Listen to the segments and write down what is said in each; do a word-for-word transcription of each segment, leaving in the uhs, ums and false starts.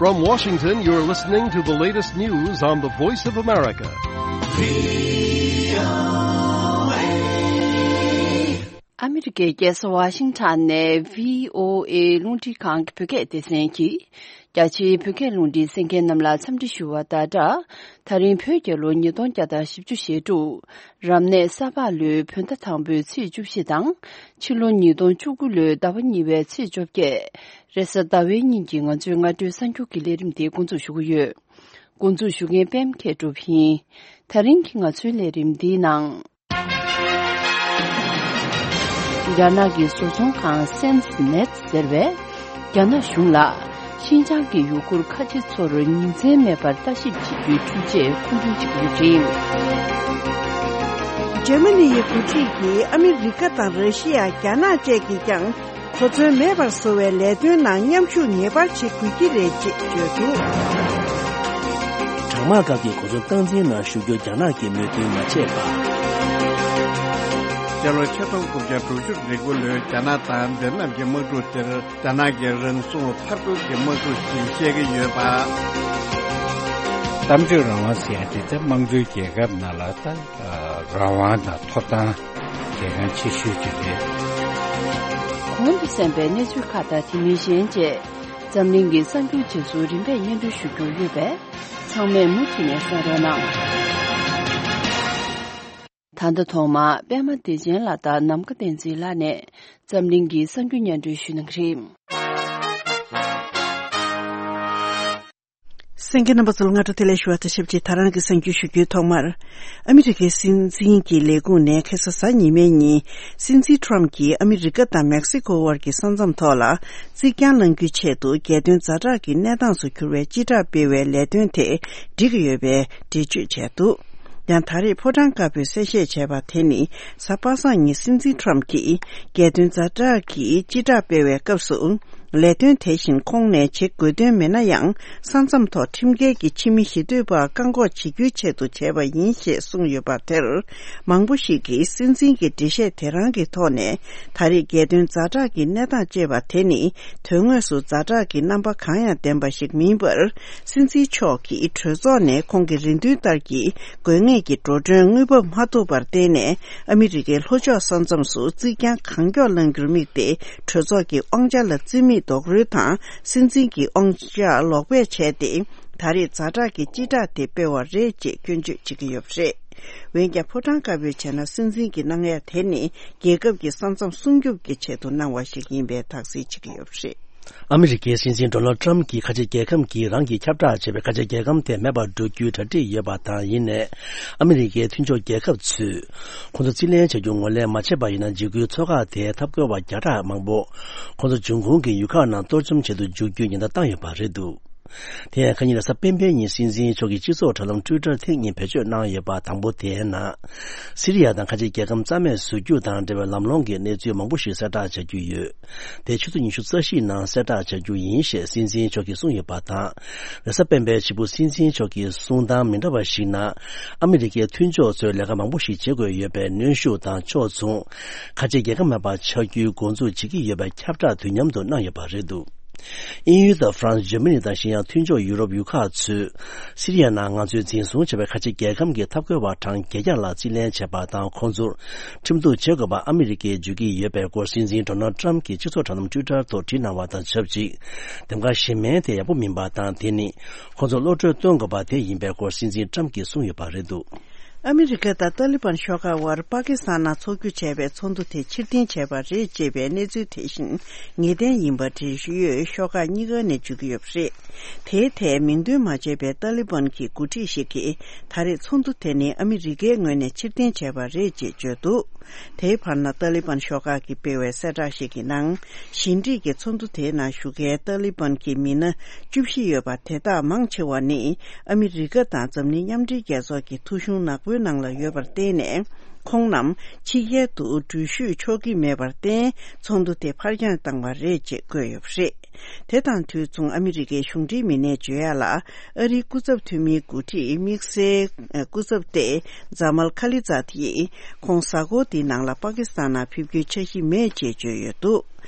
From Washington, you're listening to the latest news on the Voice of America. ཨ་མི་རི་ཀའི་རྒྱལ་ས་ཝ་ཤིང་ཊོན་ནས་བྷི་ཨོ་ཨེ་རླུང་འཕྲིན་ཁང་གི་བོད་སྐད་སྡེ་ཚན་གྱིས། རྒྱ་ཆེའི་བོད་སྐད་རླུང་འཕྲིན་གསན་མཁན་རྣམས་ལ་འཚམས་འདྲི་ཞུ་བ་དང་སྦྲགས། ད་རིང་བོད་རྒྱལ་ལོ་ཉིས་སྟོང་བརྒྱ་དང་བཞི་བཅུ་ཞེ་དྲུག་རབ་གནས་ས་ཕག་ལོའི་བོད་ཟླ་དང་པོའི་ཚེས་བཅུ་བཞི་དང་། ཕྱི་ལོ་ཉིས་སྟོང་བཅུ་དགུ་ལོའི་ཟླ་བ་གཉིས་པའི་ཚེས་བཅོ་བརྒྱད། རེས་གཟའ་ཟླ་བའི་ཉིན་གྱི་ང་ཚོའི་སྔ་དྲོའི་གསར་འགྱུར་གྱི་ལས་རིམ་དེ་འགོ་འཛུགས་ཞུ་གི་ཡོད། འགོ་འཛུགས་ཞུ་མཁན་པད་མ་མཁས་གྲུབ་ཡིན། ད་རིང་གི་ང་ཚོའི་ལས་རིམ་འདིའི་ནང་། རྒྱ་ནག་གི་བཟོ་ཚོང་ཁང་སེམས་ནེད་ཟེར་བས། རྒྱ་ནག་གཞུང་ལ་ཤིན་ཅང་གི་ཡུ་གུར་ཁ་ཆེ་ཚོར་ཉིན་མཚན་མེད་པར་ལྟ་ཞིབ་བྱེད་རྒྱུའི་འཕྲུལ་ཆས་མཁོ་འདོན་བྱེད་ཀྱི་ཡོད་པ་རེད། འཇར་མ་ནི་ཡི་འགོ་ཁྲིད་ཀྱིས་ཨ་མི་རི་ཀ་དང་ར་ཤི་ཡ། རྒྱ་ནག་བཅས་ཀྱིས་ཀྱང་གོ་མཚོན་མེད་པར་བཟོ་བའི་ལས་དོན་ནང་མཉམ་ཞུགས་ངེས་པར་བྱེད་དགོས་ཀྱི་རེད་ཅེས་བརྗོད་འདུག། གྲང་དམག་སྐབས་ཀྱི་གོ་མཚོན་སྟངས་འཛིན་ནང་ཞུགས་རྒྱུར་རྒྱ་ནག་གིས་མོས་མཐུན་མ་བྱས་པ། སྤྱི་ལོ་ཆིག་སྟོང་དགུ་བརྒྱ་དྲུག་ཅུ་རེ་དགུ་ལོའི་རྒྱ་ནག་དང་མདོ་ནམ་གྱི་དམག་འཁྲུག་དེར་རྒྱ་ནག་གི་རང་སྲུང་མཐའ་འཁོར་གྱི་དམག་འཁྲུག་ཅེས་བཤད་ཀྱི་ཡོད་པ། གཏམ་བརྗོད་རང་དབང་ཟེར་ཡ་དེ་ད་དམངས་གཙོའི་རྒྱལ་ཁབ་ནང་ལ་ད་རང་དབང་དང་ཐོབ་ཐང་གལ་འགངས་ཆེ་ཤོས་ཅིག་རེད། གོང་དུ་གསན་པའི་གནས་ཚུལ་ཁག་དང་དེ་མིན་གཞན་བཅས་འཛམ་གླིང་གི་གསར་འགྱུར་རྗེས་སུ་རིམ་པས་སྙན་སྒྲོན་ཞུ་རྒྱུ་ཡོད་པས། ཚང་མས་མུ་མཐུད་ནས་གསན་རོགས་གནང་། ད་ལྟ་ཐོག་མར་པད་མ་བདེ་ཆེན་ལགས་དང་ནམ་མཁའ་བསྟན་འཛིན་ལགས་ནས་འཛམ་གླིང་གི་གསར་འགྱུར་སྙན་སྒྲོན་ཞུ་གནང་གི་རེད། གསན་མཁན་རྣམ་པ་ཚོ་ལ་སྔ་དྲོ་བདེ་ལེགས་ཞུ་བ་དང་ཆབས་ཅིག་ད་རང་གི་གསར་འགྱུར་ཞུ་རྒྱུའི་ཐོག་མར། ཨ་མི་རི་ཀའི་སྲིད་འཛིན་གྱི་ལས་ཁུངས་ནས་ཁ་སང་གཟའ་ཉི་མའི་ཉིན། སྲིད་འཛིན་ཊམ་གྱིས་ཨ་མི་རི་ཀ་དང་མེག་སི་ཀོ་དབར་གྱི་ས་མཚམས་ཐོག་ལ་རྩིག་གྱང་བསླང་རྒྱུའི་ཆེད་དུ་རྒྱལ་དོན་ཛ་དྲག་གི་གནས་སྟངས་སུ་གྱུར་བའི་སྤྱི་བསྒྲགས་སྤེལ་བའི་ལས་དོན་དེ་འགྲིག་གི་ཡོད་པའི་འགྲེལ་བརྗོད་བྱས་འདུག། ཡང་ད་རེས་ཕོ་བྲང་དཀར་པོས་གསལ་བཤད་བྱས་པ་དེ་ནི། གཟའ་པ་སངས་ཉིན་སྲིད་འཛིན་ཊམ་གྱིས་རྒྱལ་དོན་ཛ་དྲག་གི་སྤྱི་བསྒྲགས་སྤེལ་བའི་སྐབས་སུ། ལས་དོན་དེ་བཞིན་ཁོང་ནས་བྱེད་དགོས་དོན་མེད་ན་ཡང་། ས་མཚམས་ཐོག་ཁྲིམས་འགལ་གྱི་ཕྱི་མི་ཞི་གཏོད་པར་བཀག་འགོག་བྱེད་རྒྱུའི་ཆེད་དུ་བྱས་པ་ཡིན་ཞེས་གསུངས་ཡོད་པ་དེར། མང་པོ་ཞིག་གིས་སྲིད་འཛིན་གྱི་འགྲེལ་བཤད་དེ་རང་གི་ཐོག་ནས། ད་རེས་རྒྱལ་དོན་ཛ་དྲག་གི་གནས་སྟངས་ཅེས་པ་དེ་ནི། དོན་དངོས་སུ་ཛ་དྲག་གི་རྣམ་པ་གང་ཡང་ལྡན་པ་ཞིག་མིན་པར། སྲིད་འཛིན་མཆོག་གིས་གྲོས་ཚོགས་ནས་ཁོང་གི་རེ་འདུན་ལྟར་གྱི་དགོས་ངེས་ཀྱི་འགྲོ་གྲོན་དངུལ་འབབ་མ་ཐོབ་པར་བརྟེན་ནས། ཨ་མི་རི་ཀའི་ལྷོ་ཕྱོགས་ས་མཚམས་སུ་རྩིག་གྱང་གང་མགྱོགས་བསླང་རྒྱུར་དམིགས་ཏེ། གྲོས་ཚོགས་ཀྱི་དབང་ཆ་ལ་རྩིས་མེད་རྡོག་རོལ་དང་། སྲིད་འཛིན་གྱི་དབང་ཆ་ལོག་སྤེལ་བྱས་ཏེ། ད་རེས་ཛ་དྲག་གི་སྤྱི་བསྒྲགས་དེ་སྤེལ་བ་རེད་ཅེས་སྐྱོན་བརྗོད་བྱེད་ཀྱི་ཡོད་པ་རེད། འོན་ཀྱང་ཕོ་བྲང་དཀར་པོས་བྱས་ན། སྲིད་འཛིན་གྱི་གནང་ཡ་དེ་ནི། རྒྱལ་ཁབ་ཀྱི་ས་མཚམས་སྲུང་སྐྱོབ་ཀྱི་ཆེད་དུ་གནང་བ་ཞིག་ཡིན་པའི་དག་སེལ་བྱེད་ཀྱི་ཡོད་པ་རེད། ཨ་མི་རི་ཀའི་སྲིད་འཛིན་ཌོ་ནལ་ཊམ་གྱིས་ཁ་ཆེ་རྒྱལ་ཁམས་ཀྱིས་རང་གིས་ཁྱབ་བསྒྲགས་བྱས་པའི་ཁ་ཆེ་རྒྱལ་ཁམས་དེ་མེད་པར་འགྲོ་རྒྱུའི་གྲ་སྒྲིག་ཡོད་པ་དང་། ཡིན་ནའི། ཨ་མི་རི་ཀའི་མཐུན་ཕྱོགས་རྒྱལ་ཁབ་ཚོས། ཁོང་ཚོ་རྩིས་ལེན་བྱ་རྒྱུ་ངོས་ལེན་མ་བྱས་པ་ཡིན་ན། འཇིགས་སྐུལ་ཚོགས་ཁག་དེས་འཐབ་རྒོལ་བ་བརྒྱ་ཕྲག་མང་པོ། ཁོང་ཚོ་འབྱུང་ཁུངས་ཀྱི་ཡུལ་ཁག་ནང་གཏོར་བཅོམ་བྱེད་དུ་འཇུག་རྒྱུའི་ཉེན་བརྡ་བཏང་ཡོད་པ་རེད་འདུག། དེ་ཡང་ཁ་ཉིན་རེས་གཟའ་སྤེན་པའི་ཉིན་སྲིད་འཛིན་མཆོག་གིས་སྤྱི་ཚོགས་དྲ་ལམ་ཊུའི་ཊར་ཐེངས་གཉིས་བེད་སྤྱོད་གནང་ཡོད་པ། དང་པོ་དེའི་ནང་། སི་རི་ཡ་དང་ཁ་ཆེ་རྒྱལ་ཁམས་རྩ་མེད་བཟོ་རྒྱུ་དང་འབྲེལ་བའི་ལམ་ལྷོང་གི་གནས་ཚུལ་མང་པོ་ཞིག་གསལ་བསྒྲགས་བྱ་རྒྱུ་ཡོད། དེ་ཆུ་ཚོད་ཉི་ཤུ་རྩ་བཞིའི་ནང་གསལ་བསྒྲགས་བྱ་རྒྱུ་ཡིན་ཞེས་སྲིད་འཛིན་མཆོག་གིས་གསུངས་ཡོད་པ་དང་། རེས་གཟའ་སྤེན་པའི་ཕྱི་པོ་སྲིད་འཛིན་མཆོག་གི་གསུང་སྟངས་མི་འདྲ་བ་ཞིག་ནང་། ཨ་མི་རི་ཀའི་མཐུན་ཕྱོགས་ཚོས་ལས་ཀ་མང་པོ་ཞིག་བྱེད་དགོས་ཡོད་པའི་གནོན་ཤུགས་དང་ཕྱོགས་མཚུངས། ཁ་ཆེ་རྒྱལ་ཁབ་མེད་པ་ཆགས་རྒྱུའི་འགོ་འཛུགས་བྱེད་ཀྱི་ཡོད་པའི་ཁྱབ་བསྒྲགས་དུས་མཉམ་དུ་གནང་ཡོད་པ་རེད་འདུག། དབྱིན་ཡུལ་དང་ཧྥ་རན་སི། འཇར་མ་ནི་དང་གཞན་ཡང་མཐུན་ཕྱོགས་ཡུ་རོབ་ཡུལ་ཁག་ཚོས། སི་རི་ཡ་ནང་ང་ཚོས་འཛིན་བཟུང་བྱས་པའི་ཁ་ཆེ་རྒྱལ་ཁམས་ཀྱི་འཐབ་རྒོལ་བ་གྲངས་བརྒྱད་བརྒྱ་ལ་རྩིས་ལེན་བྱས་པ་དང་། ཁོང་ཚོར་ཁྲིམས་གཏུག་བྱེད་དགོས་པ་ཨ་མི་རི་ཀས་བརྗོད་ཀྱི་ཡོད་པའི་སྐོར། སྲིད་འཛིན་ཌོ་ནལ་ཊམ་གྱིས་སྤྱི་ཚོགས་དྲ་ལམ་ཊུའི་ཊར་ཐོག་བྲིས་གནང་བ་དང་ཆབས་ཅིག། འདེམས་ཀ་གཞན་མིན་དེ་ཡག་པོ་མིན་པ་དང་། དེ་ནི་ཁོང་ཚོར་བློ་གྲོས་སྟོན་དགོས་པ་དེ་ཡིན་པའི་སྐོར། སྲིད་འཛིན་ཊམ་གྱིས་གསུངས་ཡོད་པ་རེད་འདུག། ཨ་མི་རི་ཀ་དང་ཏཱ་ལི་བན་ཤོག་ཁག་དབར་པ་ཀི་སི་ཐན་ནང་འཚོགས་རྒྱུ་བྱས་པའི་ཚོགས་འདུ་དེ་ཕྱིར་འཐེན་བྱས་པ་རེད་ཅེས་པའི་གནས་ཚུལ་དེ་བཞིན་ངེས་གཏན་ཡིན་པ་འབྲེལ་ཡོད་ཤོག་ཁག་གཉིས་ཀ་ནས་བརྗོད་ཀྱི་ཡོད་པ་རེད། དེའི་ཐད་མིང་འདོན་མ་བྱས་པའི་ཏཱ་ལི་བན་གྱི་འགོ་ཁྲིད་ཞིག་གིས། ད་རེས་ཚོགས་འདུ་དེ་ནི་ཨ་མི་རི་ཀའི་ངོས་ནས་ཕྱིར་འཐེན་བྱས་པ་རེད་ཅེས་བརྗོད་འདུག། དེའི་བར་ན་ཏཱ་ལི་བན་ཤོག་ཁག་གིས་སྤེལ་བའི་གསལ་བསྒྲགས་ཤིག་གི་ནང་། ཞི་འགྲིག་གི་ཚོགས་འདུ་དེའི་ནང་ཞུགས་མཁན་ཏཱ་ལི་བན་གྱི་མི་སྣ་བཅུ་བཞི་ཡོད་པ་དེ་དག་མང་ཆེ་བ་ནི་ཨ་མི་རི་ཀ་དང་འཛམ་གླིང་མཉམ་འབྲེལ་རྒྱལ་ཚོགས་ཀྱི་ཐོ་གཞུང་ནག་པོའི་ནང་ལ་ཡོད་པར་བརྟེན་ནས། ཁོང་རྣམས་ཕྱི་རྒྱལ་དུ་འགྲུལ་བཞུད་ཆོག་གི་མེད་པར་བརྟེན། ཚོགས་འདུ་དེ་ཕར་འགྱངས་བཏང་བ་རེད་ཅེས་བཀོད་ཡོད་པ་རེད། དེ་དང་དུས་མཚུངས། ཨ་མི་རི་ཀའི་གཞུང་འབྲེལ་མི་སྣས་བརྗོད་ཡག་ལ། ཨ་རིའི་སྐུ་ཚབ་འཐུས་མིའི་འགོ་ཁྲིད་དམིགས་བསལ་སྐུ་ཚབ་ཏེ་ཛ་མལ་ཁ་ལི་ཛཱད་ཡིས། ཁོང་གཟའ་འཁོར་འདིའི་ནང་ལ་པ་ཀི་སི་ཐན་ནང་ཕེབས་རྒྱུའི་འཆར་གཞི་མེད་ཅེས་བརྗོད་ཡོད་འདུག་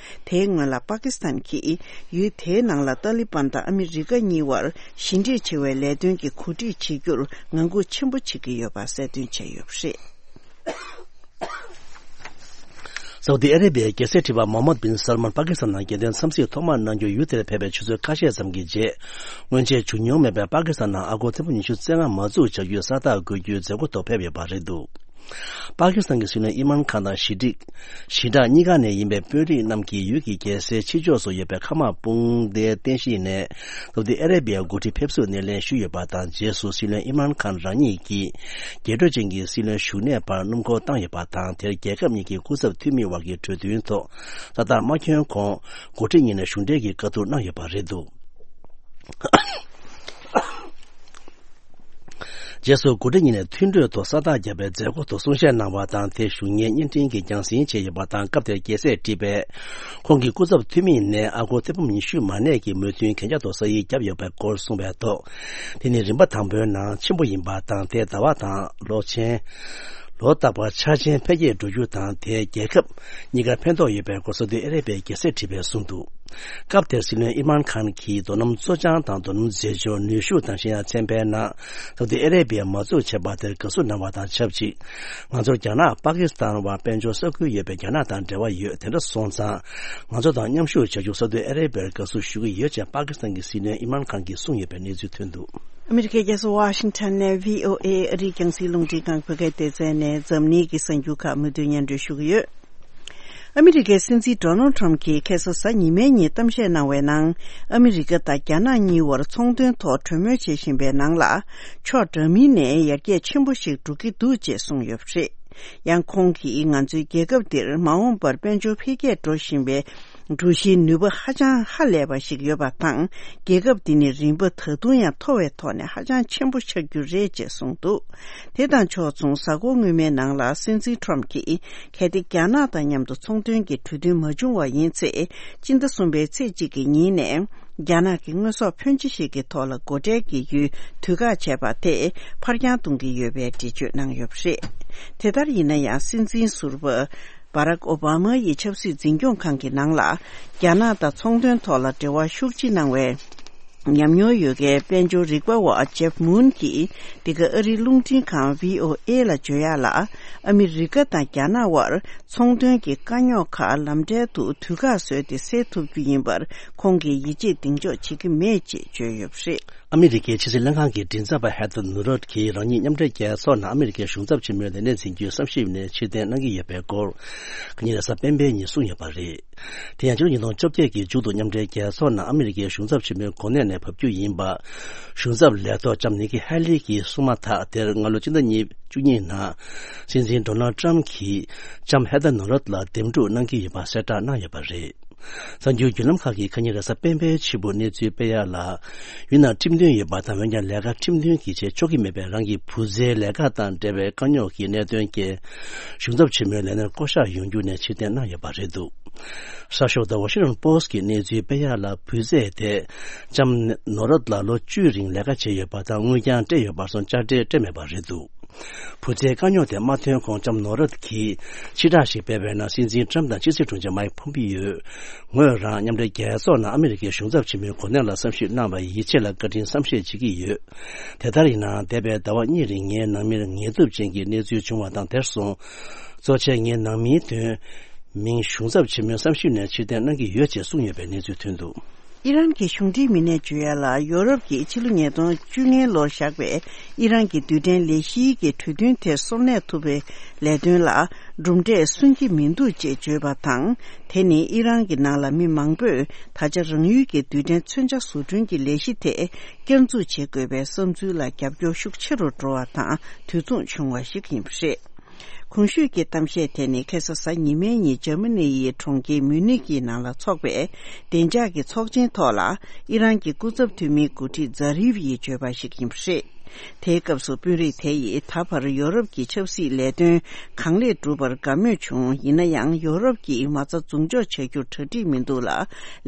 དེའི་སྔོན་ལ། པ་ཀི་སི་ཐན་གྱིས་ཡུལ་དེའི་ནང་ལ་ཏཱ་ལི་བན་དང་ཨ་མི་རི་ཀ་གཉིས་བར་ཞི་འགྲིག་ཆེ་བའི་ལས་དོན་གྱི་གོ་སྒྲིག་བྱེད་རྒྱུར་ངང་སྒུག་ཆེན་པོ་བྱེད་ཀྱི་ཡོད་པ་གསལ་སྟོན་བྱས་ཡོད་པ་རེད། སའུ་ཏི་ཨ་རེ་བྷི་ཡའི་རྒྱལ་སྲས་ཁྲི་པ་མོ་ཧམ་མད་བིན་སལ་མཱན་པ་ཀི་སི་ཐན་ནང་རྒྱལ་དོན་འཚམས་གཟིགས་ཐོག་མར་གནང་རྒྱུར་ཡུལ་དེར་ཕེབས་པའི་ཆུ་ཚོད་ཁ་ཤས་ཙམ་གྱི་རྗེས། སྔོན་ཆད་བྱུང་མྱོང་མེད་པའི་པ་ཀི་སི་ཐན་ནང་ཨ་སྒོར་ཐེར་འབུམ་ཉི་ཤུ་རྩ་ལྔ་མ་འཛུགས་བྱ་རྒྱུའི་ས་རྟགས་འགོད་རྒྱུའི་མཛད་སྒོ་ཐོག་ཕེབས་ཡོད་པ་རེད་འདུག་པ་ཀི་སི་ཐན་གྱི་སྲིད་བློན་ཨི་མན་ཁཱན་དང་ཞི་འགྲིག་ཞི་དྲག་གཉིས་ཀ་ནས་ཡིན་པའི་དཔོན་རིགས་རྣམས་ཀྱིས་ཡུལ་གྱི་རྒྱལ་སའི་ཕྱི་ཕྱོགས་སུ་ཡོད་པའི་མཁའ་དམག་དཔུང་སྡེའི་རྟེན་གཞི་ནས་སའུ་ཏི་ཨ་རེ་བྷི་ཡའི་འགོ་ཁྲིད་ཕེབས་བསུའི་སྣེ་ལེན་ཞུས་ཡོད་པ་དང་། རྗེས་སུ་སྲིད་བློན་ཨི་མན་ཁཱན་རང་ཉིད་ཀྱིས་རྒྱལ་སྒྲོལ་ཅན་གྱི་སྲིད་བློན་བཞུགས་གནས་བར་སྣུམ་འཁོར་བཏང་ཡོད་པ་དང་། དེར་རྒྱལ་ཁབ་གཉིས་ཀྱི་སྐུ་ཚབ་འཐུས་མི་དབར་གྱི་གྲོས་མཐུན་ཐོག་ས་རྟགས་མ་འཁྱོལ་གོང་། འགོ་ཁྲིད་གཉིས་ནས་གཞུང་འབྲེལ་གྱི་བཀའ་བསྡུར་གནང་ཡོད་པ་རེད་འདུག་རྗེས་སུ་འགོ་ཁྲིད་གཉིས་ནས་མཐུན་གྲོས་ཐོག་ས་རྟགས་བརྒྱབ་པའི་མཛད་སྒོ་ཐོག་གསུང་བཤད་གནང་བ་དང་། དེ་བཞུགས་མཁན་བརྙན་འཕྲིན་གྱིས་རྒྱང་སྲིང་བྱས་ཡོད་པ་དང་། སྐབས་དེར་རྒྱལ་སྲས་ཁྲི་པས་ཁོང་གི་སྐུ་ཚབ་འཐུས་མི་ནས་ཨ་སྒོར་ཐེར་འབུམ་ཉི་ཤུ་མ་གནས་ཀྱི་མོས་མཐུན་གན་རྒྱ་ཐོག་ས་ཡིག་བརྒྱབ་ཡོད་པའི་སྐོར་གསུངས་པའི་ཐོག་དེ་ནི་རིམ་པ་དང་པོའི་ནང་ཆེན་པོ་ཡིན་པ་དང་། དེ་ཟླ་བ་དང་ལོ་ཆེན། ལོ་རྟག་པར་འཆར་ཅན་འཕེལ་རྒྱས་འགྲོ་རྒྱུ་དང་། དེས་རྒྱལ་ཁབ་གཉིས་ཀར་ཕན་ཐོགས་ཡོད་པའི་སྐོར་སོགས་དེ་ཨ་རེ་བྷིའི་རྒྱལ་སྲས་ཁྲི་པས་གསུངས་འདུག་སྐབས་དེར་སྲིད་བློན་ཨི་མན་ཁཱན་གྱིས་རྡོ་སྣུམ་བཙོ་སྦྱང་དང་། རྡོ་སྣུམ་རྫས་སྦྱོར། ནུས་ཤུགས་དང་གཞན་ཡང་ཚན་པའི་ནང་སའུ་ཏི་ཨ་རེ་བྷི་ཡས་མ་འཛུགས་བྱས་པ་དེར་དགའ་བསུ་གནང་བ་དང་ཆབས་ཅིག་ང་ཚོར་རྒྱ་ནག་པ་ཀི་སི་ཐན་བར་དཔལ་འབྱོར་ས་ཁུལ་ཡོད་པས་རྒྱ་ནག་དང་འབྲེལ་བ་ཡོད། དེ་འདྲ་སོང་ཙང་ང་ཚོ་དང་མཉམ་ཞུགས་བྱ་རྒྱུར་སའུ་ཏི་ཨ་རེ་བྷི་ཡར་དགའ་བསུ་ཞུ་གི་ཡོད་ཅེས་པ་ཀི་སི་ཐན་གྱི་སྲིད་བློན་ཨི་མན་ཁཱན་གྱིས་གསུངས་ཡོད་པའི་གནས་ཚུལ་ཐོན་འདུག་ཨ་མི་རི་ཀའི་རྒྱལ་ས་ཝ་ཤིང་ཊོན་ནས་བྷི་ཨོ་ཨེ་ཨ་རིའི་རྒྱང་སྲིང་རླུང་འཕྲིན་ཁང་བོད་སྐད་སྡེ་ཚན་ནས་འཛམ་གླིང་གི་གསར་འགྱུར་ཁག་མུ་མཐུད་སྙན་སྒྲོན་ཞུ་གི་ཡོད། ཨ་མི་རི་ཀའི་སྲིད་འཛིན་ཌོ་ནལ་ཊམ་གྱིས་ཁ་སང་གཟའ་ཉི་མའི་ཉིན་གཏམ་བཤད་གནང་བའི་ནང་། ཨ་མི་རི་ཀ་དང་རྒྱ་ནག་གཉིས་བར་ཚོང་དོན་ཐོག་གྲོས་མོལ་བྱེད་བཞིན་པའི་ནང་ལ། ཕྱོགས་འདྲ་མིན་ནས་ཡར་རྒྱས་ཆེན་པོ་ཞིག་འགྲོ་གི་འདུག་ཅེས་གསུངས་ཡོད་པ་རེད། ཡང་ཁོང་གིས། ང་ཚོའི་རྒྱལ་ཁབ་འདིར་མ་འོངས་པར་དཔལ་འབྱོར་འཕེལ་རྒྱས་འགྲོ་བཞིན་པའི་འགྲུལ་བཞིའི་ནུས་པ་ཧ་ཅང་ཧ་ལས་པ་ཞིག་ཡོད་པ་དང་། རྒྱལ་ཁབ་འདི་ནི་རིམ་པ་ད་དུང་ཡང་མཐོ་བའི་ཐོག་ནས་ཧ་ཅང་ཆེན་པོ་ཆགས་རྒྱུ་རེད་ཅེས་གསུངས་འདུག་དེ་དང་ཕྱོགས་མཚུངས། གཟའ་འཁོར་སྔོན་མའི་ནང་ལ་སྲིད་འཛིན་ཊམ་གྱིས། གལ་ཏེ་རྒྱ་ནག་དང་མཉམ་དུ་ཚོང་དོན་གྱི་གྲོས་མཐུན་མ་བྱུང་བ་ཡིན་ཚེ། སྤྱི་ཟླ་གསུམ་པའི་ཚེས་གཅིག་གི་ཉིན་ནས། རྒྱ་ནག་གི་དངོས་ཟོག་ཕོན་ཆེ་ཞིག་གི་ཐོག་ལ་སྒོ་ཁྲལ་གྱི་ཡུལ་དུས་བཀག་བྱས་པ་དེ་ཕར་འགྱངས་གཏོང་གི་ཡོད་པའི་འགྲེལ་བརྗོད་གནང་ཡོད་པ་རེད། དེ་ལྟར་ཡིན་ན་ཡང་། སྲིད་འཛིན་ཟུར་པ་བྷ་རག་ཨོ་བྷ་མ་ཡི་ཆབ་སྲིད་འཛིན་སྐྱོང་ཁང་གི་ནང་ལ། རྒྱ་ནག་དང་ཚོང་དོན་ཐོག་ལ་འབྲེལ་བ་ཤུགས་ཆེ་གནང་བའི་ཉམས་མྱོང་ཡོད་མཁན་དཔལ་འབྱོར་རིག་པ་བ་ཇེབ་མུན་གྱིས། འདི་ག་ཨ་རིའི་རླུང་འཕྲིན་ཁང་བྷི་ཨོ་ཨེ་ལ་བརྗོད་ཡག་ལ། ཨ་མི་རི་ཀ་དང་རྒྱ་ནག་དབར་ཚོང་དོན་གྱི་དཀའ་རྙོག་ཁག་ལམ་འབྲས་དུ་དུས་བཀག་བཟོས་ཏེ་སེལ་ཐུབ་རྒྱུ་ཡིན་པར་ཁོང་གིས་ཡིད་ཆེས་གདེང་འཇོག་བྱེད་ཀྱི་མེད་ཅེས་བརྗོད་ཡོད་པ་རེད། ཨ་མི་རི་ཀའི་ཕྱི་སྲིད་ལྷན་ཁང་གི་མགྲིན་ཚབ་པ་ཧེ་ཐར་ནུ་རོད་ཀྱིས་རང་ཉིད་མཉམ་འབྲེལ་རྒྱལ་ཚོགས་ནང་ཨ་མི་རི་ཀའི་གཞུང་ཚབ་ཆེན་མོའི་ལས་གནས་འཛིན་རྒྱུའི་བསམ་ཞིབ་ནས་ཕྱིར་འཐེན་གནང་གི་ཡོད་པའི་སྐོར། ཁ་ཉིན་རེས་གཟའ་སྤེན་པའི་ཉིན་གསུངས་ཡོད་པ་རེད། དེ་ཡང་ཕྱི་ལོ་ཉིས་སྟོང་བཅོ་བརྒྱད་ཀྱི་མཇུག་ཏུ་མཉམ་འབྲེལ་རྒྱལ་ཚོགས་ནང་ཨ་མི་རི་ཀའི་གཞུང་ཚབ་ཆེན་མོའི་གོ་གནས་ནས་བབས་རྒྱུ་ཡིན་པ། གཞུང་ཚབ་ལས་ཐོག་ལྕམ་ནི་ཀི་ཧེ་ལི་གིས་གསུངས་མ་ཐག་དེར་སྔ་ལོ་སྤྱི་ཟླ་ཉེར་གཉིས་ནང་། སྲིད་འཛིན་ཌོ་ནལ་ཊམ་གྱིས་ལྕམ་ཧེ་ཐར་ནུ་རོད་ལ་འདེམས་སྒྲུག་གནང་གི་ཡོད་པ་གསལ་བསྒྲགས་གནང་ཡོད་པ་རེད། གསར་འགྱུར་བརྒྱུད་ལམ་ཁག་གིས་ཁ་ཉིན་རེས་གཟའ་སྤེན་པའི་ཕྱི་པོ་གནས་ཚུལ་སྤེལ་ཡག་ལ། ཡུལ་ནང་ཁྲིམས་མཐུན་ཡོད་པ་དང་། འོན་ཀྱང་ལས་ཀ་ཁྲིམས་མཐུན་གྱིས་བྱེད་ཆོག་གི་མེད་པའི་རང་གི་བུ་ཚའི་ལས་ཀ་དང་འབྲེལ་བའི་དཀའ་རྙོག་གི་གནད་དོན་རྐྱེན། གཞུང་ཚབ་ཆེན་མོའི་ལས་གནས་བསྐོ་གཞག་ཡོང་རྒྱུ་ནས་ཕྱིར་འཐེན་གནང་ཡོད་པ་རེད་འདུག་གསར་ཤོག་ད་ཝ་ཤིང་ཊོན་པོ་སི་ཊི་གིས་གནས་ཚུལ་སྤེལ་ཡག་ལ། བུ་ཚས་དེ་ལྕམ་ནོ་རོད་ལ་ལོ་བཅུའི་རིང་ལས་ཀ་བྱས་ཡོད་པ་དང་། དངུལ་ཀྱང་སྤྲད་ཡོད་པར་སོང་། དཔྱ་ཁྲལ་སྤྲད་མེད་པ་རེད་འདུག་བུ་ཚའི་དཀའ་རྙོག་དེ་མ་ཐོན་གོང་ལྕམ་ནོ་རོད་ཀྱིས་ཕྱིར་བསྒྲགས་ཤིག་སྤེལ་བའི་ནང་། སྲིད་འཛིན་ཊམ་དང་ཕྱི་སྲིད་དྲུང་ཆེ་མའིག་ཕོམ་པིའོ། ངོས་རང་མཉམ་འབྲེལ་རྒྱལ་ཚོགས་ནང་ཨ་མི་རི་ཀའི་གཞུང་ཚབ་ཆེན་མོའི་གོ་གནས་ལ་བསམ་ཞིབ་གནང་བར་ཡིད་ཆེས་ལ་བཀའ་དྲིན་བསམ་ཤེས་བྱེད་ཀྱི་ཡོད། དེ་ལྟར་ཡིན་ནའང་། འདས་པའི་ཟླ་བ་གཉིས་རིང་ངའི་ནང་མིར་ངལ་དུབ་ཅན་གྱི་གནས་ཚུལ་བྱུང་བ་དང་། དེར་སོང་། གཙོ་ཆེ་ངའི་ནང་མིའི་དོན་མིང་གཞུང་ཚབ་ཆེན་མོའི་བསམ་ཞིབ་ནས་ཕྱིར་འཐེན་གནང་གི་ཡོད་ཅེས་གསུངས་ཡོད་པའི་གནས་ཚུལ་ཐོན་འདུག་ཨི་རན་གྱི་གཞུང་འབྲེལ་མི་སྣས་བརྗོད་ཡག་ལ། ཡོ་རོབ་ཀྱིས་ཕྱི་ལོ་ཉིས་སྟོང་བཅོ་ལྔའི་ལོར་བཞག་པའི་ཨི་རན་གྱི་རྡུལ་ཕྲན་ལས་གཞིའི་གི་གྲོས་མཐུན་དེ་སོར་གནས་ཐུབ་པའི་ལས་དོན་ལ་གྲུབ་འབྲས་སོན་གྱི་མི་འདུག་ཅེས་བརྗོད་པ་དང་། དེ་ནི་ཨི་རན་གྱི་ནང་ལ་མི་མང་པོས་ད་ཆ་རང་ཡུལ་གྱི་རྡུལ་ཕྲན་མཚོན་ཆ་བཟོ་སྐྲུན་གྱི་ལས་གཞི་དེ་བསྐྱར་འཛུགས་བྱེད་དགོས་པའི་བསམ་ཚུལ་ལ་རྒྱབ་སྐྱོར་ཤུགས་ཆེ་རུ་འགྲོ་བ་དང་དུས་མཚུངས་བྱུང་བ་ཞིག་ཡིན་པ་རེད། གོང་ཞུས་ཀྱི་གཏམ་བཤད་དེ་ནི་ཁ་སང་གཟའ་ཉི་མའི་ཉིན་འཇར་མ་ནི་ཡི་གྲོང་ཁྱེར་མིའུ་ནིག་གི་ནང་ལ་འཚོགས་པའི་བདེ་འཇགས་ཀྱི་ཚོགས་ཆེན་ཐོག་ལ་ཨི་རན་གྱི་སྐུ་ཚབ་འཐུས་མིའི་འགོ་ཁྲིད་ཛ་རིབ་ཡིས་བརྗོད་པ་ཞིག་ཡིན་པ་རེད། དེའི་སྐབས་སུ་དཔོན་རིགས་དེ་ཡིས་ད་བར་ཡོ་རོབ་ཀྱི་ཆབ་སྲིད་ལས་དོན་གང་ལེགས་བསྒྲུབས་པར་དགའ་མོས་བྱུང་། ཡིན་ན་ཡང་ཡོ་རོབ་ཀྱིས་མ་རྩ་འཛུགས་འཇོག་བྱ་རྒྱུར་གྲ་སྒྲིག་མི་འདུག་ལ།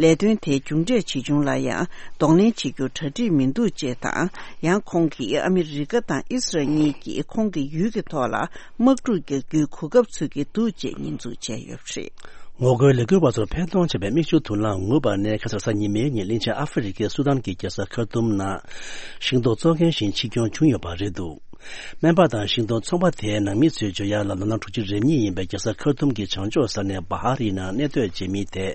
ལས་དོན་དེའི་མཇུག་འབྲས་ཇི་བྱུང་ལ་ཡང་གདོང་ལེན་བྱེད་རྒྱུར་གྲ་སྒྲིག་མི་འདུག་ཅེས་དང་། ཡང་ཁོང་གིས་ཨ་མི་རི་ཀ་དང་ཨི་སི་རལ་གཉིས་ཀྱིས་ཁོང་གི་ཡུལ་གྱི་ཐོག་ལ་དམག་འཁྲུག་རྒྱག་རྒྱུའི་གོ་སྐབས་འཚོལ་གྱི་འདུག་ཅེས་ཉེས་འཛུགས་བྱས་ཡོད་པ་རེད། ངོ་རྒོལ་ལས་འགུལ་བ་ཚོར་ཕན་ཐོགས་ཆེ་བའི་མིག་ཆུ་དུག་རླངས་ངུས་པ་ནས་ཁ་སང་གཟའ་ཉི་མའི་ཉིན་གླིང་ཆེན་ཨ་ཧྥེ་རི་ཁའི་སུ་དཱན་གྱི་རྒྱལ་ས་ཁར་ཏུམ་ནང་ཤིང་སྡོང་གཙོ་འགན་བཞིན་འཆི་སྐྱོན་བྱུང་ཡོད་པ་རེད་འདུག་སྨན་པ་དང་ཤིང་སྡོང་ཚོང་པ་དེའི་ནང་མི་ཚོས་བརྗོད་ཡག་ལ་ལོ་ན་དྲུག་ཅུ་རེ་གཉིས་ཡིན་པའི་རྒྱལ་ས་ཁར་ཏུམ་གྱི་བྱང་ཕྱོགས་ས་གནས་བྷ་ཧ་རིའི་ནང་གནས་སྡོད་བྱེད་མི་དེ་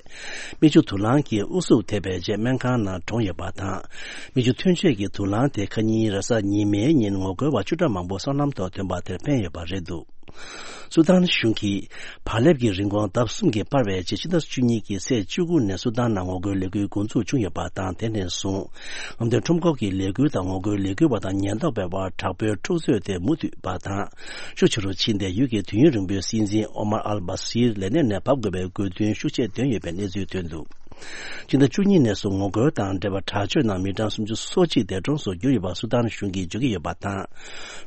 མིག་ཆུ་དུག་རླངས་ཀྱིས་ཨུ་ཚུགས་ཐེབས་པའི་རྗེས་སྨན་ཁང་ནང་གྲོངས་ཡོད་པ་དང་། མིག་ཆུ་ཐོན་སྐྱེད་ཀྱི་དུག་རླངས་དེ་ཁ་ཉིན་རེས་གཟའ་ཉི་མའི་ཉིན་ངོ་རྒོལ་བ་བཅུ་ཕྲག་མང་པོ་སོ་ནམ་ཐོག་ཐོན་པ་དེར་ཕན་ཡོད་པ་རེད་འདུག་སུ་དཱན་གཞུང་གིས་བག་ལེབ་ཀྱི་རིན་གོང་ལྡབ་གསུམ་གྱིས་སྤར་བའི་རྗེས་ཕྱི་ཟླ་བཅུ་གཉིས་ཀྱི་ཚེས་བཅུ་དགུ་ནས་སུ་དཱན་ནང་ངོ་རྒོལ་ལས་འགུལ་འགོ་འཛུགས་བྱུང་ཡོད་པ་དང་། དེ་ནས་བཟུང་རྔམ་སྟོན་ཁྲོམ་སྐོར་གྱི་ལས་འགུལ་དང་ངོ་རྒོལ་ལས་འགུལ་བ་དང་ཉེན་རྟོག་པའི་དབར་དྲག་པོའི་འཁྲུག་རྩོད་དེ་མུ་མཐུད་པ་དང་། ཤུགས་ཆེ་རུ་ཕྱིན་ཏེ་ཡུལ་གྱི་དུས་ཡུན་རིང་པོའི་སྲིད་འཛིན་ཨོ་མར་ཨལ་བྷ་སིར་ལས་གནས་ནས་བབས་དགོས་པའི་དགོས་འདུན་ཤུགས་ཆེ་བཏོན་ཡོད་པའི་གནས་ཚུལ་ཐོན་འདུག་ཕྱི་ཟླ་བཅུ་གཉིས་ནས་བཟུང་ངོ་རྒོལ་དང་འབྲེལ་བ་དྲག་སྤྱོད་ནང་མི་གྲངས་སུམ་ཅུ་སོ་གཅིག་འདས་གྲོངས་སུ་གྱུར་ཡོད་པ་སུ་དཱན་གཞུང་གིས་བརྗོད་ཀྱི་ཡོད་པ་དང་།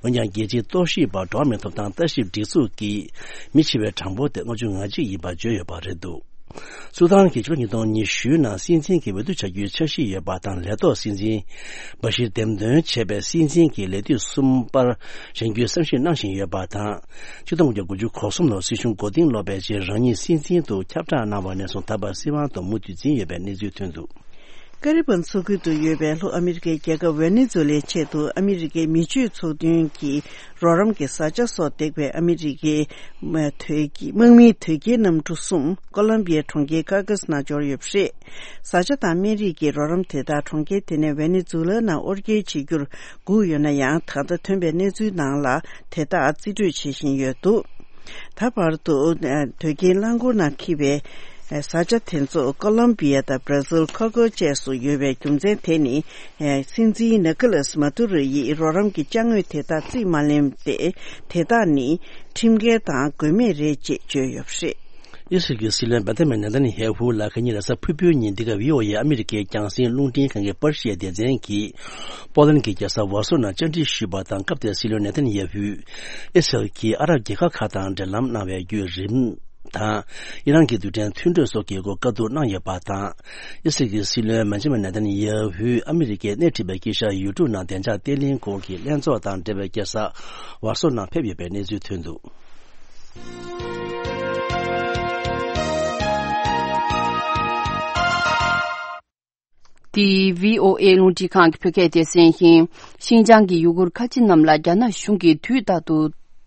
འོན་ཀྱང་རྒྱལ་སྤྱིའི་གཏོར་བཤིག་པ་འགྲོ་བ་མིའི་ཐོབ་ཐང་ལྟ་ཞིབ་སྒྲིག་འཛུགས་ཀྱིས་མི་འཆི་བའི་གྲངས་འབོར་དེ་ལྔ་བཅུ་ང་གཅིག་ཡིན་པ་བརྗོད་ཡོད་པ་རེད་འདུག་སུ་དཱན་གྱིས་ཕྱི་ལོ་ཉིས་སྟོང་ཉི་ཤུ་ནང་སྲིད་འཛིན་གྱི་འོས་བསྡུ་བྱ་རྒྱུའི་འཆར་གཞི་ཡོད་པ་དང་། ལས་ཐོག་སྲིད་འཛིན་བྷ་ཤིར་འདེམས་ཐོན་བྱས་པའི་སྲིད་འཛིན་གྱི་ལས་དུས་གསུམ་པར་བཞེངས་རྒྱུའི་བསམ་ཤེས་གནང་བཞིན་ཡོད་པ་དང་། ཆིག་སྟོང་དགུ་བརྒྱ་དགུ་བཅུ་གོ་གསུམ་ལོར་སྲིད་གཞུང་མགོ་རྟིང་སློག་པའི་རྗེས་རང་ཉིད་སྲིད་འཛིན་དུ་ཁྱབ་བསྒྲགས་གནང་བ་ནས་བཟུང་ད་བར་སྲིད་དབང་དུ་མུ་མཐུད་འཛིན་ཡོད་པའི་གནས་ཚུལ་ཐོན་འདུག་ཀ་རི་བན་མཚོ་ཁུལ་དུ་ཡོད་པའི་ལྷོ་ཨ་མི་རི་ཀའི་རྒྱལ་ཁབ་ཝེ་ནེ་ཛུ་ལའི་ཆེད་དུ་ཨ་མི་རི་ཀའི་མི་སྤྱོད་ཚོགས་འདུའི་རོགས་རམ་གྱི་བཟའ་བཅའ་སོགས་འདེགས་པའི་ཨ་མི་རི་ཀའི་དམག་མིའི་དོས་སྐྱེལ་གནམ་གྲུ་གསུམ་ཀོ་ལམ་བི་ཡའི་གྲོང་ཁྱེར་ཀ་ཀ་སི་ནང་འབྱོར་ཡོད་པ་རེད། བཟའ་བཅའ་དང་སྨན་རིགས་ཀྱི་རོགས་རམ་དེ་དག་གྲོང་ཁྱེར་དེ་ནས་ཝེ་ནེ་ཛུ་ལའི་ནང་དབོར་སྐྱེལ་བྱེད་རྒྱུར་སྒུག་ཡོད་ན་ཡང་། ད་ལྟ་ཐོན་པའི་གནས་ཚུལ་ནང་ལ་དེ་དག་རྩིས་སྤྲོད་བྱེད་བཞིན་ཡོད་འདུག་ད་བར་དུ་དོས་སྐྱེལ་རླངས་འཁོར་ནང་འཁྱེར་བའི་བཟའ་བཅའ་དེ་ཚོ་ཀོ་ལོམ་བི་ཡ་དང་བྷ་ར་ཟིལ་ཁ་ཁོ་བཅས་སུ་ཡོད་པའི་རྒྱུ་མཚན་དེ་ནི། སྲིད་འཛིན་ནི་ཀོ་ལཱས་མ་དུ་རོ་ཡིས་རོགས་རམ་གྱི་ཅ་དངོས་དེ་དག་རྩིས་མ་ལེན་ཏེ། དེ་དག་ནི་ཁྲིམས་འགལ་དང་དགོས་མེད་རེད་ཅེས་བརྗོད་ཡོད་པ་རེད། ཨི་སི་རལ་གྱི་སྲིད་བློན་བེན་ཇ་མིན་ནེ་ཐན་ཡ་ཧུ་ལ་ཁ་ཉིན་རེས་གཟའ་ཕུར་བུའི་ཉིན་འདི་ག་བྷི་ཨོ་ཨེ་ཨ་མི་རི་ཀའི་རྒྱང་སྲིང་རླུང་འཕྲིན་ཁང་གི་པར་ཤིའི་སྡེ་ཚན་གྱིས་པོ་ལན་གྱི་རྒྱལ་ས་ཝར་སོ་ནང་བཅར་འདྲི་ཞུས་པ་དང་། སྐབས་དེར་སྲིད་བློན་ནེ་ཐན་ཡ་ཧུས་ཨི་སི་རལ་གྱིས་ཨ་རབ་རྒྱལ་ཁབ་ཁག་དང་འབྲེལ་ལམ་གནང་བའི་བརྒྱུད་རིམ་དང་ཨི་རན་གྱི་རྡུལ་ཕྲན་མཐུན་གྲོས་སོགས་ཀྱི་སྐོར་བཀའ་བསྡུར་གནང་ཡོད་པ་དང་། ཨི་སི་རལ་གྱི་སྲིད་བློན་བེན་ཇ་མིན་ནེ་ཐན་ཡ་ཧུས་ཨ་མི་རི་ཀས་སྣེ་ཁྲིད་པའི་དཀྱིལ་ཤར་ཡུལ་གྲུ་ནང་བདེ་འཇགས་བརྟན་ལྷིང་སྐོར་གྱི་ལྷན་ཚོགས་དང་འབྲེལ་བའི་རྒྱལ་ས་ཝར་སོ་ནང་ཕེབས་ཡོད་པའི་གནས་ཚུལ་ཐོན་འདུག་འདི་བྷི་ཨོ་ཨེ་རླུང་འཕྲིན་ཁང་གི་བོད་སྐད་སྡེ་ཚན་ཡིན། ཤིན་ཅང་གི་ཡུ་གུར་ཁ་ཆེ་རྣམས་ལ་རྒྱ་ནག་གཞུང་གིས་དུས་རྟག་ཏུ་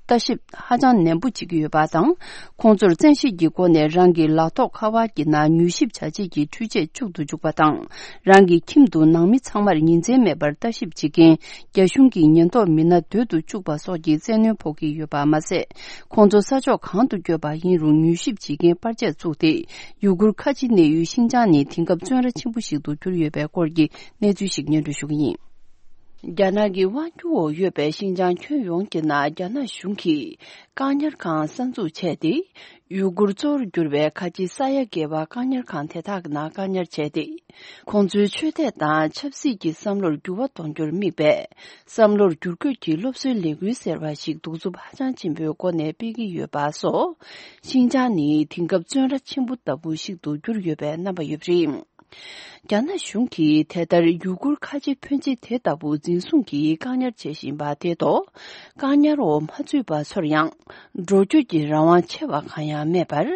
ལྟ་ཞིབ་ཧ་ཅང་ནན་པོ་བྱེད་ཀྱི་ཡོད་པ་དང་། ཁོང་ཚོར་བཙན་ཤེད་ཀྱི་སྒོ་ནས་རང་གི་ལག་ཐོགས་ཁ་པར་གྱི་ནང་མྱུལ་ཞིབ་བྱ་བྱེད་ཀྱི་འཕྲུལ་ཆས་བཅུག་ཏུ་འཇུག་པ་དང་། རང་གི་ཁྱིམ་དུ་ནང་མི་ཚང་མར་ཉིན་མཚན་མེད་པར་ལྟ་ཞིབ་བྱེད་མཁན་རྒྱ་གཞུང་གི་ཉེན་རྟོག་མི་སྣ་སྡོད་དུ་བཅུག་པ་སོགས་ཀྱི་བཙན་གནོན་ཕོག་གི་ཡོད་པ་མ་ཟད། ཁོང་ཚོ་ས་ཕྱོགས་གང་དུ་བསྐྱོད་པ་ཡིན་རུང་མྱུལ་ཞིབ་བྱེད་མཁན་པར་ཆས་བཙུགས་ཏེ། ཡུ་གུར་ཁ་ཆེ་གནས་ཡུལ་ཤིན་ཅང་ནི་དེང་སྐབས་བཙོན་ར་ཆེན་པོ་ཞིག་ཏུ་གྱུར་ཡོད་པའི་སྐོར་གྱི་གནས་ཚུལ་ཞིག་སྙན་སྒྲོན་ཞུ་གི་ཡིན། རྒྱ་ནག་གི་དབང་སྒྱུར་འོག་ཡོད་པའི་ཤིན་ཅང་ཁྱོན་ཡོངས་ཀྱི་ནང་རྒྱ་ནག་གཞུང་གིས་བཀག་ཉར་ཁང་གསར་འཛུགས་བྱས་ཏེ། ཡུ་གུར་གཙོ་བོར་གྱུར་པའི་ཁ་ཆེ་ས་ཡ་བརྒལ་བ་བཀག་ཉར་ཁང་དེ་དག་གི་ནང་བཀག་ཉར་བྱས་ཏེ། ཁོང་ཚོའི་ཆོས་དད་དང་ཆབ་སྲིད་ཀྱི་བསམ་བློར་འགྱུར་བ་གཏོང་རྒྱུར་དམིགས་པའི་བསམ་བློར་བསྒྱུར་བཀོད་ཀྱི་སློབ་གསོའི་ལས་འགུལ་ཟེར་བ་ཞིག་གདུག་རྩུབ་ཧ་ཅང་ཆེན་པོའི་སྒོ་ནས་སྤེལ་གྱི་ཡོད་པ་སོགས། ཤིན་ཅང་ནི་དེང་སྐབས་བཙོན་ར་ཆེན་པོ་ལྟ་བུ་ཞིག་ཏུ་གྱུར་ཡོད་པའི་རྣམ་པ་ཡོད་པ་རེད། རྒྱ་ནག་གཞུང་གིས་དེ་ལྟར་ཡུ་གུར་ཁ་ཆེ་ཕོན་ཆེ་དེ་ལྟ་བུ་འཛིན་བཟུང་གིས་བཀག་ཉར་བྱེད་བཞིན་པ་དེ་ཐོག་བཀག་ཉར་འོག་མ་ཚུད་པ་ཚོར་ཡང་འགྲོ་སྐྱོད་ཀྱི་རང་དབང་ཆེ་བ་གང་ཡང་མེད་པར།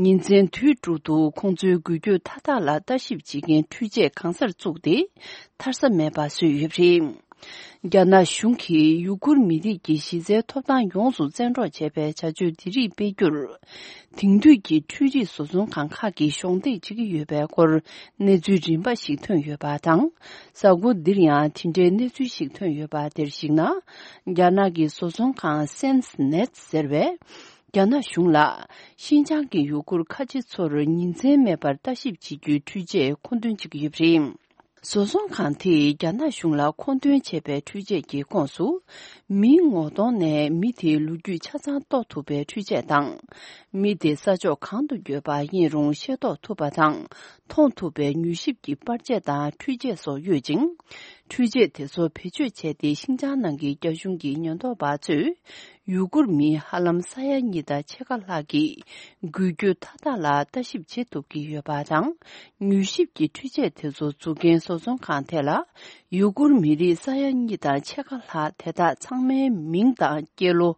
ཉིན་མཚན་དུས་དྲུག་ཏུ་ཁོང་ཚོའི་འགུལ་སྐྱོད་མཐའ་དག་ལ་ལྟ་ཞིབ་བྱེད་མཁན་འཕྲུལ་ཆས་གང་སར་བཙུགས་ཏེ་ཐར་ས་མེད་པ་བཟོས་ཡོད་པ་རེད། རྒྱ་ནག་གཞུང་གིས་ཡུ་གུར་མི་རིགས་ཀྱི་གཞི་རྩའི་ཐོབ་ཐང་ཡོངས་སུ་བཙན་འཕྲོག་བྱས་པའི་བྱ་སྤྱོད་འདི་རིགས་སྤེལ་རྒྱུར། དེང་དུས་ཀྱི་འཕྲུལ་རིག་བཟོ་ཚོང་ཁང་ཁག་གིས་གཞོགས་འདེགས་བྱེད་ཀྱི་ཡོད་པའི་སྐོར་གནས་ཚུལ་རིམ་པ་ཞིག་ཐོན་ཡོད་པ་དང་། གཟའ་འཁོར་འདིར་ཡང་དེ་འབྲེལ་གནས་ཚུལ་ཞིག་ཐོན་ཡོད་པ་དེར་གཞིགས་ ན། རྒྱ་ནག་གི་བཟོ་ཚོང་ཁང་སེན་སི་ནེད་ཟེར་བས། རྒྱ་ནག་གཞུང་ལ་ཤིན་ཅང་གི་ཡུ་གུར་ཁ་ཆེ་ཚོར་ཉིན་མཚན་མེད་པར་ལྟ་ཞིབ་བྱེད་རྒྱུའི་འཕྲུལ་ཆས་མཁོ་འདོན་བྱེད་ཀྱི་ཡོད་པ་རེད། བཟོ་ཚོང་ཁང་དེས་རྒྱ་ནག་གཞུང་ལ་མཁོ་འདོན་བྱས་པའི་འཕྲུལ་ཆས་ཀྱི་ཁོངས་སུ། མིའི་ངོ་གདོང་ནས་མི་དེའི་ལོ་རྒྱུས་ཆ་ཚང་རྟོགས་ཐུབ་པའི་འཕྲུལ་ཆས་དང་། མི་དེ་ས་ཕྱོགས་གང་དུ་ཡོད་པ་ཡིན་རུང་ཤེས་རྟོགས་ཐུབ་པ་དང་། མཐོང་ཐུབ་པའི་མྱུལ་ཞིབ་ཀྱི་པར་ཆས་དང་འཕྲུལ་ཆས་སོགས་ཡོད་ཅིང་། འཕྲུལ་ཆས་དེ་ཚོ་བེད་སྤྱོད་བྱས་ཏེ་ཤིན་ཅང་ནང་གི་རྒྱ་གཞུང་གི་ཉེན་རྟོག་པ་ཚོས། ཡུ་གུར་མི་ཧ་ལམ་ས་ཡ་གཉིས་དང་ཕྱེད་ཀ་ལྷག་གི་འགུལ་སྐྱོད་མཐའ་དག་ལ་ལྟ་ཞིབ་བྱེད་ཐུབ་ཀྱི་ཡོད་པ་དང་། མྱུལ་ཞིབ་ཀྱི་འཕྲུལ་ཆས་དེ་ཚོ་འཛུགས་མཁན་བཟོ་ཚོང་ཁང་དེ་ལ། ཡུ་གུར་མི་རིགས་ས་ཡ་གཉིས་དང་ཕྱེད་ཀ་ལྷག་དེ་དག་ཚང་མའི་མིང་དང་སྐྱེས་ལོ།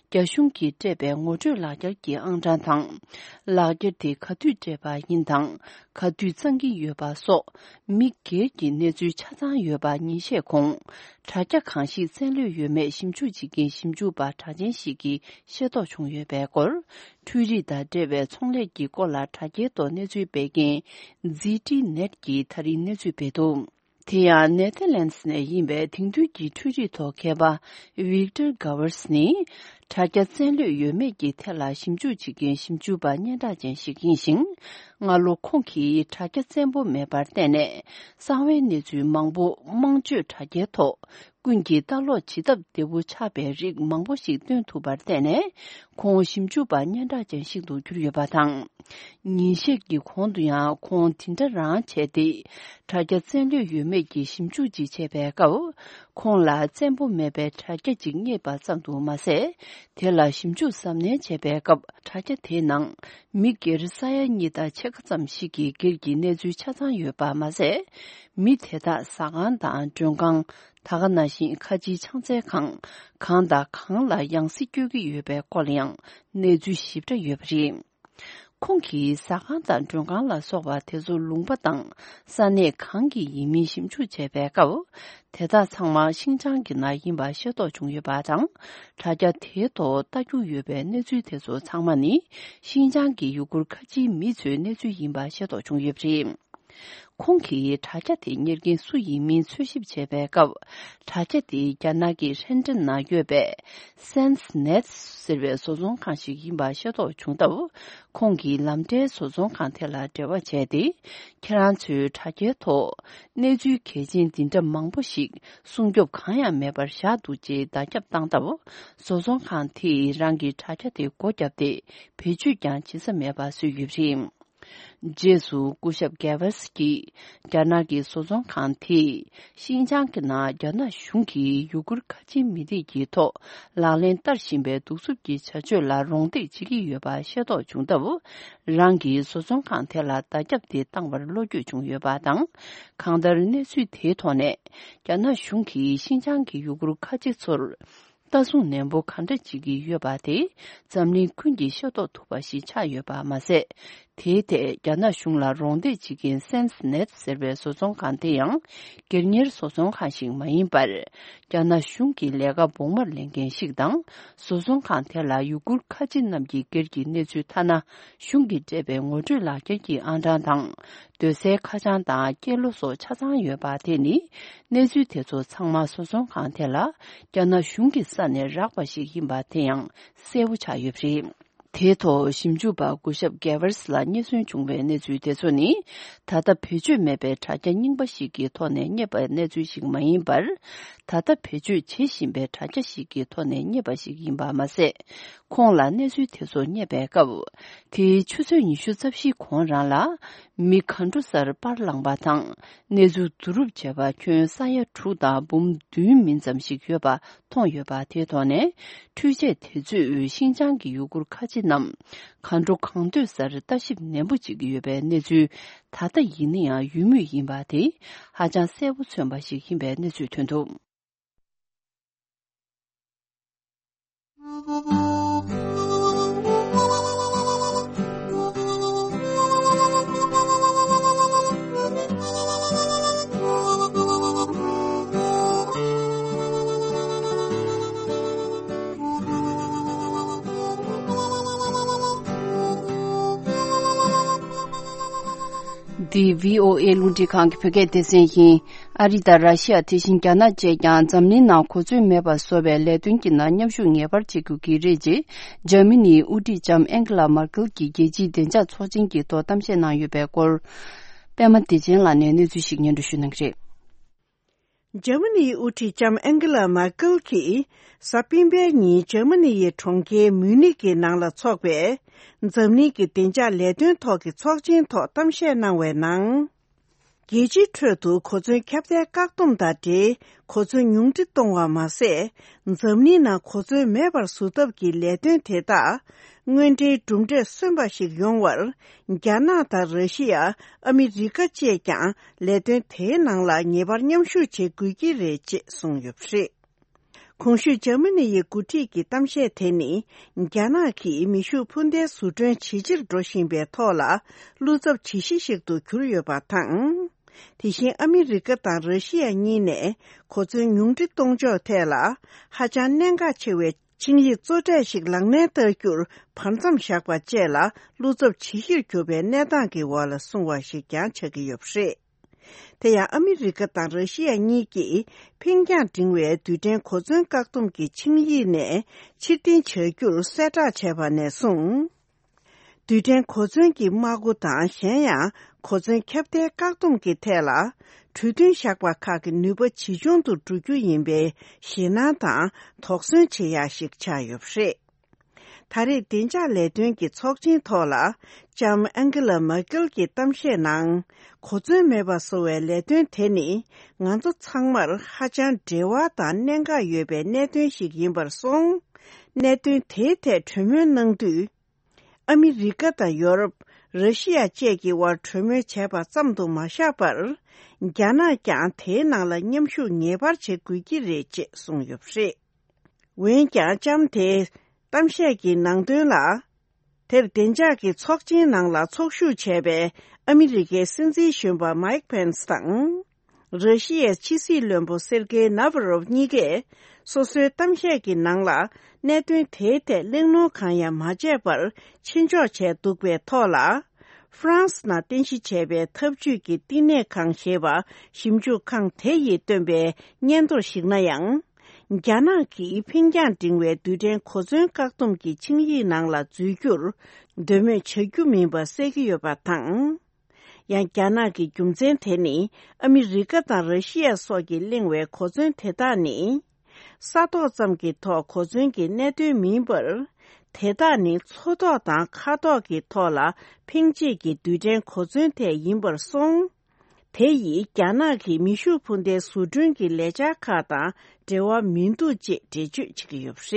རྒྱ་གཞུང་གིས་སྤྲད་པའི་ངོ་སྤྲོད་ལག་འཁྱེར་གྱི་ཨང་གྲངས་དང་། ལག་འཁྱེར་དེ་ག་དུས་སྤྲད་པ་ཡིན་དང་། ག་དུས་གཙང་གི་ཡོད་པ་སོགས། མི་སྒེར་གྱི་གནས་ཚུལ་ཆ་ཚང་ཡོད་པ་ཉིན་ཤས་གོང་། དྲ་རྒྱ་གང་ཞིག་བཙན་ལོས་ཡོད་མེད་ཞིབ་འཇུག་བྱེད་མཁན་ཞིབ་འཇུག་པ་གྲགས་ཅན་ཞིག་གིས་ཤེས་རྟོགས་བྱུང་ཡོད་པའི་སྐོར། འཕྲུལ་རིག་དང་འབྲེལ་བའི་ཚོང་ལས་ཀྱི་སྐོར་ལ་དྲ་རྒྱའི་ཐོག་གནས་ཚུལ་སྤེལ་མཁན་ཛི་ཊི་ནེཊ་ཀྱིས་ད་རིང་གནས་ཚུལ་སྤེལ་འདུག་དེ་ཡང་ནེ་ཐར་ལན་སི་ནས་ཡིན་པའི་དེང་དུས་ཀྱི་འཕྲུལ་རིག་ཐོག་མཁས་པ་ཝིག་ཏར་གྷ་ཝར་སི་ནི། དྲ་རྒྱ་བཙན་ལོས་ཡོད་མེད་ཀྱི་ཐད་ལ་ཞིབ་འཇུག་བྱེད་མཁན་ཞིབ་འཇུག་པ་སྙན་གྲགས་ཅན་ཞིག་ཡིན་ཞིང་། སྔ་ལོ་ཁོང་གིས་དྲ་རྒྱ་བཙན་པོ་མེད་པར་བརྟེན་ནས་གསང་བའི་གནས་ཚུལ་མང་པོ་དམངས་སྤྱོད་དྲ་རྒྱའི་ཐོག་ཀུན་གྱིས་ལྟ་ཀློག་བྱེད་ཐབས་བདེ་པོ་ཆགས་པའི་རིགས་མང་པོ་ཞིག་བཏོན་ཐུབ་པར་བརྟེན་ནས་ཁོང་ཞིབ་འཇུག་པ་སྙན་གྲགས་ཅན་ཞིག་ཏུ་གྱུར་ཡོད་པ་དང་། ཉིན་ཤས་ཀྱི་གོང་དུ་ཡང་ཁོང་དེ་འདྲ་རང་བྱས་ཏེ། དྲ་རྒྱ་བཙན་ལོས་ཡོད་མེད་ཀྱི་ཞིབ་འཇུག་ཅིག་བྱས་པའི་སྐབས། ཁོང་ལ་བཙན་པོ་མེད་པའི་དྲ་རྒྱ་ཅིག་རྙེད་པ་ཙམ་དུ་མ་ཟད། དེ་ལ་ཞིབ་འཇུག་གཟབ་ནན་བྱས་པའི་སྐབས་དྲ་རྒྱ་དེའི་ནང་མི་སྒེར་ས་ཡ་གཉིས་དང་ཕྱེད་ཀ་ཙམ་ཞིག་གི་སྒེར་གྱི་གནས་ཚུལ་ཆ་ཚང་ཡོད་པ་མ་ཟད། མི་དེ་དག་ཟ་ཁང་དང་མགྲོན་ཁང་། ད་ག་ནང་བཞིན་ཁ་ཆེའི་ཕྱག་འཚལ་ཁང་། གང་དང་གང་ལ་ཡང་སྲིད་སྐྱོད་ཀྱི་ཡོད་པའི་སྐོར་ལ་ཡང་གནས་ཚུལ་ཞིབ་ཕྲ་ཡོད་པ་རེད། ཁོང་གིས་ཟ་ཁང་དང་མགྲོན་ཁང་ལ་སོགས་པ་དེ་ཚོ་ལུང་པ་དང་ས་གནས་གང་གི་ཡིན་མིན་ཞིབ་འཇུག་བྱས་པའི་སྐབས། དེ་དག་ཚང་མ་ཤིན་ཅང་གི་ནང་ཡིན་པ་ཤེས་རྟོགས་བྱུང་ཡོད་པ་དང་། དྲ་རྒྱ་དེའི་ཐོག་ལྟ་རྒྱུ་ཡོད་པའི་གནས་ཚུལ་དེ་ཚོ་ཚང་མ་ནི་ཤིན་ཅང་གི་ཡུ་གུར་ཁ་ཆེའི་མི་ཚོའི་གནས་ཚུལ་ཡིན་པ་ཤེས་རྟོགས་བྱུང་ཡོད་པ་རེད། ཁོང་གིས་དྲ་རྒྱ་དེ་གཉེར་མཁན་སུ་ཡིན་མིན་འཚོལ་ཞིབ་བྱས་པའི་སྐབས། དྲ་རྒྱ་དེ་རྒྱ་ནག་གི་ཧྲེན་ཀྲེན་ནང་ཡོད་པའི་སེན་སི་ནེཊ་ཟེར་བའི་བཟོ་ཚོང་ཁང་ཞིག་ཡིན་པ་ཤེས་རྟོགས་བྱུང་སྟབས། ཁོང་གིས་ལམ་འབྲས་བཟོ་ཚོང་ཁང་དེ་ལ་འབྲེལ་བ་བྱས་ཏེ། ཁྱེད་རང་ཚོའི་དྲ་རྒྱའི་ཐོག་གནས་ཚུལ་གལ་ཆེན་འདི་འདྲ་མང་པོ་ཞིག་སྲུང་སྐྱོབ་གང་ཡང་མེད་པར་བཞག་འདུག་ཅེས་བརྡ་ཁྱབ་བཏང་སྟབས། བཟོ་ཚོང་ཁང་དེས་རང་གི་དྲ་རྒྱ་དེ་སྒོ་བརྒྱབ་སྟེ་བེད་སྤྱོད་ཀྱང་བྱེད་ས་མེད་པ་བཟོས་ཡོད་པ་རེད། རྗེས་སུ་སྐུ་ཞབས་གེ་ཝར་སི་ཀྱིས་རྒྱ་ནག་གི་བཟོ་ཚོང་ཁང་དེས་ཤིན་ཅང་གི་ནང་རྒྱ་ནག་གཞུང་གིས་ཡུ་གུར་ཁ་ཆེ་མི་རིགས་ཀྱི་ཐོག་ལག་ལེན་བསྟར་བཞིན་པའི་གདུག་རྩུབ་ཀྱི་བྱ་སྤྱོད་ལ་རོགས་འདེགས་བྱེད་ཀྱི་ཡོད་པ་ཤེས་རྟོགས་བྱུང་སྟབས། རང་གིས་བཟོ་ཚོང་ཁང་དེ་ལ་བརྡ་ཁྱབ་དེ་བཏང་བར་བློ་འགྱོད་བྱུང་ཡོད་པ་དང་། གང་ལྟར་གནས་ཚུལ་དེའི་ཐོག་ནས་རྒྱ་ནག་གཞུང་གིས་ཤིན་ཅང་གི་ཡུ་གུར་ཁ་ཆེ་ཚོར། ལྟ་སྲུང་ནན་པོ་གང་འདྲ་བྱེད་ཀྱི་ཡོད་པ་དེ་འཛམ་གླིང་ཀུན་གྱིས་ཤེས་རྟོགས་ཐུབ་པ་ཞིག་ཆགས་ཡོད་པ་མ་ཟད། དེའི་ཐད་རྒྱ་ནག་གཞུང་ལ་རོགས་འདེགས་བྱེད་མཁན་སེན་སི་ནེཊ་ཟེར་བའི་བཟོ་ཚོང་ཁང་དེ་ཡང་སྒེར་གཉེར་བཟོ་ཚོང་ཁང་ཞིག་མ་ཡིན་པར། རྒྱ་ནག་གཞུང་གི་ལས་ཀ་བོགས་མར་ལེན་མཁན་ཞིག་དང་། བཟོ་ཚོང་ཁང་དེ་ལ་ཡུ་གུར་ཁ་ཆེ་རྣམས་ཀྱི་སྒེར་གྱི་གནས་ཚུལ་ཐ་ན། གཞུང་གིས་སྤྲད་པའི་ངོ་སྤྲོད་ལག་འཁྱེར་གྱི་ཨང་གྲངས་དང་། སྡོད་སའི་ཁ་བྱང་དང་སྐྱེས་ལོ་སོགས་ཆ་ཚང་ཡོད་པ་དེ་ནི། གནས་ཚུལ་དེ་ཚོ་ཚང་མ་བཟོ་ཚོང་ཁང་དེ་ལ་རྒྱ་ནག་གཞུང་གི་ས་ནས་རག་པ་ཞིག་ཡིན་པ་དེ་ཡང་གསལ་པོ་ཆགས་ཡོད་པ་རེད། དེའི་ཐོག་ཞིབ་འཇུག་པ་སྐུ་ཞབས་གེ་ཝར་སི་ལ་རྙེད་སོན་བྱུང་བའི་གནས་ཚུལ་དེ་ཚོ་ནི། ད་ལྟ་བེད་སྤྱོད་མེད་པའི་དྲ་རྒྱ་རྙིང་པ་ཞིག་གི་ཐོག་ནས་རྙེད་པའི་གནས་ཚུལ་ཞིག་མ་ཡིན་པར། ད་ལྟ་བེད་སྤྱོད་བྱེད་བཞིན་པའི་དྲ་རྒྱ་ཞིག་གི་ཐོག་ནས་རྙེད་པ་ཞིག་ཡིན་པ་མ་ཟད། ཁོང་ལ་གནས་ཚུལ་དེ་ཚོ་རྙེད་པའི་སྐབས། དེའི་ཆུ་ཚོད་ཉི་ཤུ་རྩ་བཞིའི་གོང་རང་ལ། མི་ག་འདྲ་སར་པར་བླངས་པ་དང་། གནས་ཚུལ་བསྡུ་རུབ་བྱས་པ་ཁྱོན་ས་ཡ་དྲུག་དང་འབུམ་བདུན་མིན་ཙམ་ཞིག་ཡོད་པ་མཐོང་ཡོད་པ་དེའི་ཐོག་ནས། འཕྲུལ་ཆས་དེ་ཚོས་ཤིན་ཅང་གི་ཡུ་གུར་ཁ་ཆེ་རྣམས། ག་འདྲ་གང་འདོད་སར་ལྟ་ཞིབ་ནན་པོ་བྱེད་ཀྱི་ཡོད་པའི་གནས་ཚུལ། ད་ལྟ་ཡིན་ན་ཡང་ཡོད་མུས་ཡིན་པ་དེ། ཧ་ཅང་གསལ་པོ་མཚོན་པ་ཞིག་ཡིན་པའི་གནས་ཚུལ་ཐོན་འདུག་འདི་བྷི་ཨོ་ཨེ་རླུང་འཕྲིན་ཁང་གི་བོད་སྐད་སྡེ་ཚན་ཡིན། ཨ་རི་དང་ར་ཤི་ཡ་དེ་བཞིན་རྒྱ་ནག་བཅས་ཀྱང་འཛམ་གླིང་ནང་གོ་མཛོད་མེད་པ་བཟོ་བའི་ལས་དོན་གྱི་ནང་མཉམ་ཞུགས་ངེས་པར་བྱེད་དགོས་ཀྱི་རེད་ཅེས། འཇར་མ་ནིའི་དབུ་ཁྲིད་ལྕམ་ཨན་ཀེ་ལ་མར་ཀེལ་གྱིས་རྒྱལ་སྤྱིའི་བདེ་འཇགས་ཚོགས་ཆེན་གྱི་ཐོག་གཏམ་བཤད་གནང་ཡོད་པའི་སྐོར། པདྨ་བདེ་ཆེན་ལགས་ནས་གནས་ཚུལ་ཞིག་སྙན་སྒྲོན་ཞུ་གནང་གི་རེད། འཇར་མ་ནིའི་དབུ་ཁྲིད་ལྕམ་ཨན་ཀེ་ལ་མར་ཀེལ་གྱིས་གཟའ་སྤེན་པའི་ཉིན་འཇར་མ་ནི་ཡི་གྲོང་ཁྱེར་མུ་ནིག་གི་ནང་ལ་འཚོགས་པའི་འཛམ་གླིང་གི་བདེ་འཇགས་ལས་དོན་ཐོག་གི་ཚོགས་ཆེན་ཐོག་གཏམ་བཤད་གནང་བའི་ནང་། རྒྱལ་སྤྱིའི་ཁྲོད་དུ་གོ་མཚོན་ཁྱབ་གདལ་བཀག་སྡོམ་དང་འབྲེལ་གོ་མཚོན་ཉུང་འཕྲི་གཏོང་བ་མ་ཟད། འཛམ་གླིང་ནང་གོ་མཚོན་མེད་པར་བཟོ་ཐབས་ཀྱི་ལས་དོན་དེ་དག་དངོས་འབྲེལ་གྲུབ་འབྲས་སོན་པ་ཞིག་ཡོང་བར། རྒྱ་ནག་དང་ར་ཤི་ཡ། ཨ་མི་རི་ཀ་བཅས་ཀྱང་ལས་དོན་དེའི་ནང་ལ་ངེས་པར་མཉམ་ཞུགས་བྱེད་དགོས་ཀྱི་རེད་ཅེས་གསུངས་ཡོད་པ་རེད། གོང་ཞུས་འཇར་མ་ནི་ཡི་འགོ་ཁྲིད་ཀྱི་གཏམ་བཤད་དེ་ནི། རྒྱ་ནག་གིས་མེ་ཤུགས་འཕུར་མདེལ་བཟོ་སྐྲུན་ཇེ་ཆེར་འགྲོ་བཞིན་པའི་ཐོག་ལ་བློ་འཚབ་ཇི་ཞིག་ཞིག་ཏུ་གྱུར་ཡོད་པ་དང་། དེ་བཞིན་ཨ་མི་རི་ཀ་དང་ར་ཤི་ཡ་གཉིས་ནས་གོ་མཚོན་ཉུང་འཕྲི་གཏོང་ཕྱོགས་ཐད་ལ་ཧ་ཅང་གནད་འགག་ཆེ་བའི་ཆིངས་ཡིག་གཙོ་གྲས་ཤིག་ལག་ལེན་བསྟར་རྒྱུར་བར་མཚམས་བཞག་པ་བཅས་ལ་བློ་འཚབ་ཇི་ཞིག་གྱུར་པའི་གནས་སྟངས་ཀྱི་འོག་ལ་སོང་བ་ཞིག་ཀྱང་ཆགས་ཀྱི་ཡོད་པ་རེད། དེ་ཡང་ཨ་མི་རི་ཀ་དང་ར་ཤི་ཡ་གཉིས་ཀྱིས་འཕེན་རྒྱང་འབྲིང་བའི་རྡུལ་ཕྲན་གོ་མཚོན་བཀག་སྡོམ་གྱི་ཆིངས་ཡིག་ནས་ཕྱིར་འཐེན་བྱ་རྒྱུར་གསལ་བསྒྲགས་བྱས་པ་ནས་བཟུང་། རྡུལ་ཕྲན་གོ་མཚོན་གྱི་དམག་སྒོ་དང་གཞན་ཡང་གོ་མཚོན་ཁྱབ་གདལ་བཀག་སྡོམ་གྱི་ཐད་ལ་གྲོས་མཐུན་བཞག་པ་ཁག་གི་ནུས་པ་ཇེ་ཆུང་དུ་འགྲོ་རྒྱུ་ཡིན་པའི་ཞེད་སྣང་དང་དོགས་ཟོན་བྱེད་ཡག་ཞིག་ཆགས་ཡོད་པ་རེད། ད་རེས་བདེ་འཇགས་ལས་དོན་གྱི་ཚོགས་ཆེན་ཐོག་ལ་ལྕམ་ཨན་ཀེ་ལ་མར་ཀེལ་གྱི་གཏམ་བཤད་ནང་གོ་མཚོན་མེད་པ་བཟོ་བའི་ལས་དོན་དེ་ནི་ང་ཚོ་ཚང་མར་ཧ་ཅང་འབྲེལ་བ་དང་གནད་འགག་ཡོད་པའི་གནད་དོན་ཞིག་ཡིན་པར་སོང་། གནད་དོན་དེའི་ཐད་གྲོས་མོལ་གནང་དུས། ཨ་མི་རི་ཀ་དང་ཡོ་རོབ། ར་ཤི་ཡ་བཅས་ཀྱི་དབར་གྲོས་མོལ་བྱས་པ་ཙམ་དུ་མ་བཞག་པར། རྒྱ་ནག་ཀྱང་དེའི་ནང་ལ་མཉམ་ཞུགས་ངེས་པར་བྱེད་དགོས་ཀྱི་རེད་ཅེས་གསུངས་ཡོད་པ་རེད། འོན་ཀྱང་ལྕམ་དེས་གཏམ་བཤད་ཀྱི་ནང་དོན་ལ། དེར་བདེ་འཇགས་ཀྱི་ཚོགས་ཆེན་ནང་ལ་ཚོགས་ཞུགས་བྱས་པའི་ཨ་མི་རི་ཀའི་སྲིད་འཛིན་གཞོན་པ་མའིག་ཕེན་སི་དང་། ར་ཤི་ཡའི་ཕྱི་སྲིད་བློན་པོ་སེར་ཀེ་ནཱ་ཝ་རོབ་གཉིས་ཀས་སོ་སོའི་གཏམ་བཤད་ཀྱི་ནང་ལ་གནད་དོན་དེའི་ཐད་གླེང་སློང་གང་ཡང་མ་བྱས་པར་ཆེ་འཇོག་བྱས་འདུག་པའི་ཐོག་ལ། ཧྥ་རན་སི་ནང་རྟེན་གཞི་བྱས་པའི་འཐབ་ཇུས་ཀྱི་བསྟི་གནས་ཁང་ཞེས་པ་ཞིབ་འཇུག་ཁང་དེ་ཡིས་བཏོན་པའི་སྙན་ཐོར་ཞིག་ན་ཡང་། རྒྱ་ནག་གིས་འཕེན་རྒྱང་འབྲིང་བའི་རྡུལ་ཕྲན་གོ་མཚོན་བཀག་སྡོམ་གྱི་ཆིངས་ཡིག་ནང་ལ་འཛུལ་རྒྱུར་འདོད་མོས་བྱ་རྒྱུ་མིན་པ་གསལ་གྱི་ཡོད་པ་དང་། ཡང་རྒྱ་ནག་གི་རྒྱུ་མཚན་དེ་ནི་ཨ་མི་རི་ཀ་དང་ར་ཤི་ཡ་སོགས་ཀྱིས་གླེང་བའི་གོ་མཚོན་དེ་དག་ནི། ས་ཐོག་ཙམ་གྱི་ཐོག་གོ་མཚོན་གྱི་གནད་དོན་མིན་པར། དེ་དག་ནི་མཚོ་ཐོག་དང་མཁའ་ཐོག་གི་ཐོག་ལ་འཕེན་བྱེད་ཀྱི་རྡུལ་ཕྲན་གོ་མཚོན་དེ་ཡིན་པར་སོང་། དེ་ཡིས་རྒྱ་ནག་གི་མེ་ཤུགས་འཕུར་མདའི་བཟོ་སྐྲུན་གྱི་ལས་འཆར་ཁག་དང་འབྲེལ་བ་མི་འདུག་ཅེས་འགྲེལ་བརྗོད་བྱེད་ཀྱི་ཡོད་པ་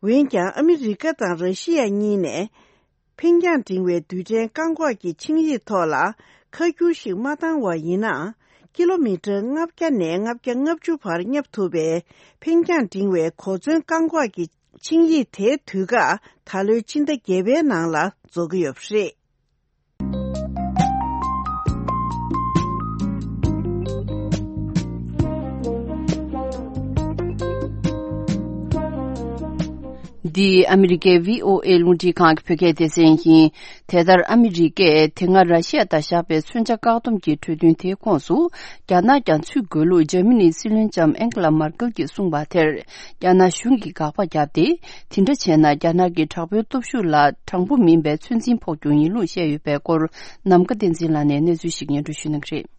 རེད། འོན་ཀྱང་ཨ་མི་རི་ཀ་དང་ར་ཤི་ཡ་གཉིས་ནས། འཕེན་རྒྱང་འབྲིང་བའི་རྡུལ་ཕྲན་བཀག་འགོག་གི་ཆིངས་ཡིག་ཐོག་ལ། ཁ་བསྒྱུར་ཞིག་མ་བཏང་བ་ཡིན་ན། ཀི་ལོ་མི་ཊར་ལྔ་བརྒྱ་ནས་ལྔ་བརྒྱ་ལྔ་བཅུ་བར་བསྙབ་ཐུབ་པའི། འཕེན་རྒྱང་འབྲིང་བའི་གོ་མཚོན་བཀག་འགོག་གི་ཆིངས་ཡིག་དེའི་དུས་བཀག་ད་ལོའི་ཕྱི་ཟླ་བརྒྱད་པའི་ནང་ལ་རྫོགས་ཀྱི་ཡོད་པ་རེད། འདི་ཨ་མི་རི་ཀའི་བྷི་ཨོ་ཨེ་རླུང་འཕྲིན་ཁང་གི་བོད་སྐད་སྡེ་ཚན་ཡིན། དེ་ལྟར་ཨ་མི་རི་ཀས་དེ་སྔ་ར་ཤི་ཡ་དང་བཞག་པའི་མཚོན་ཆ་བཀག་སྡོམ་གྱི་གྲོས་མཐུན་དེའི་ཁོངས་སུ། རྒྱ་ནག་ཀྱང་ཚུད་དགོས་ལུགས་འཇར་མ་ནིའི་སྲིད་བློན་ལྕམ་ཨན་ཀེ་ལ་མར་ཀེལ་གྱིས་གསུངས་པ་དེར། རྒྱ་ནག་གཞུང་གིས་དགག་པ་བརྒྱབ་སྟེ། དེ་འདྲ་བྱས་ན་རྒྱ་ནག་གི་དྲག་པོའི་སྟོབས་ཤུགས་ལ་དྲང་པོ་མིན་པའི་ཚོད་འཛིན་ཕོག་རྒྱུ་ཡིན་ལུགས་བཤད་ཡོད་པའི་སྐོར། ནམ་མཁའ་བསྟན་འཛིན་ལགས་ནས་གནས་ཚུལ་ཞིག་སྙན་སྒྲོན་ཞུ་གནང་གི་རེད།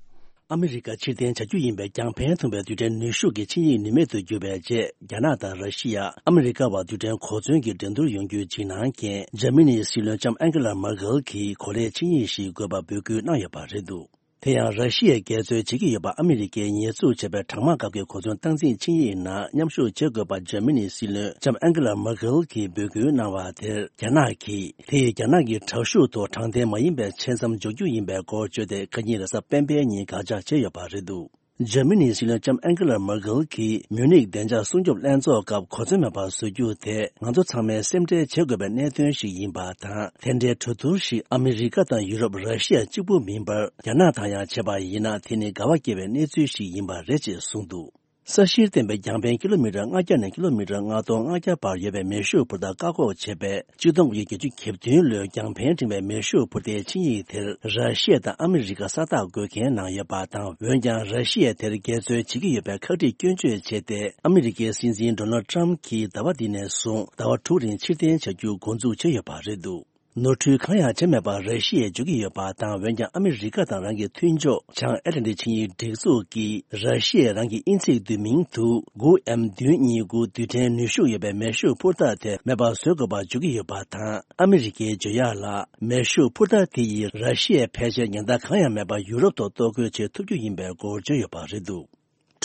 ཨ་མི་རི་ཀ་ཕྱིར་འཐེན་བྱ་རྒྱུ་ཡིན་པའི་རྒྱང་འཕེན་ཐུབ་པའི་རྡུལ་ཕྲན་ནུས་ཤུགས་ཀྱི་ཆིངས་ཡིག་ནུས་མེད་དུ་གྱུར་བའི་རྗེས། རྒྱ་ནག་དང་ར་ཤི་ཡ། ཨ་མི་རི་ཀ་བར་རྡུལ་ཕྲན་གོ་མཚོན་གྱི་འགྲན་བསྡུར་ཡོང་རྒྱུའི་འཇིགས་སྣང་རྐྱེན། འཇར་མ་ནིའི་སྲིད་བློན་ལྕམ་ཨན་ཀེ་ལ་མར་ཀེལ་གྱིས་གོ་ལའི་ཆིངས་ཡིག་ཞིག་དགོས་པ་འབོད་སྐུལ་གནང་ཡོད་པ་རེད་འདུག་དེ་ཡང་ར་ཤི་ཡས་འགལ་རྩོད་བྱེད་ཀྱི་ཡོད་པ་ཨ་མི་རི་ཀས་ཉེས་འཛུགས་བྱས་པའི་གྲང་དམག་སྐབས་ཀྱི་གོ་མཚོན་སྟངས་འཛིན་ཆིངས་ཡིག་ནང་མཉམ་ཞུགས་བྱེད་དགོས་པ་འཇར་མ་ནིའི་སྲིད་བློན་ལྕམ་ཨན་ཀེ་ལ་མར་ཀེལ་གྱིས་འབོད་སྐུལ་གནང་བ་དེར་རྒྱ་ནག་གིས། དེ་ཡིས་རྒྱ་ནག་གི་དྲག་ཤུགས་ཐོག་དྲང་བདེན་མ་ཡིན་པའི་ཆེད་མཚམས་འཇོག་རྒྱུ་ཡིན་པའི་སྐོར་བརྗོད་དེ། ཁ་ཉིན་རེས་གཟའ་སྤེན་པའི་ཉིན་དགག་བྱ་བྱས་ཡོད་པ་རེད་འདུག་འཇར་མ་ནིའི་སྲིད་བློན་ལྕམ་ཨན་ཀེ་ལ་མར་ཀེལ་གྱིས་མུ་ནིག་བདེ་འཇགས་སྲུང་སྐྱོབ་ལྷན་ཚོགས་སྐབས་གོ་མཚོན་མེད་པར་བཟོ་རྒྱུ་དེ་ང་ཚོ་ཚང་མས་སེམས་ཁྲལ་བྱེད་དགོས་པའི་གནད་དོན་ཞིག་ཡིན་པ་དང་། དེ་འདྲའི་གྲོས་བསྡུར་ཞིག་ཨ་མི་རི་ཀ་དང་ཡུ་རོབ། ར་ཤི་ཡ་གཅིག་པུ་མིན་པར་རྒྱ་ནག་དང་ཡང་བྱས་པ་ཡིན་ན། དེ་ནི་དགའ་བ་སྐྱེ་བའི་གནས་ཚུལ་ཞིག་ཡིན་པ་རེད་ཅེས་གསུངས་འདུག་ས་གཞིར་བརྟེན་པའི་རྒྱང་འཕེན་ཀི་ལོ་མི་ཊར་ལྔ་བརྒྱ་ནས་ཀི་ལོ་མི་ཊར་ལྔ་སྟོང་ལྔ་བརྒྱ་བར་ཡོད་པའི་མེ་ཤུགས་འཕུར་མདའ་བཀག་འགོག་བྱས་པའི་ཆིག་སྟོང་དགུ་བརྒྱ་བརྒྱད་ཅུ་གྱ་བདུན་ལོའི་རྒྱང་འཕེན་འབྲིང་བའི་མེ་ཤུགས་འཕུར་མདའི་ཆིངས་ཡིག་དེར་ར་ཤི་ཡ་དང་ཨ་མི་རི་ཀ་ས་རྟགས་འགོད་མཁན་གནང་ཡོད་པ་དང་། འོན་ཀྱང་ར་ཤི་ཡས་དེར་འགལ་རྩོད་བྱེད་ཀྱི་ཡོད་པའི་ཁག་དཀྲིས་སྐྱོན་བརྗོད་བྱས་ཏེ། ཨ་མི་རི་ཀའི་སྲིད་འཛིན་ཌོ་ནལ་ཊམ་གྱིས་ཟླ་བ་འདི་ནས་བཟུང་ཟླ་བ་དྲུག་རིང་ཕྱིར་འཐེན་བྱ་རྒྱུ་འགོ་འཛུགས་བྱས་ཡོད་པ་རེད་འདུག་ནོར་འཁྲུལ་གང་ཡང་བྱས་མེད་པར་ར་ཤི་ཡས་འཇོག་གི་ཡོད་པ་དང་། འོན་ཀྱང་ཨ་མི་རི་ཀ་དང་རང་གི་མཐུན་ཕྱོགས་བྱང་ཨེ་ཊ་ལན་ཊིག་ཆིངས་ཡིག་སྒྲིག་འཛུགས་ཀྱིས་ར་ཤི་ཡས་རང་གི་དབྱིན་ཚིག་བསྡུས་མིང་དུ་དགུ་ཨེམ་བདུན་གཉིས་དགུ་རྡུལ་ཕྲན་ནུས་ཤུགས་ཡོད་པའི་མེ་ཤུགས་འཕུར་ཐག་དེ་མེད་པར་བཟོ་དགོས་པར་འཇོག་གི་ཡོད་པ་དང་། ཨ་མི་རི་ཀའི་བརྗོད་ཡག་ལ། མེ་ཤུགས་འཕུར་ཐག་དེ་ཡིས་ར་ཤི་ཡའི་ཕལ་ཆེར་ཉེན་བརྡ་གང་ཡང་མེད་པར་ཡུ་རོབ་ཐོག་གཏོར་རྒོལ་བྱེད་ཐུབ་རྒྱུ་ཡིན་པའི་སྐོར་བརྗོད་ཡོད་པ་རེད་འདུག་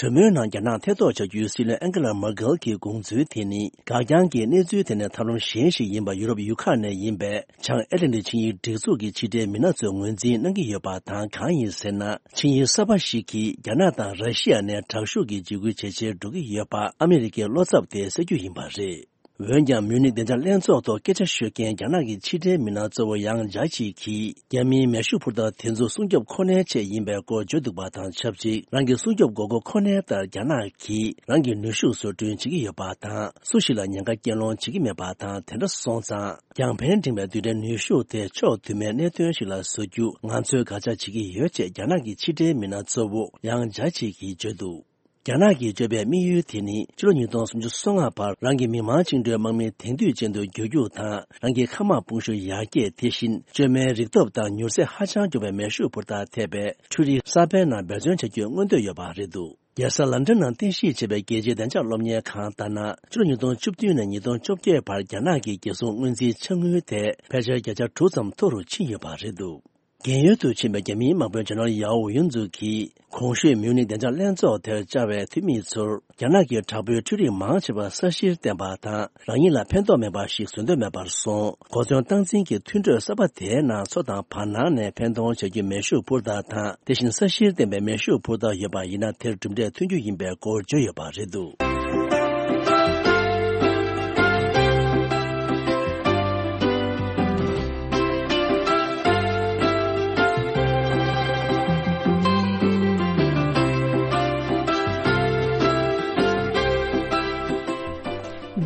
གྲོས་མོལ་ནང་རྒྱ་ནག་ཐེ་གཏོགས་བྱ་རྒྱུའི་སྲིད་བློན་ཨན་ཀེ་ལ་མར་ཀེལ་གྱི་དགོངས་ཚུལ་དེ་ནི། འགག་རྐྱང་གི་གནས་ཚུལ་དེ་ནི་ཐབས་ལམ་གཞན་ཞིག་ཡིན་པ། ཡུ་རོབ་ཡུལ་ཁག་ནས་ཡིན་པའི་བྱང་ཨེ་ཊ་ལན་ཊིག་ཆིངས་ཡིག་སྒྲིག་འཛུགས་ཀྱི་ཕྱི་འབྲེལ་མི་སྣ་ཚོས་ངོས་འཛིན་གནང་གི་ཡོད་པ་དང་། གང་ཡིན་ཟེར་ན། ཆིངས་ཡིག་གསར་པ་ཞིག་གིས་རྒྱ་ནག་དང་ར་ཤི་ཡ་ནས་དྲག་ཤུགས་ཀྱི་འཇིགས་སྐུལ་ཇེ་ཆེར་འགྲོ་གི་ཡོད་པ་ཨ་མི་རི་ཀའི་བློ་འཚབ་དེ་སེལ་རྒྱུ་ཡིན་པ་རེད། འོན་ཀྱང་། མིའུ་ནིག་བདེ་འཇགས་ལྷན་ཚོགས་ཐོག་སྐད་ཆ་ཤོད་མཁན་རྒྱ་ནག་གི་ཕྱི་འབྲེལ་མི་སྣ་གཙོ་བོ་ཡང་ཇཱ་ཆི་གིས། རྒྱ་མིའི་མེ་ཤུགས་འཕུར་ཐག་དེ་ཚོ་སྲུང་སྐྱོབ་ཁོ་ནའི་ཆེད་ཡིན་པའི་སྐོར་བརྗོད་འདུག་པ་དང་ཆབས་ཅིག་རང་གི་སྲུང་སྐྱོབ་དགོས་མཁོ་ཁོ་ནའི་ལྟར་རྒྱ་ནག་གིས་རང་གི་ནུས་ཤུགས་བཟོ་སྐྲུན་བྱེད་ཀྱི་ཡོད་པ་དང་། སུ་ཞིག་ལ་ཉེན་ཁ་རྐྱེན་སློང་བྱེད་ཀྱི་མེད་པ་དང་། དེ་འདྲ་སོང་ཙང་། རྒྱང་འཕེན་འབྲིང་བའི་རྡུལ་ཕྲན་ནུས་ཤུགས་དེ་ཕྱོགས་དུ་མའི་གནད་དོན་ཞིག་ལ་བཟོ་རྒྱུ་ང་ཚོས་དགག་བྱ་བྱེད་ཀྱི་ཡོད་ཅེས་རྒྱ་ནག་གི་ཕྱི་འབྲེལ་མི་སྣ་གཙོ་བོ་ཡང་ཇཱ་ཆི་གིས་བརྗོད་འདུག་རྒྱ་ནག་གིས་བརྗོད་པའི་དམིགས་ཡུལ་དེ་ནི། ཕྱི་ལོ་ཉིས་སྟོང་སུམ་ཅུ་སོ་ལྔ་བར་རང་གི་མི་དམངས་བཅིངས་འགྲོལ་དམག་མི་དེང་དུས་ཅན་དུ་འགྱུར་རྒྱུ་དང་། རང་གི་མཁའ་དམག་དཔུང་ཤུགས་ཡར་རྒྱས། དེ་བཞིན་བཅོས་མའི་རིག་སྟོབས་དང་མྱུར་ཚད་ཧ་ཅང་མགྱོགས་པའི་མེ་ཤུགས་འཕུར་ཐག་ཐེབས་པའི་འཕྲུལ་རིགས་གསར་པའི་ནང་འབད་བརྩོན་བྱ་རྒྱུའི་མངོན་འདོད་ཡོད་པ་རེད་འདུག་རྒྱལ་ས་ལན་ཀྲན་ནང་རྟེན་གཞི་བྱས་པའི་རྒྱལ་སྤྱིའི་བདེ་འཇགས་སློབ་གཉེར་ཁང་ལྟར་ན། ཕྱི་ལོ་ཉིས་སྟོང་བཅུ་བདུན་ནས་ཉིས་སྟོང་བཅོ་བརྒྱད་བར་རྒྱ་ནག་གི་རྒྱལ་སྲུང་སྔོན་རྩིས་འཆར་དངུལ་དེ་ཕལ་ཆེར་བརྒྱ་ཆ་དྲུག་ཙམ་མཐོ་རུ་ཕྱིན་ཡོད་པ་རེད་འདུག་རྒན་ཡོལ་དུ་ཕྱིན་པའི་རྒྱ་མིའི་དམག་དཔོན་ཇེ་ནེ་རལ་ཡའོ་ཡུན་ཛུ་གིས་གོང་ཞུས་མིའུ་ནིག་བདེ་འཇགས་ལྷན་ཚོགས་དེར་བཅར་བའི་འཐུས་མི་ཚོར། རྒྱ་ནག་གི་དྲག་པོའི་འཕྲུལ་རིགས་མང་ཆེ་བ་ས་གཞིར་བརྟེན་པ་དང་། རང་ཉིད་ལ་ཕན་ཐོགས་མེད་པ་ཞིག་བཟོ་འདོད་མེད་པར་སོང་། གོ་མཚོན་སྟངས་འཛིན་གྱི་མཐུན་གྲོས་གསར་པ་དེའི་ནང་མཚོ་དང་བར་སྣང་ནས་འཕེན་གཏོང་བྱ་རྒྱུའི་མེ་ཤུགས་འཕུར་ཐག་དང་། དེ་བཞིན་ས་གཞིར་བརྟེན་པའི་མེ་ཤུགས་འཕུར་ཐག་ཡོད་པ་ཡིན་ན། དེར་གྲུབ་འབྲས་ཐོན་རྒྱུ་ཡིན་པའི་སྐོར་བརྗོད་ཡོད་པ་རེད་འདུག་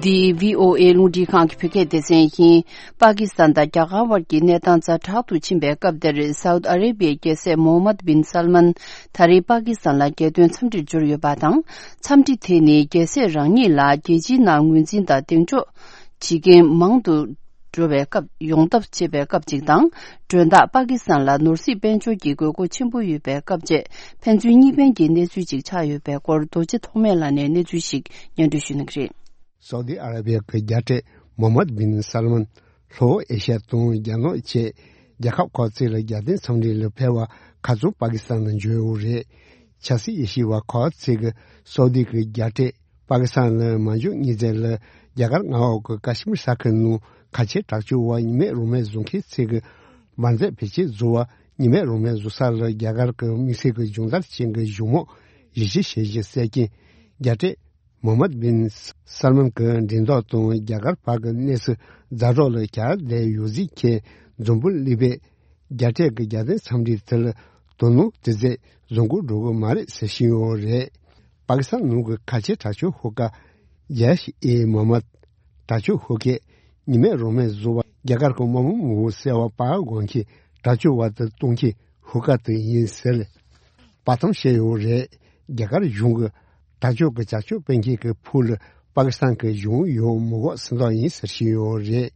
འདི་བྷི་ཨོ་ཨེ་རླུང་འཕྲིན་ཁང་གི་བོད་སྐད་སྡེ་ཚན་ཡིན། པ་ཀི་སི་ཐན་དང་རྒྱ་གར་དབར་གྱི་གནས་སྟངས་ཛ་དྲག་ཏུ་ཕྱིན་པའི་སྐབས་འདིར། སའུ་ཏི་ཨ་རེ་བྷི་ཡའི་རྒྱལ་སྲས་མོ་ཧམ་མད་བིན་སལ་མན་ད་རེས་པ་ཀི་སི་ཐན་ལ་རྒྱལ་དོན་འཚམས་འདྲིར་འབྱོར་ཡོད་པ་དང་། འཚམས་འདྲི་དེ་ནི་རྒྱལ་སྲས་རང་ཉིད་ལ་རྒྱལ་སྤྱིའི་ནང་ངོས་འཛིན་དང་གདེང་འཇོག་བྱེད་མཁན་མང་དུ་འགྲོ་བའི་སྐབས། ཡོང་ཐབས་བྱེད་པའི་སྐབས་ཅིག་དང་། མགྲོན་བདག་པ་ཀི་སི་ཐན་ལ་ནོར་སྲིད་དཔལ་འབྱོར་གྱི་དགོས་མཁོ་ཆེན་པོ་ཡོད་པའི་སྐབས་བཅས། ཕན་ཚུན་གཉིས་ཕན་གྱི་གནས་ཚུལ་ཅིག་ཆགས་ཡོད་པའི་སྐོར། རྡོ་རྗེ་ཐོགས་མེད་ལགས་ནས་གནས་ཚུལ་ཞིག་སྙན་སྒྲོན་ཞུ་གནང་གི་རེད། སའུ་དི་ཨ་ར་བི་ཡ་གི་རྒྱལ་སྲས་མོ་ཧམ་མད་བིན་སལ་མན་ལྷོ་ཨེ་ཤ་ཡ་དང་རྒྱ་ནག་བཅས་རྒྱལ་ཁབ་ཁག་ཅིག་ལ་རྒྱལ་དོན་འཚམས་འདྲི་ལ་ཕེབས་པར་ཁ་རྩང་པ་ཀི་སི་ཐན་ལ་འབྱོར་ཡོད་རེད། ཆབ་སྲིད་དབྱེ་ཞིབ་པ་ཁག་ཅིག་གིས་སའུ་དི་གི་རྒྱལ་སྲས་པ་ཀི་སི་ཐན་ལ་མ་འབྱོར་ཉིན་མཚན་ལ་རྒྱ་གར་མངའ་འོག་གི་ཀ་ཤི་མིར་ས་ཁུལ་ནང་ཁ་ཆེ་དྲག་སྤྱོད་པ་ཉི་མའི་རང་མོས་བཟོ་མཁན་ཅིག་གིས་འབར་རྫས་བེད་སྤྱོད་བཟོ་བ། ཉི་མའི་རང་མོས་བཟོ་ས་ལ་རྒྱ་གར་གྱི་དམིགས་བསལ་གྱི་སྦྱོང་བརྡར་ཅན་གྱི་གཞུང་མང་གཞི་བྱས་བྱས་ཀྱི་གསལ་རྐྱེན། རྒྱལ་སྲས་མོ་ཧམ་མད་བིན་སལ་མན་གྱི་འགྲེམས་སྟོན་དང་རྒྱ་གར་བར་གྱི་གནས་ཚུལ་ཛ་དྲག་ལ་གྱར་བསྡད་ཡོད་ཟེར་མཁན་འཛམ་བུ་གླིང་པས་རྒྱལ་སྲས་ཀྱི་རྒྱལ་དོན་འཚམས་འདྲི་དེ་ལ་དོ་སྣང་དེ་ཙམ་བཟོ་འགོ་འགྲོ་གི་མ་རེད་ཟེར་བཞིན་ཡོད་རེད། པ་ཀི་སི་ཐན་ནང་གི་ཁ་ཆེ་དྲག་སྤྱོད་ཤོག་ཁག་ཇེ་ཤི་ཨེ་མོ་ཧམ་མད། དྲག་སྤྱོད་ཤོག་ཁག་ཉི་མའི་རང་མོས་བཟོ་བ་རྒྱ་གར་གྱི་དམག་དཔུང་མང་པོ་བསད་པ་པར་འགོད་མཁན་དྲག་སྤྱོད་པ་དེ་གཏོང་མཁན་ཤོག་ཁག་དེ་ཡིན་ཟེར། པར་སྟོན་བྱས་ཡོད་རེད། རྒྱ་གར་གཞུང་གིས་དྲག་སྤྱོད་ཀྱི་བྱ་སྤྱོད་སྤེལ་མཁན་གྱི་ཕུག་ལ་པ་ཀི་སི་ཐན་གྱི་གཞུང་ཡོད་མི་དགོས་ཟེར་མདོག་ཡིན་ཟེར་བཞིན་ཡོད་རེད།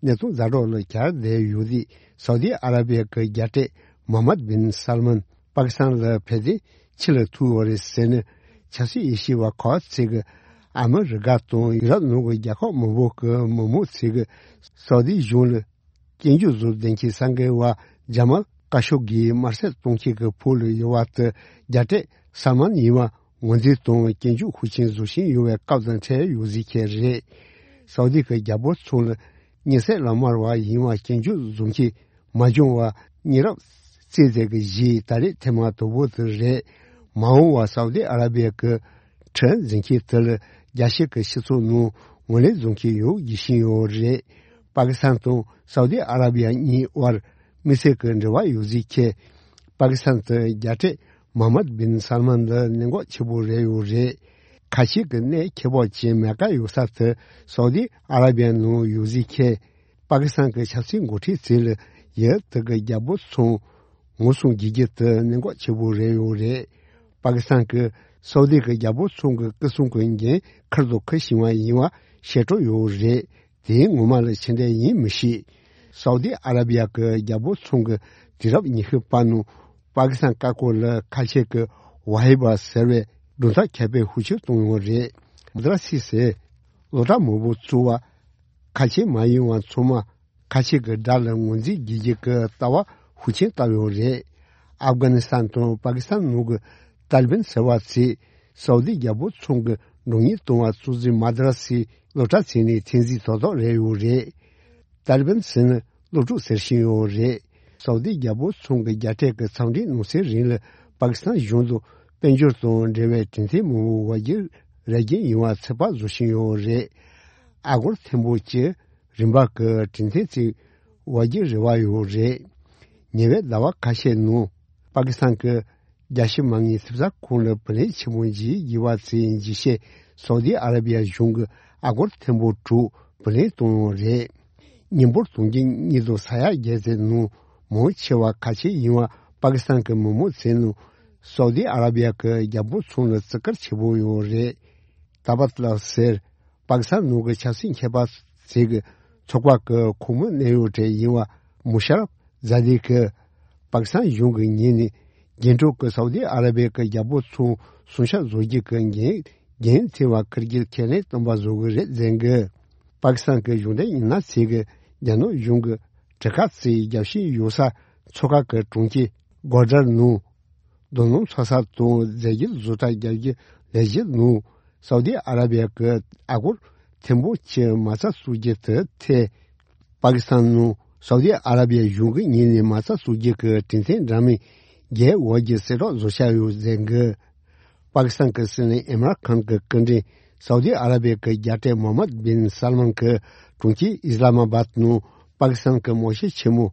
གནས་སྟངས་ཛ་དྲག་ལ་གྱར་བསྡད་ཡོད་དུས་སའུ་དི་ཨ་ར་བི་ཡ་གི་རྒྱལ་སྲས་མོ་ཧམ་མད་བིན་སལ་མན་པ་ཀི་སི་ཐན་ལ་ཕེབས་ཏེ་ཕྱི་ལ་ཐུག་ཡོད་རེད་ཟེར་ནས་ཆབ་སྲིད་དབྱེ་ཞིབ་པ་ཁག་ཅིག་གིས་ཨ་མི་རི་ཀ་དང་ཡུ་རོབ་ནང་གི་རྒྱལ་ཁབ་མང་པོ་གི་མི་མང་ཅིག་གིས་སའུ་དི་གཞུང་ལ་སྐྱོན་བརྗོད་བཟོ་བསྡད་མཁན་གསར་འགོད་པ་ཇ་མལ་ཀ་ཤོ་གིས་དམར་གསོད་གཏོང་མཁན་གྱི་ཕུག་ལ་ཡོད་པ་དེ་རྒྱལ་སྲས་སལ་མན་ཡིན་པ་ངོས་འཛིན་དང་སྐྱོན་བརྗོད་ཤུགས་ཆེན་བཟོ་བཞིན་ཡོད་པའི་སྐབས་དང་འཕྲད་ཡོད་ཟེར་མཁན་རེད། སའུ་དི་གི་རྒྱལ་པོ་མཚོན་ལ་ཉེས་སྲས་ལ་དམར་བ་ཡིན་པ་སྐྱོན་བརྗོད་བཟོ་མཁན་མ་བྱུང་བར་ཉེ་རབས་རྩིས་རྫས་ཀྱི་གཞི་ད་རེས་ཐེངས་མ་དང་པོ་དེ་རེད། མ་འོངས་པར་སའུ་དི་ཨ་ར་བི་ཡ་གི་ཁྲིམས་འཛིན་མཁན་དེ་ལ་རྒྱལ་སྤྱི་གི་སྤྱི་ཚོགས་ནང་ངོས་ལེན་བཟོ་མཁན་ཡོད་བཞིན་ཡོད་རེད། པ་ཀི་སི་ཐན་དང་སའུ་དི་ཨ་ར་བི་ཡ་གཉིས་དབར་དམིགས་བསལ་གྱི་འབྲེལ་བ་ཡོད་ཟེར་མཁན། པ་ཀི་སི་ཐན་དུ་རྒྱལ་སྲས་མོ་ཧམ་མད་བིན་སལ་མན་ལ་གནད་འགག་ཆེ་པོ་རེད་ཡོད་རེད། ཁ་ཆེ་གི་གནད་ཁྱད་པར་ཅན་མེ་ཀ་ཡོད་ས་དེ་སའུ་དི་ཨ་ར་བི་ཡ་ནང་ཡོད་ཟེར་མཁན། པ་ཀི་སི་ཐན་གྱི་ཆབ་སྲིད་འགོ་ཁྲིད་ཚོས་ལ་ཡུལ་དེ་གི་རྒྱལ་པོ་མཚོན་ངོ་སྲུང་བྱེད་རྒྱུ་དེ་གནད་འགག་ཆེ་པོ་རེད་ཡོད་རེད། པ་ཀི་སི་ཐན་གྱིས་སའུ་དི་གི་རྒྱལ་པོ་མཚོན་གྱི་སྐུ་སྲུང་གི་འགན་ཁུར་དང་འཁུར་བཞིན་པ་ཡིན་པ་ཤེས་རྟོགས་ཡོད་རེད། དེའི་ངོ་མ་ལ་ཕྱི་འབྲེལ་ཡིན་མི་ཤེས། སའུ་ཏི་ཨ་ར་བི་ཡ་གི་རྒྱལ་པོ་ཚང་གི་དུས་རབས་ཉི་ཤུ་པ་ནང་པ་ཀི་སི་ཐན་བཀའ་བཀོད་ལ་ཁ་ཆེ་གི་ཝ་ཧི་བ་ཟེར་བའི་སྒྲུང་གཏམ་མཁས་པའི་ཧུར་བརྩོན་བཏང་ཡོད་རེད། མ་དྲ་སི་ཟེར་སློབ་གྲྭ་མང་པོ་བཙུགས་པ། ཁ་ཆེ་མ་ཡིན་པ་ཚང་མ་ཁ་ཆེ་གི་དགྲ་ལ་ངོས་འཛིན་བགྱིད་རྒྱུ་གི་ལྟ་བ་ཤུགས་ཆེན་བཏབ་ཡོད་རེད། ཨབ་གྷ་ནི་སི་ཐན་དང་པ་ཀི་སི་ཐན་ནང་གི་ཏཱ་ལི་བན་ཟེར་བ་ཚོས་སའུ་དི་རྒྱལ་པོ་ཚང་གི་མགྲོན་གཉེར་བཏང་བ་གཙོ་འཛིན་མ་དྲ་སི་སློབ་གྲྭ་ཚོ་ནས་ཐེངས་གཅིག་ཏག་ཏག་རེད་ཡོད་རེད། ཏཱ་ལི་བན་ཟེར་ན་སློབ་ཕྲུག་ཟེར་བཞིན་ཡོད་རེད། སའུ་དི་རྒྱལ་པོ་ཚང་གི་རྒྱལ་སྲས་ཀྱི་འཚམས་འདྲིའི་གནང་སའི་རིང་ལ་པ་ཀི་སི་ཐན་གཞུང་དང་དཔལ་འབྱོར་དང་འབྲེལ་བའི་གྲོས་མཐུན་མང་པོ་བར་བརྒྱུད་ར་རྒྱུད་ཡིན་པ་ཚོད་དཔག་བཟོ་བཞིན་ཡོད་རེད། ཨ་སྒོར་ཐེར་འབུམ་གྱི་རིན་པ་གི་གྲོས་མཐུན་ཚོ་བར་བརྒྱུད་རེ་བ་ཡོད་རེད། ཉེ་བའི་ཟླ་བ་ཁ་ཤས་ནང་པ་ཀི་སི་ཐན་གྱི་རྒྱལ་སྤྱི་མ་དངུལ་ཐེབས་རྩ་ཁང་ལ་བུ་ལོན་ཆེན་མོ་ཞིག་བགྱིས་པ་ཚོའི་འཇིགས་བྱེད་སའུ་དི་ཨ་ར་བི་ཡ་གཞུང་གིས་ཨ་སྒོར་ཐེར་འབུམ་དྲུག་བུ་ལོན་བཏང་ཡོད་རེད། མི་འབོར་དུང་ཕྱུར་གཉིས་དང་ས་ཡ་བརྒྱད་ཙམ་ནང་མང་ཆེ་བ་ཁ་ཆེ་ཡིན་པ་པ་ཀི་སི་ཐན་གྱི་མི་མང་ཚོའི་ནང་སའུ་དི་ཨ་ར་བི་ཡ་གི་རྒྱལ་པོ་ཚང་ལ་བརྩི་བཀུར་ཆེ་པོ་ཡོད་རེད། ཏཱ་བ་ཏི་ལ་ཟེར་པ་ཀི་སི་ཐན་ནང་གི་ཆབ་སྲིད་མཁས་པ་ཚོ་གི་ཚོགས་པ་གི་ཁོངས་མི་གནད་ཡོད་གྲས་ཡིན་པ་མུ་ཤ་རབ་ཛ་དི་གིས་པ་ཀི་སི་ཐན་གཞུང་གི་ངོས་ནས་རྒྱན་དྲུག་གི་སའུ་དི་ཨ་ར་བི་ཡ་གི་རྒྱལ་པོ་ཚང་སྲུང་སྐྱོབ་བཟོ་རྒྱུ་གི་འགན་འགན་འཁྱེར་བ་ཁུར་གྱིས་ཁས་ལེན་བཏང་པ་བཟོ་གི་རེད་ཟེར་གི། པ་ཀི་སི་ཐན་གྱི་གཞུང་འབྲེལ་མི་སྣ་ཚོས་གི་རྒྱ་ནག་གཞུང་གི་གྲུ་ཁ་ཚོའི་རྒྱབ་ཤིང་གཡུག་ས་མཚོ་ཁ་གི་གྲོང་ཁྱེར་གོ་ཌར་ནང་རྡོ་སྣུམ་འཚོ་ས་དང་རྫས་འགྱུར་བཟོ་གྲྭ་རྒྱག་རྒྱུ་ལས་གཞི་ནང་སའུ་དི་ཨ་ར་བི་ཡ་གི་ཨ་སྒོར་ཐེར་འབུམ་གྱི་མ་རྩ་བཙུགས་རྒྱུ་དེ་ཐད། པ་ཀི་སི་ཐན་ནང་སའུ་དི་ཨ་ར་བི་ཡ་གཞུང་གི་ངོས་ནས་མ་རྩ་བཙུགས་རྒྱུ་གི་གྲོས་མཐུན་འདྲ་མིན་བརྒྱད་འོག་གི་གསལ་བསྒྲགས་བཟོ་འཆར་ཡོད་ཟེར་གི། པ་ཀི་སི་ཐན་གྱི་སྲིད་བློན་ཨིམ་རཱན་ཁཱན་གྱི་སྐུ་མགྲོན་སའུ་དི་ཨ་ར་བི་ཡ་གི་རྒྱལ་སྲས་མོ་ཧམ་མད་བིན་སལ་མན་གྱིས་གྲོང་ཁྱེར་ཨི་སི་ལ་མ་བཱད་ནང་པ་ཀི་སི་ཐན་གྱི་དམག་སྤྱི་ཆེན་མོ་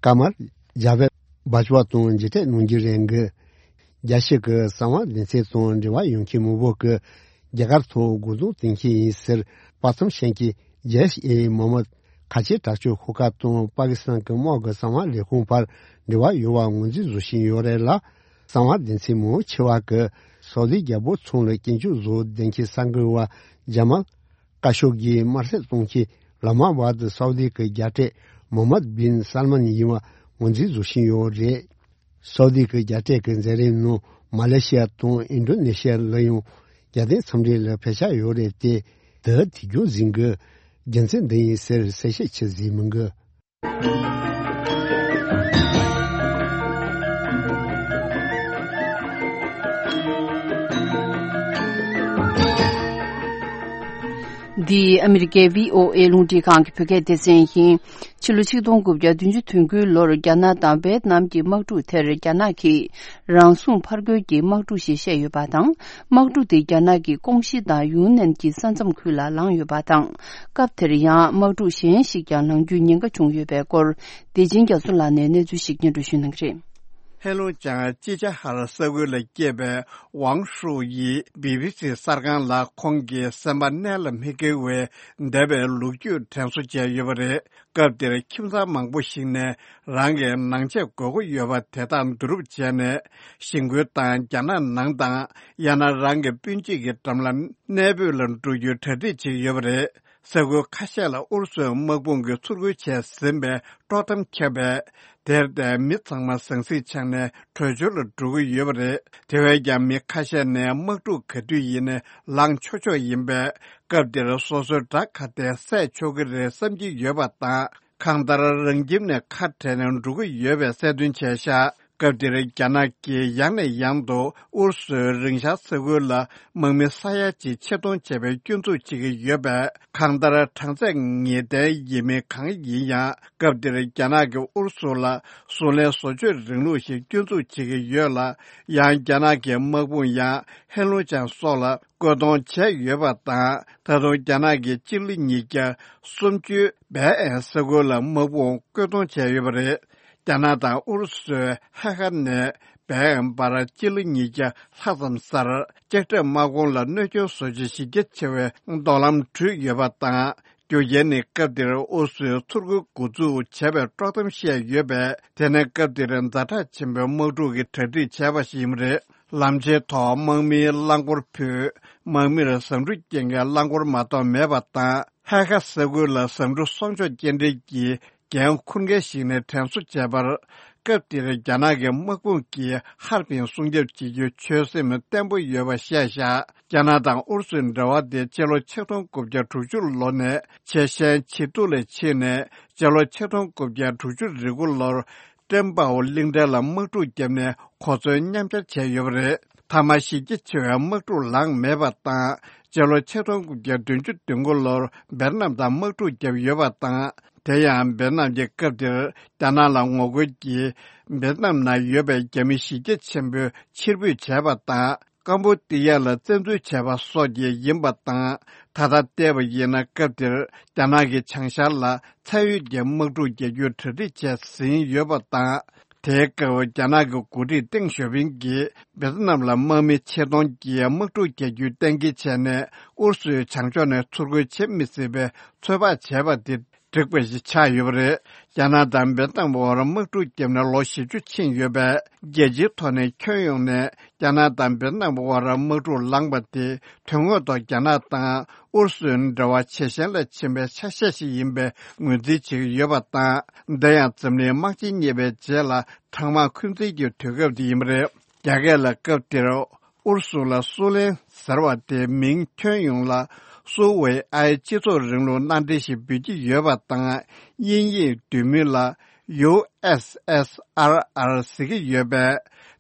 ཀ་མར་ཇཱ་བེད་བྷ་ཇུ་བ་དང་མཇལ་འཕྲད་གནང་རྒྱུ་རེད་འདུག་རྒྱལ་སྤྱི་གི་གསང་བ་སྡེ་ཚན་དང་འབྲེལ་བ་ཡོད་མཁན་མང་པོ་གིས་རྒྱ་གར་ཐོག་རྒོལ་རྡུང་གཏོང་མཁན་ཡིན་ཟེར་དཔའ་མཚམས་བཞག་མཁན་ཇེ་ཤི་ཨེ་མོ་ཧམ་མད་ཁ་ཆེ་དྲག་སྤྱོད་ཤོག་ཁག་དང་པ་ཀི་སི་ཐན་གྱི་དམག་གི་གསང་བ་ལས་ཁུངས་བར་འབྲེལ་བ་ཡོད་པ་ངོས་འཛིན་བཟོ་བཞིན་ཡོད་རེད་ལ། གསང་བ་སྡེ་ཚན་མང་ཆེ་བ་གིས་སའུ་དི་རྒྱལ་པོ་ཚང་ལ་སྐྱོན་བརྗོད་བཟོ་བསྡད་མཁན་གསར་འགོད་པ་ཇ་མལ་ཀ་ཤོག་གིས་དམར་གསོད་གཏོང་མཁན་ལ་མ་བར་དུ་སའུ་དི་གི་རྒྱལ་སྲས་མོ་ཧམ་མད་བིན་སལ་མན་ཡིན་པ་ངོས་འཛིན་བཟོ་བཞིན་ཡོད་རེད། སའུ་དི་གི་རྒྱལ་སྲས་ཀྱི་མཛད་རིམ་ནང་མ་ལེ་ཤི་ཡ་དང་ཨིན་ཌོ་ནེ་ཤི་ཡ་ལ་ཡང་རྒྱལ་བསྟན་འཚམས་འདྲི་ལ་ཕེབས་འཆར་ཡོད་རེད་དེ། དེ་དུས་རྒྱུན་བཟང་གི་རྒྱུ་མཚན་འདི་ཡིན་ཟེར་གསལ་བཤད་བྱེད་ཟིན་མི་འདུག་འདི་ཨ་མི་རི་ཀའི་བྷི་ཨོ་ཨེ་རླུང་འཕྲིན་ཁང་གི་བོད་སྐད་སྡེ་ཚན་ཡིན། ཕྱི་ལོ་ཆིག་སྟོང་དགུ་བརྒྱ་བདུན་ཅུ་དོན་དགུའི་ལོར་རྒྱ་ནག་དང་ཝེད་ནམ་གྱི་དམག་འཁྲུག་དེར་རྒྱ་ནག་གིས་རང་སྲུང་ཕར་རྒོལ་གྱི་དམག་འཁྲུག་ཞེས་བཤད་ཡོད་པ་དང་། དམག་འཁྲུག་དེ་རྒྱ་ནག་གི་ཀོང་ཞི་དང་ཡུན་ནན་གྱི་ས་མཚམས་ཁུལ་ལ་ལངས་ཡོད་པ་དང་། སྐབས་དེར་ཡང་དམག་འཁྲུག་གཞན་ཞིག་ཀྱང་ལངས་རྒྱུའི་ཉེན་ཁ་བྱུང་ཡོད་པའི་སྐོར། བདེ་ཆེན་རྒྱ་མཚོ་ལགས་ནས་གནས་ཚུལ་ཞིག་སྙན་སྒྲོན་ཞུ་གནང་གི་རེད། ཧེ་ལུང་ཅང་ཅི་ཅ་ཧར་ས་ཁུལ་ལ་སྐྱེས་པའི་ཝང་ཧྲུའུ་ཡིས་བི་བི་སི་གསར་ཁང་ལ་ཁོང་གི་སེམས་པ་གནད་ལ་མི་འཁེལ་བའི་འདས་པའི་ལོ་རྒྱུས་དྲན་གསོ་བྱས་ཡོད་པ་རེད། སྐབས་དེར་ཁྱིམ་ཚང་མང་པོ་ཞིག་ནས་རང་གི་ནང་ཆས་དགོས་མཁོ་ཡོད་པ་དེ་དག་བསྡུ་རུབ་བྱས་ནས་གཞིས་འགོས་དང་རྒྱ་ནག་ནང་དང་ཡང་ན་རང་གི་སྤུན་མཆེད་ཀྱི་འགྲམ་ལ་གནས་སྤོས་ལ་འགྲོ་རྒྱུའི་གྲ་སྒྲིག་བྱེད་ཀྱི་ཡོད་པ་རེད། ས་ཁུལ་ཁ་ཤས་ལ་ཨུ་རུ་སུའི་དམག་དཔུང་གིས་ཚུར་རྒོལ་བྱས་ཟིན་པའི་དཀྲོག་གཏམ་ཁྱབ་པས། དེར་བརྟེན་མི་ཚང་མ་ཟང་ཟིང་ཆགས་ནས་བྲོས་བྱོལ་ལ་འགྲོ་གི་ཡོད་པ་རེད། དེ་བས་ཀྱང་མི་ཁ་ཤས་ནས་དམག་འཁྲུག་ག་དུས་ཡིན་ནའི་ལངས་ཆོག་ཆོག་ཡིན་པས། སྐབས་འདིར་སོ་སོའི་དགྲ་ག་དེ་བསད་ཆོག་གི་རེད་བསམ་གྱི་ཡོད་པ་དང་། གང་ལྟར་རང་ཁྱིམ་ནས་ཁ་བྲལ་ནས་འགྲོ་གི་ཡོད་པའི་གསལ་སྟོན་བྱས་ཤག་སྐབས་འདིར་རྒྱ་ནག་གིས་ཡང་ནས་ཡང་དུ་ཨུ་རུ་སུའི་རིང་ཤག་ས་ཁུལ་ལ་དམག་མི་ས་ཡ་གཅིག་ཆེད་གཏོང་བྱས་པའི་སྐྱོན་འཛུགས་བྱེད་ཀྱི་ཡོད་པས། གང་ལྟར་གྲངས་ཚད་ངེས་གཏན་ཡིན་མིན་གང་ཡིན་ཡང་། སྐབས་འདིར་རྒྱ་ནག་གིས་ཨུ་རུ་སུ་ལ་གསུང་ལན་བཟོ་བཅོས་རིང་ལུགས་ཤིག་སྐྱོན་འཛུགས་བྱེད་ཀྱི་ཡོད་ལ། ཡང་རྒྱ་ནག་གི་དམག་དཔུང་ཡང་ཧེ་ལུང་ཅང་སོགས་ལ་བཀོད་གཏོང་བྱས་ཡོད་པ་དང་། ད་དུང་རྒྱ་ནག་གིས་སྤྱི་ལོ་ཉིས་བརྒྱ་སུམ་ཅུའི་བལ་ཨན་ས་ཁུལ་ལ་དམག་དཔུང་བཀོད་གཏོང་བྱས་ཡོད་པ་རེད། རྒྱ་ནག་དང་ཨུ་རུ་སུའི་ཧེ་ཁ་ནས་བལ་ཨན་བར་སྤྱི་ལོ་ཉིས་བརྒྱ་ལྷག་ཙམ་སར་ལྕགས་ཁྲབ་དམག་དཔུང་ལ་གནོད་སྐྱོན་བཟོ་བྱེད་གཞི་རྒྱ་ཆེ་བའི་མདོང་ལམ་བྲུས་ཡོད་པ་དང་། རྒྱུ་རྐྱེན་ནི་སྐབས་འདིར་ཨུ་རུ་སུས་ཚུར་རྒོལ་འགོ་འཛུགས་བྱས་པའི་དཀྲོག་གཏམ་བཤད་ཡོད་པས། དེ་ནི་སྐབས་འདིར་ཛ་དྲག་ཆེན་པོའི་དམག་འཁྲུག་གི་གྲ་སྒྲིག་བྱས་པ་ཞིག་ཡིན་པ་རེད། ལམ་ཆེན་ཐོག་དམག་མིའི་རླངས་འཁོར་ཕུད། དམག་མིར་ཟ་འབྲུ་སྐྱེལ་མཁན་རླངས་འཁོར་མ་གཏོགས་མེད་པ་དང་། ཧེ་ཁ་ས་ཁུལ་ལ་ཟ་འབྲུ་སྲུང་སྐྱོབ་སྐྱེལ་འདྲེན་གྱི་ འགན་འཁུར་མཁན་ཞིག་ནས་དྲན་གསོ་བྱས་པར། སྐབས་དེར་རྒྱ་ནག་གི་དམག་དཔུང་གིས་ཧར་པིན་སྲུང་སྐྱོབ་བྱེད་རྒྱུའི་ཆོད་སེམས་བརྟན་པོ་ཡོད་པ་བཤད་བཞག་རྒྱ་ནག་དང་ཨུ་རུ་སུའི་འབྲེལ་བ་དེ་སྤྱི་ལོ་ཆིག་སྟོང་དགུ་བརྒྱ་དྲུག་ཅུ་ལོ་ནས་ཆེས་ཞན་ཇེ་སྡུག་ལ་ཕྱིན་ནས། སྤྱི་ལོ་ཆིག་སྟོང་དགུ་བརྒྱ་དྲུག་ཅུ་རེ་དགུ་ལོར་ཀྲེན་པའོ་གླིང་ཕྲན་ལ་དམག་འཁྲུག་བརྒྱབ་ནས་གོ་མཚོན་མཉམ་སྦྱར་བྱས་ཡོད་པ་རེད། མཐའ་མ་གཞི་རྒྱ་ཆེ་བའི་དམག་འཁྲུག་ལངས་མེད་པ་དང་། སྤྱི་ལོ་ཆིག་སྟོང་དགུ་བརྒྱ་བདུན་ཅུ་དོན་དགུ་ལོར་ཝེ་ཏི་ནམ་དང་དམག་འཁྲུག་བརྒྱབ་ཡོད་པ་དང་། དེ་ཡང་ཝེ་ཏི་ནམ་གྱི་སྐབས་དེར་རྒྱ་ནག་ལ་ངོ་རྒོལ་གྱིས་ཝེ་ཏི་ནམ་ནང་ཡོད་པའི་རྒྱ་མི་གཞི་རྒྱ་ཆེན་པོ་ཕྱིར་འབུད་བྱས་པ་དང་། ཀམ་པུ་ཏི་ཡ་ལ་བཙན་འཛུལ་བྱས་པ་སོགས་ཀྱིས་ཡིན་པ་དང་། ད་ལྟ་བལྟས་པ་ཡིན་ན། སྐབས་དེར་རྒྱ་ནག་གི་བྱང་ཤར་ལ་མཚན་ཡོད་ཀྱི་དམག་འཁྲུག་རྒྱག་རྒྱུའི་གྲ་སྒྲིག་བྱས་ཟིན་ཡོད་པ་དང་། དེའི་སྐབས་རྒྱ་ནག་གི་འགོ་ཁྲིད་ཏེང་ཞའོ་ཕིང་གིས་ཝེ་ཏི་ནམ་ལ་དམག་མི་ཆེད་གཏོང་གིས་དམག་འཁྲུག་རྒྱག་རྒྱུའི་གཏན་འཁེལ་བྱས་ནས། ཨུ་རུ་སུའི་བྱང་ཕྱོགས་ནས་ཚུར་རྒོལ་བྱེད་མི་སྲིད་པའི་ཚོད་དཔག་བྱས་པ་དེ་འགྲིག་པ་ཞིག་ཆགས་ཡོད་པ་རེད། རྒྱ་ནག་དང་ཝེ་ཏི་ནམ་དབར་དམག་འཁྲུག་བརྒྱབ་ནས་ལོ་བཞི་བཅུ་ཕྱིན་ཡོད་པས། རྒྱལ་སྤྱིའི་ཐོག་ནས་ཁྱོན་ཡོངས་ནས་རྒྱ་ནག་དང་ཝེ་ཏི་ནམ་དབར་དམག་འཁྲུག་ལངས་པ་དེ། དོན་དངོས་ཐོག་རྒྱ་ནག་དང་ཨུ་རུ་སུའི་འབྲེལ་བ་ཇེ་ཞན་ལ་ཕྱིན་པའི་ཆ་ཤས་ཤིག་ཡིན་པའི་ངོས་འཛིན་བྱེད་ཀྱི་ཡོད་པ་དང་། འདི་ཡང་འཛམ་གླིང་དམག་ཆེན་གཉིས་པའི་རྗེས་ལ་གྲང་དམག་འཁོན་འཛིན་གྱི་དུས་སྐབས་དེ་ཡིན་པ་རེད། རྒྱ་སྐད་ལ་སྐབས་དེར་ཨུ་རུ་སུ་ལ་སུའུ་ལེན་ཟེར་བ་དེ་མིང་ཁྱོན་ཡོངས་ལ་སུའུ་ཝེ་ཨའི་སྤྱི་ཚོགས་རིང་ལུགས་མནའ་འབྲེལ་ཞེས་འབོད་ཀྱི་ཡོད་པ་དང་། དབྱིན་ཡིག་བསྡུས་མིང་ལ་ཡུ་ཨེསི་ཨེསི་ཨར་ཨར་ཟེར་གྱི་ཡོད་པས།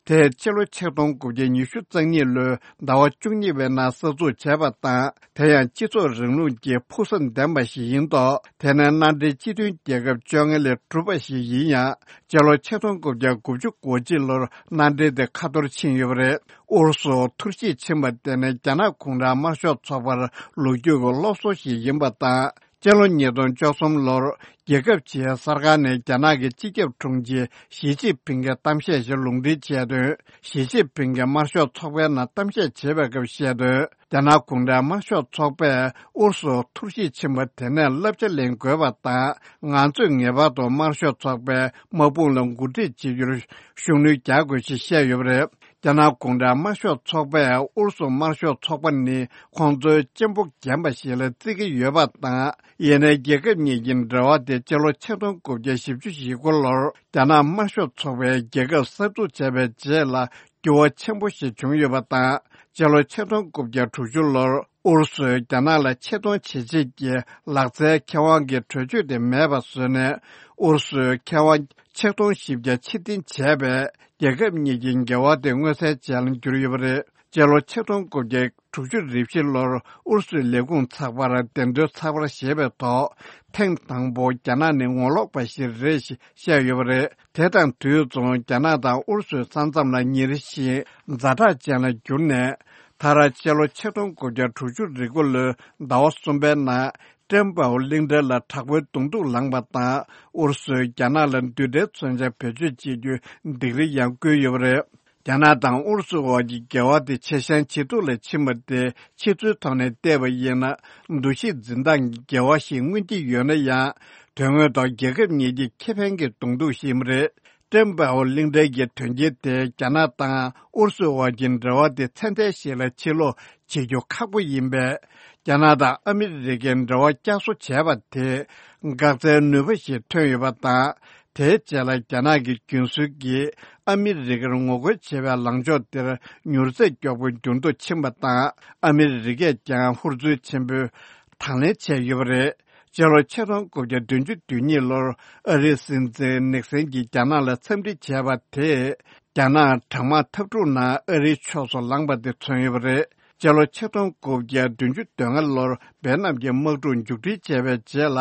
དེས་ཕྱི་ལོ་ཆིག་སྟོང་དགུ་བརྒྱ་ཉི་ཤུ་རྩ་གཉིས་ལོའི་ཟླ་བ་བཅུ་གཉིས་པའི་ནང་གསར་འཛུགས་བྱས་པ་དང་། དེ་ཡང་སྤྱི་ཚོགས་རིང་ལུགས་ཀྱི་ཕུགས་བསམ་ལྡན་པ་ཞིག་ཡིན་མདོག་དེ་ནི་མནའ་འབྲེལ་སྤྱི་མཐུན་རྒྱལ་ཁབ་བཅོ་ལྔ་ལས་གྲུབ་པ་ཞིག་ཡིན་ཡང་། སྤྱི་ལོ་ཆིག་སྟོང་དགུ་བརྒྱ་དགུ་བཅུ་གོ་གཅིག་ལོར་མནའ་འབྲེལ་དེ་ཁ་འཐོརཕྱིན་ཡོད་པ་རེད། ཨུ་རུ་སུ་འཐོར་ཞིག་ཕྱིན་པ་དེ་ནི་རྒྱ་ནག་གུང་ཁྲན་དམར་ཤོག་ཚོགས་པར་ལོ་རྒྱུས་ཀྱི་སློབ་གསོ་ཞིག་ཡིན་པ་དང་། སྤྱི་ལོ་ཉིས་སྟོང་བཅུ་གསུམ་ལོར་རྒྱལ་ཁབ་ཆེའི་གསར་ཁང་ནས་རྒྱ་ནག་གི་སྤྱི་ཁྱབ་དྲུང་ཆེ་ཞི་ཅིན་ཕིང་གི་གཏམ་བཤད་ཞིག་ལུང་འདྲེན་བྱས་དོན། ཞི་ཅིན་ཕིང་གིས་དམར་ཤོག་ཚོགས་པའི་ནང་གཏམ་བཤད་བྱེད་པའི་སྐབས་བཤད་དོན། རྒྱ་ནག་གུང་ཁྲན་དམར་ཤོག་ཚོགས་པས་ཨུ་རུ་སུ་འཐོར་ཞིག་ཕྱིན་པ་དེ་ནས་བསླབ་བྱ་ལེན་དགོས་པ་དང་། ང་ཚོས་ངེས་པར་དུ་དམར་ཤོག་ཚོགས་པའི་དམག་དཔུང་ལ་འགོ་ཁྲིད་བྱེད་རྒྱུར་ཤུགས་སྣོན་རྒྱག་དགོས་ཞེས་བཤད་ཡོད་པ་རེད། རྒྱ་ནག་གུང་ཁྲན་དམར་ཤོག་ཚོགས་པས་ཨུ་རུ་སུ་དམར་ཤོག་ཚོགས་པ་ནི་ཁོང་ཚོའི་གཅེན་པོ་རྒན་པ་ཞིག་ལ་བརྩི་གི་ཡོད་པ་དང་། ཡིན་ནའི་རྒྱལ་ཁབ་གཉིས་ཀྱི་འབྲེལ་བ་དེ་སྤྱི་ལོ་ཆིག་སྟོང་དགུ་བརྒྱ་བཞི་བཅུ་ཞེ་དགུ་ལོར་རྒྱ་ནག་དམར་ཤོག་ཚོགས་པའི་རྒྱལ་ཁབ་གསར་འཛུགས་བྱས་པའི་རྗེས་ལ་འགྱུར་བ་ཆེན་པོ་ཞིག་བྱུང་ཡོད་པ་དང་། སྤྱི་ལོ་ཆིག་སྟོང་དགུ་བརྒྱ་དྲུག་ཅུ་ལོར་ཨུ་རུ་སུས་རྒྱ་ནག་ལ་ཆེད་གཏོང་བྱེད་ཆེད་ཀྱི་ལག་རྩལ་མཁས་དབང་གི་གྲོས་ཆོད་དེ་མེད་པ་བཟོས་ནས། ཨུ་རུ་སུའི་མཁས་དབང་ཆིག་སྟོང་བཞི་བརྒྱ་ཕྱིར་འཐེན་བྱས་པས། རྒྱལ་ཁབ་གཉིས་ཀྱི་འགལ་བ་དེ་མངོན་གསལ་ཅན་ལ་གྱུར་ཡོད་པ་རེད། སྤྱི་ལོ་ཆིག་སྟོང་དགུ་བརྒྱ་དྲུག་ཅུ་རེ་བཞི་ལོར་ཨུ་རུ་སུའི་ལས་ཁུངས་ཚགས་པར་བདེན་དོན་ཚགས་པར་ཞེས་པའི་ཐོག་ཐེངས་དང་པོ་རྒྱ་ནག་ནི་ངོ་ལོག་པ་ཞིག་རེད་ཞེས་བཤད་ཡོད་པ་རེད། དེ་དང་དུས་མཚུངས་རྒྱ་ནག་དང་ཨུ་རུ་སུའི་ས་མཚམས་ལ་ཉེ་རི་ཞིང་ཛ་དྲག་ཅན་ལ་གྱུར་ནས། མཐར་སྤྱི་ལོ་ཆིག་སྟོང་དགུ་བརྒྱ་དྲུག་ཅུ་རེ་དགུ་ལོའི་ཟླ་བ་གསུམ་པའི་ནང་། ཀྲེན་པའོ་གླིང་ཕྲན་ལ་དྲག་པོའི་གདོང་ཐུག་ལངས་པ་དང་། ཨུ་རུ་སུས་རྒྱ་ནག་ལ་མདུན་སྒྲིལ་མཚོན་ཆ་བེད་སྤྱོད་བྱེད་རྒྱུའི་སྡིགས་ར་ཡང་བསྐུལ་ཡོད་པ་རེད། རྒྱ་ནག་དང་ཨུ་རུ་སུ་དབར་གྱི་འགལ་བ་དེ་ཇེ་ཞན་ཇེ་སྡུག་ལ་ཕྱིན་པ་དེ་ཕྱི་ཚུལ་ཐོག་ནས་བལྟས་པ་ཡིན་ན། འདུ་ཤེས་འཛིན་སྟངས་ཀྱི་འགལ་བ་ཞིག་མངོན་གྱི་ཡོད་ན་ཡང་། དོན་དངོས་ཐོག་རྒྱལ་ཁབ་གཉིས་ཀྱི་ཁེ་ཕན་གྱི་གདོང་ཐུག་ཞིག་ཡིན་པ་རེད། ཀྲེན་པའོ་གླིང་ཕྲན་གྱི་དོན་རྐྱེན་དེས་རྒྱ་ནག་དང་ཨུ་རུ་སུའི་དབར་གྱི་འབྲེལ་བ་དེ་ཚད་ལྡན་ཞིག་ལ་ཕྱིར་ལོག་བྱེད་རྒྱུ་ཁག་པོ་ཡིན་པས། རྒྱ་ནག་དང་ཨ་མི་རི་ཀའི་འབྲེལ་བ་བསྐྱར་གསོ་བྱས་པ་དེས་འགག་རྩའི་ནུས་པ་ཞིག་ཐོན་ཡོད་པ་དང་། དེའི་རྗེས་ལ་རྒྱ་ནག་གི་རྒྱུན་སྲོལ་གྱིས་ཨ་མི་རི་ཀར་ངོ་རྒོལ་བྱེད་པའི་ལངས་ཕྱོགས་དེར་མྱུར་ཚད་མགྱོགས་པོ་འགྱུར་ལྡོག་ཕྱིན་པ་དང་། ཨ་མི་རི་ཀས་ཀྱང་ཧུར་བརྩོན་ཆེན་པོས་དང་ལེན་བྱས་ཡོད་པ་རེད། སྤྱི་ལོ་ཆིག་སྟོང་དགུ་བརྒྱ་བདུན་ཅུ་དོན་གཉིས་ལོར་ཨ་རིའི་སྲིད་འཛིན་ནིག་སན་གྱིས་རྒྱ་ནག་ལ་འཚམས་འདྲི་བྱས་པ་དེས། རྒྱ་ནག་གྲང་དམག་འཐབ་འཁྲུག་ནང་ཨ་རིའི་ཕྱོགས་སུ་ལངས་པ་དེ་མཚོན་ཡོད་པ་རེད། སྤྱི་ལོ་ཆིག་སྟོང་དགུ་བརྒྱ་བདུན་ཅུ་དོན་ལྔ་ལོར་ཝེ་ནམ་གྱི་དམག་འཁྲུག་མཇུག་སྒྲིལ་བྱས་པའི་རྗེས་ལ།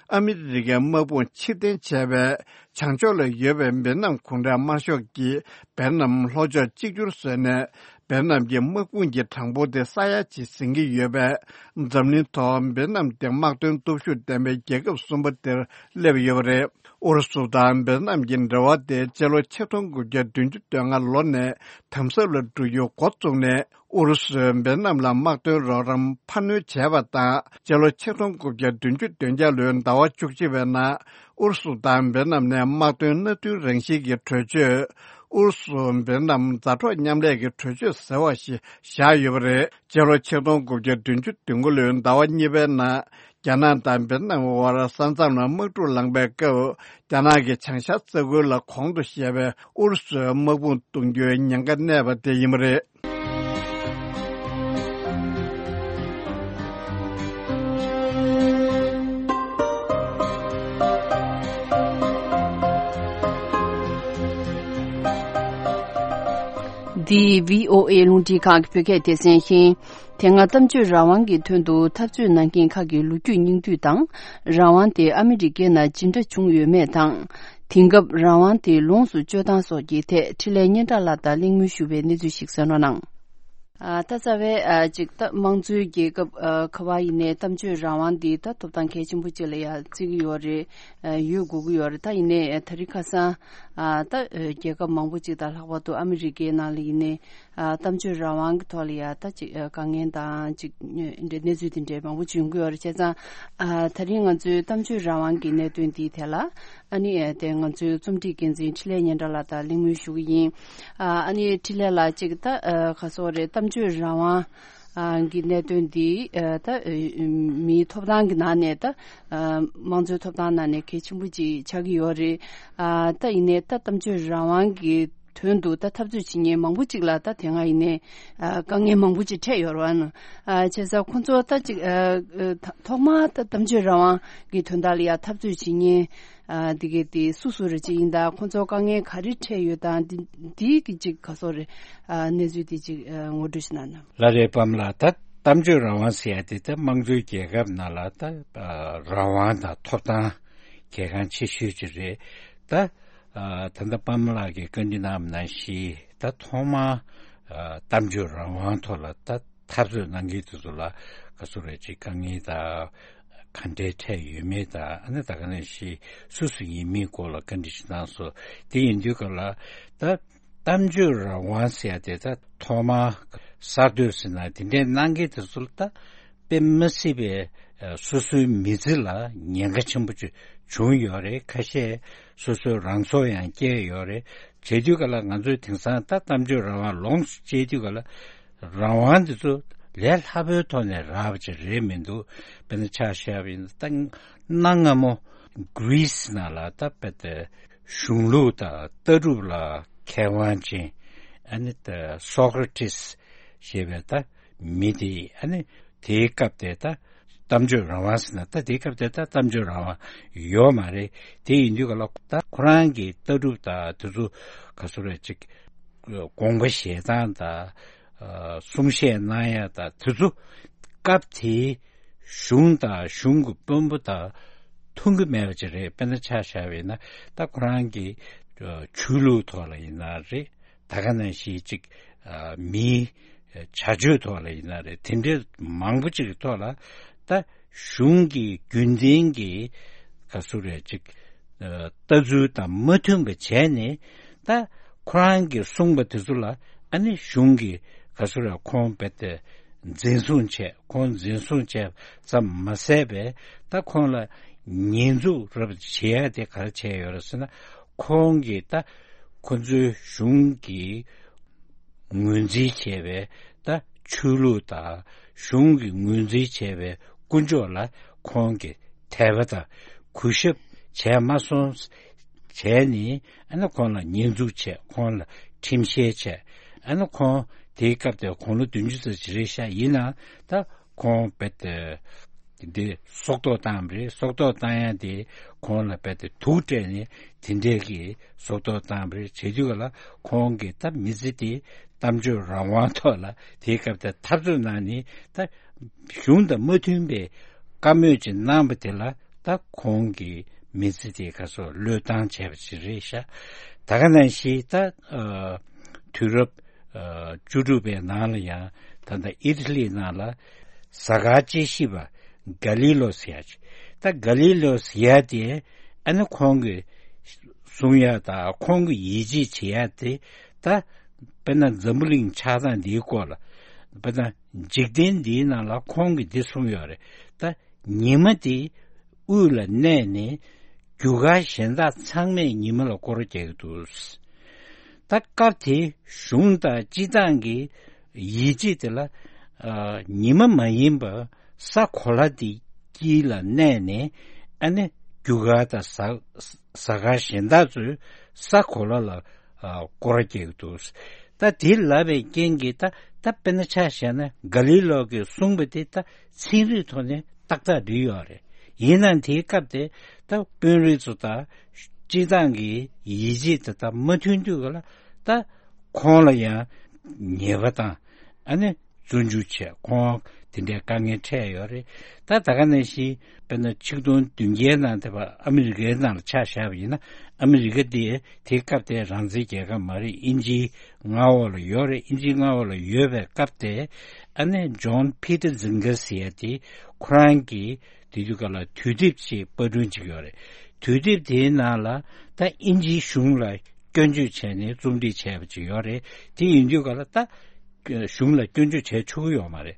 ཨ་མི་རི་ཀའི་དམག་དཔུང་ཕྱིར་འཐེན་བྱས་པས། བྱང་ཕྱོགས་ལ་ཡོད་པའི་ཝེ་ནམ་གུང་ཁྲན་དམར་ཤོག་གིས་ཝེ་ནམ་ལྷོ་ཕྱོགས་གཅིག་གྱུར་བཟོས་ནས། ཝེ་ནམ་གྱི་དམག་དཔུང་གི་གྲངས་འབོར་དེ་ས་ཡ་གཅིག་ཟིན་གྱི་ཡོད་པས། འཛམ་གླིང་ཐོག་ཝེ་ནམ་དེ་དམག་དོན་སྟོབས་ཤུགས་ལྡན་པའི་རྒྱལ་ཁབ་གསུམ་པ་དེར་སླེབས་ཡོད་པ་རེད། ཨུ་རུ་སུ་དང་ཝེ་ནམ་གྱི་འབྲེལ་བ་དེ་སྤྱི་ལོ་ཆིག་སྟོང་དགུ་བརྒྱ་བདུན་ཅུ་དོན་ལྔ་ལོ་ནས་དམ་ཟབ་ལ་འགྲོ་རྒྱུ་འགོ་བཙུགས་ནས། ཨུ་རུ་སུས་འབེལ་ནམ་ལ་དམག་དོན་རོགས་རམ་འཕར་སྣོན་བྱས་པ་དང་། སྤྱི་ལོ་ཆིག་སྟོང་དགུ་བརྒྱ་བདུན་ཅུ་དོན་བརྒྱད་ལོའི་ཟླ་བ་བཅུ་གཅིག་པའི་ནང་ཨུ་རུ་སུ་དང་འབེལ་ནམ་ནས་དམག་དོན་མནའ་མཐུན་རང་བཞིན་གྱི་གྲོས་ཆོད། ཨུ་རུ་སུ་འབེལ་ནམ་མཛའ་གྲོགས་མཉམ་ལས་ཀྱི་གྲོས་ཆོད་ཟེར་བ་ཞིག་བཞག་ཡོད་པ་རེད། སྤྱི་ལོ་ཆིག་སྟོང་དགུ་བརྒྱ་བདུན་ཅུ་དོན་དགུ་ལོའི་ཟླ་བ་གཉིས་པའི་ནང་རྒྱ་ནག་དང་འབེལ་ནམ་དབར་ས་མཚམས་ལ་དམག་འཁྲུག་ལངས་པའི་སྐབས། རྒྱ་ནག་གི་བྱང་ཤར་ས་ཁུལ་ལ་གོང་དུ་བཤད་པའི་ཨུ་རུ་སུའི་དམག་དཔུང་གཏོང་རྒྱུའི་ཉེན་ཁ་གནས་པ་དེ་ཡིན་པ་རེད། འདི་བྷི་ཨོ་ཨེ་རླུང་འཕྲིན་ཁང་གི་བོད་སྐད་སྡེ་ཚན་ཡིན། དེ་སྔ་གཏམ་བརྗོད་རང་དབང་གི་དོན་དུ་འཐབ་རྩོད་གནང་མཁན་ཁག་གི་ལོ་རྒྱུས་སྙིང་བསྡུས་དང་། རང་དབང་དེ་ཨ་མི་རི་ཀའི་ནང་ཇི་འདྲ་བྱུང་ཡོད་མེད་དང་། དེང་སྐབས་རང་དབང་དེ་ལོངས་སུ་སྤྱོད་སྟངས་སོགས་ཀྱི་ཐད་འཕྲིན་ལས་སྙན་གྲགས་ལགས་དང་གླེང་མོལ་ཞུ་བའི་གནས་ཚུལ་ཞིག་གསན་རོགས་གནང་། ཨ། ད་རྩ་བའི་ཨ་ཅིག་ད་དམངས་གཙོའི་རྒྱལ་ཁབ་ཨ་ཁ་བ་ཡིན་ནའི་གཏམ་བརྗོད་རང་དབང་འདི་ད་ཐོབ་ཐང་གལ་ཆེན་པོ་ཅིག་ལ་ཡ་བརྩི་གི་ཡོད་རེད། ཨ་ཡོད་དགོས་ཀྱི་ཡོད་རེད། ད་ཡིན་ནའི་ཨ་ད་རིང་ཁ་སང་ཨ་ད་ཨ་རྒྱལ་ཁབ་མང་པོ་ཅིག་དང་ལྷག་པར་དུ་ཨ་མི་རི་ཀའི་ནང་ལ་ཡིན་ནའི་ཨ་གཏམ་བརྗོད་རང་དབང་གི་ཐོག་ལ་ཡ་ད་ཅིག་ཨ་དཀའ་ངལ་དང་ཅིག་འདྲ་གནས་ཚུལ་དེ་འདྲའི་མང་པོ་ཅིག་ཡོང་གི་ཡོད་རེད། བྱས་ཙང་ཨ་ད་རིང་ང་ཚོའི་གཏམ་བརྗོད་རང་དབང་གི་གནད་དོན་འདིའི་ཐད་ལ། ཨ་ནི་ཨ་དེ་ང་ཚོའི་རྩོམ་སྒྲིག་འགན་འཛིན་འཕྲིན་ལས་སྙན་གྲགས་ལགས་དང་གླེང་མོལ་ཞུ་གི་ཡིན། ཨ་ཨ་ནི་འཕྲིན་ལས་ལགས་གཅིག་ད་ཨ་ག་སོགས་རེད། གཏམ་བརྗོད་རང་དབང་ཨ་གི་གནད་དོན་འདི་ཨ་ད་ཨ་མིའི་ཐོབ་ཐང་གི་ནང་ནས་ད་ཨ་དམངས་གཙོའི་ཐོབ་ཐང་ནང་ནས་གལ་ཆེན་པོ་ཅིག་ཆགས་ཀྱི་ཡོད་རེད། ཨ་ད་ཡིན་ནའི་ད་གཏམ་བརྗོད་རང་དབང་གི་དོན་དུ་ད་འཐབ་རྩོད་བྱེད་མཁན་མང་པོ་ཅིག་ལ་ད་དེ་སྔ་ཡིན་ནའི་ཨ་དཀའ་ངལ་མང་པོ་ཅིག་འཕྲད་ཡོད་རེད་བ། ཨ་བྱས་ཙང་ཁོང་ཚོ་ད་ཅིག་ཨ་ཨ་ཐོག་མར་ད་གཏམ་བརྗོད་རང་དབང་གི་དོན་དག་ལ་ཡ་འཐབ་རྩོད་བྱེད་མཁན། ཨ་འདི་གའི་དེ་སུ་སུ་རེ་ཅིག་ཡིན་ད་ཁོང་ཚོ་དཀའ་ངལ་ག་རེ་འཕྲད་ཡོད་དང་འདི་འདི་གི་ཅིག་ག་སོགས་རེ་ཨ་གནས་ཚུལ་དེ་ཅིག་ཨ་ངོ་སྤྲོད་ཞིག་གནང་ན། ལགས་རེད། པམ་ལགས། ད་གཏམ་བརྗོད་རང་དབང་ཟེར་ཡ་དེ་ད་དམངས་གཙོའི་རྒྱལ་ཁབ་ནང་ལ་ད་ཨ་རང་དབང་དང་ཐོབ་ཐང་གལ་འགངས་ཆེ་ཤོས་ཅིག་རེད། ད་ཨ་ད་ལྟ་པམ་ལགས་ཀྱིས་བཀའ་འདྲི་གནང་བ་ནང་བཞིན་ད་ཐོག་མར་ཨ་གཏམ་བརྗོད་རང་དབང་ཐོག་ལ་ད་འཐབ་རྩོད་གནང་མཁན་དེ་ཚོ་ལ་ག་ཚོད་རེ་ཅིག་དཀའ་ངལ་དང་ག་འདྲའི་འཕྲད་ཡོད་མེད་དང་། ཨ་ནི་ད་ག་ནང་བཞིན་སུ་སུ་ཡིན་མིན་སྐོར་ལ་བཀའ་འདྲི་ཞིག་གནང་སོང་། དེ་ཡིན་དུས་ག་ལ་ད་གཏམ་བརྗོད་རང་དབང་ཟེར་ཡ་དེ་ད་ཐོག་མར་གསར་གཏོད་ཟེར་ན་དེ་འདྲའི་གནང་མཁན་དེ་ཚོ་ལ་ད་དཔེ་མི་སྲིད་པའི་སོ་སོའི་མི་ཚེ་ལ་ཉེན་ཁ་ཆེན་པོ་ཅིག་བྱུང་ཡོད་རེད། ཁ་ཤས་སོ་སོའི་རང་སྲོག་ཡང་བཅད་ཡོད་རེད། བྱེད་དུས་ག་ལ་ང་ཚོས་དེང་སང་ད་གཏམ་བརྗོད་རང་དབང་ལོངས་སུ་སྤྱད་དུས་ག་ལ་རང་དབང་འདི་ཚོ་ལས་སླ་པོའི་ཐོག་ནས་རག་པ་ཅིག་རེད་མི་འདུག་དཔེར་ན་ཆ་བཞག་པ་ཡིན་ན་ད་གནའ་སྔ་མོ་གྷི་རི་སི་ནང་ལ་ད་དཔེ་དེ་གཞུང་ལུགས་དང་ལྟ་གྲུབ་ལ་མཁས་དབང་ཅན་ཨ་ནི་ད་སོ་ཀ་ར་ཏིས་ཞེས་པའི་ད་མི་དེ་ཨ་ནི་དེའི་སྐབས་དེ་ད་གཏམ་བརྗོད་རང་དབང་ཟེར་ན་ད་དེའི་སྐབས་དེ་ད་གཏམ་བརྗོད་རང་དབང་ཡོད་མ་རེད། དེ་ཡིན་དུས་ག་ལ་ད་ཁོ་རང་གི་ལྟ་གྲུབ་དང་དེ་ཚོ་ག་ཚོད་རེད་ཅིག་དགོངས་པ་བཞེས་སྟངས་དང་གསུང་བཤད་གནང་ཡ་དང་དེ་ཚོ་སྐབས་དེའི་གཞུང་དང་གཞུང་གི་དཔོན་པོ་དང་མཐུན་གྱི་མེད་པ་ཅིག་རེད། དཔེར་ན་ཆ་བཞག་པ་ཡིན་ན་ད་ཁོ་རང་གི་ཆོས་ལུགས་ཐོག་ལ་ཡིན་ན་རེད། ད་ག་ནང་བཞིན་ཅིག་ཨ་མིའི་བྱ་སྤྱོད་ཐོག་ལ་ཡིན་ན་རེད། དེ་འདྲའི་མང་པོ་ཅིག་གི་ཐོག་ལ་ད་གཞུང་གི་རྒྱུན་ལྡན་གྱི་ག་ཚོད་རེད་ཅིག་ཨ་ལྟ་ཚུལ་དང་མ་མཐུན་པ་བྱས་ནས་ད་ཁོ་རང་གིས་གསུངས་པ་དེ་ཚོ་ལ་ཨ་ནི་གཞུང་གིས་ག་ཚོད་རེད་ཁོང་རྦད་དེ་འཛིན་བཟུང་བྱས། ཁོང་འཛིན་བཟུང་བྱས་ཙམ་མ་ཟད་པས་ད་ཁོང་ལ་ཉེས་འཛུགས་རབ་བྱེད་ཡ་དེ་ག་རེ་བྱས་ཡོད་རེད་ཟེར་ན། ཁོང་གིས་ད་ཁོ་ཚོའི་གཞུང་གི་ངོས་འཛིན་བྱས་པའི་ད་ཆོས་ལུགས་དང་གཞུང་གི་ངོས་འཛིན་བྱས་པའི་དཀོན་མཆོག་ལ་ཁོང་གིས་དད་པ་དང་གུས་ཞབས་བྱས་མ་སོང་བྱས་ནས་ཨ་ནི་ཁོང་ལ་ཉེས་འཛུགས་བྱས། ཁོང་ལ་ཁྲིམས་བཤེར་བྱས། ཨ་ནི་ཁོང་དེའི་སྐབས་དེར་དགུང་ལོ་བདུན་ཅུ་ཙམ་ཅིག་རེད་ཤག་ཡིན་ནའང་ད་ཁོང་རྦད་དེ་འདི་སྲོག་ཐོག་བཏང་བ་རེད། སྲོག་ཐོག་བཏང་ཡ་དེ་ཁོང་ལ་རྦད་དེ་དུག་སྤྲད་ནས་དེ་འདྲས་ཀྱི་སྲོག་ཐོག་བཏང་བ་རེད། བྱེད་དུས་ག་ལ་ཁོང་གིས་ད་མི་ཚེ་དེ་གཏམ་བརྗོད་རང་དབང་ཐོག་ལ་དེའི་སྐབས་དེར་འཐབ་རྩོད་གནང་ནས་ད་གཞུང་དང་མ་མཐུན་པའི་བཀའ་མོལ་ཅིག་གནང་བ་དེ་ལ་ད་ཁོང་གི་མི་ཚེ་དེ་ག་སོགས་བློས་བཏང་བྱས་པ་ཅིག་རེད་ཤག་ད་ག་ནང་བཞིན་ད་ཨ་དུས་རབས་ཨ་བཅུ་དྲུག་པའི་ནང་ལ་ཡང་ད་ལྟ་ཨི་ཊ་ལི་ནང་ལ་གཟའ་སྐར་དཔྱད་ཞིབ་པ་ག་ལི་ལོ་ཟེར་ཡ་ཅིག་ད་ག་ལི་ལོ་ཟེར་ཡ་དེ་ཨ་ནི་ཁོང་གི་གསུང་ཡ་དང་ཁོང་གི་ཡིད་ཆེས་བྱེད་ཡ་དེ་ད་དཔེར་ན་འཛམ་བུ་གླིང་ཆགས་སྟངས་འདིའི་སྐོར་ལ་ དཔེར་ན་འཇིག་རྟེན་འདིའི་ནང་ལ་ཁོང་གིས་འདི་གསུངས་ཡོད་རེད། ད་ཉི་མ་དེ་དབུས་ལ་གནས་ནས་རྒྱུ་སྐར་གཞན་དག་ཚང་མས་ཉི་མ་ལ་སྐོར་ར་རྒྱག་གི་འདུག། ད་སྐབས་དེ་གཞུང་དང་སྤྱི་བཏང་གི་ཡིད་ཆེས་དེ་ལ་ཨ་ཉི་མ་མ་ཡིན་པ་ས་གོ་ལ་དེ་དཀྱིལ་ལ་གནས་ནས་ཨ་ནི་རྒྱུ་སྐར་དང་གཟའ་གཟའ་སྐར་གཞན་དག་ཚོས་ས་གོ་ལ་ལ་ཨ་སྐོར་ར་རྒྱག་གི་འདུག། ད་དེ་ལབ་པའི་རྐྱེན་གྱིས་ད་ད་དཔེར་ན་ཆ་བཞག་ན་ག་ལི་ལོ་གིས་གསུངས་པ་དེ་ད་ཚན་རིག་ཐོག་ནས་ཏག་ཏག་འགྲིག་ཡོད་རེད། ཡིན་ནའང་དེའི་སྐབས་དེ་ད་དཔོན་རིགས་ཚོ་དང་སྤྱི་བཏང་གི་ཡིད་ཆེས་དེ་དག་མ་མཐུན་དུས་ག་ལ་ད་ཁོང་ལ་ཡང་ཉེས་པ་དང་ཨ་ནི་བཙོན་འཇུག་བྱས། ཁོང་དེ་འདྲའི་དཀའ་ངལ་འཕྲད་ཡོད་རེད། ད་ད་ག་ནང་བཞིན་དཔེར་ན་ཆིག་སྟོང་བདུན་བརྒྱའི་ནང་དེ་བ་ཨ་མི་རི་ཀའི་ནང་ལ་ཆ་བཞག་པ་ཡིན་ན་ཨ་མི་རི་ཀ་དེ་དེའི་སྐབས་དེ་རང་བཙན་རྒྱལ་ཁབ་མ་རེད། དབྱིན་ཇིའི་མངའ་འོག་ལ་ཡོད་རེད། དབྱིན་ཇིའི་མངའ་འོག་ལ་ཡོད་པའི་སྐབས་དེ་ཨ་ནི་ཇོན་ཕི་ཏར་ཛིང་གར་ཟེར་ཡ་དེ་ཁོ་རང་གིས་དེ་དུས་སྐབས་ལ་དུས་དེབ་ཅིག་པར་སྐྲུན་བྱེད་ཀྱི་ཡོད་རེད། དུས་དེབ་དེའི་ནང་ལ་ད་དབྱིན་ཇིའི་གཞུང་ལ་སྐྱོན་བརྗོད་བྱས་ནས་རྩོམ་སྒྲིག་བྱས་པ་ཅིག་ཡོད་རེད། དེ་ཡིན་དུས་སྐབས་ལ་ད་གཞུང་ལ་སྐྱོན་བརྗོད་བྱས་ཆོག་གི་ཡོད་མ་རེད།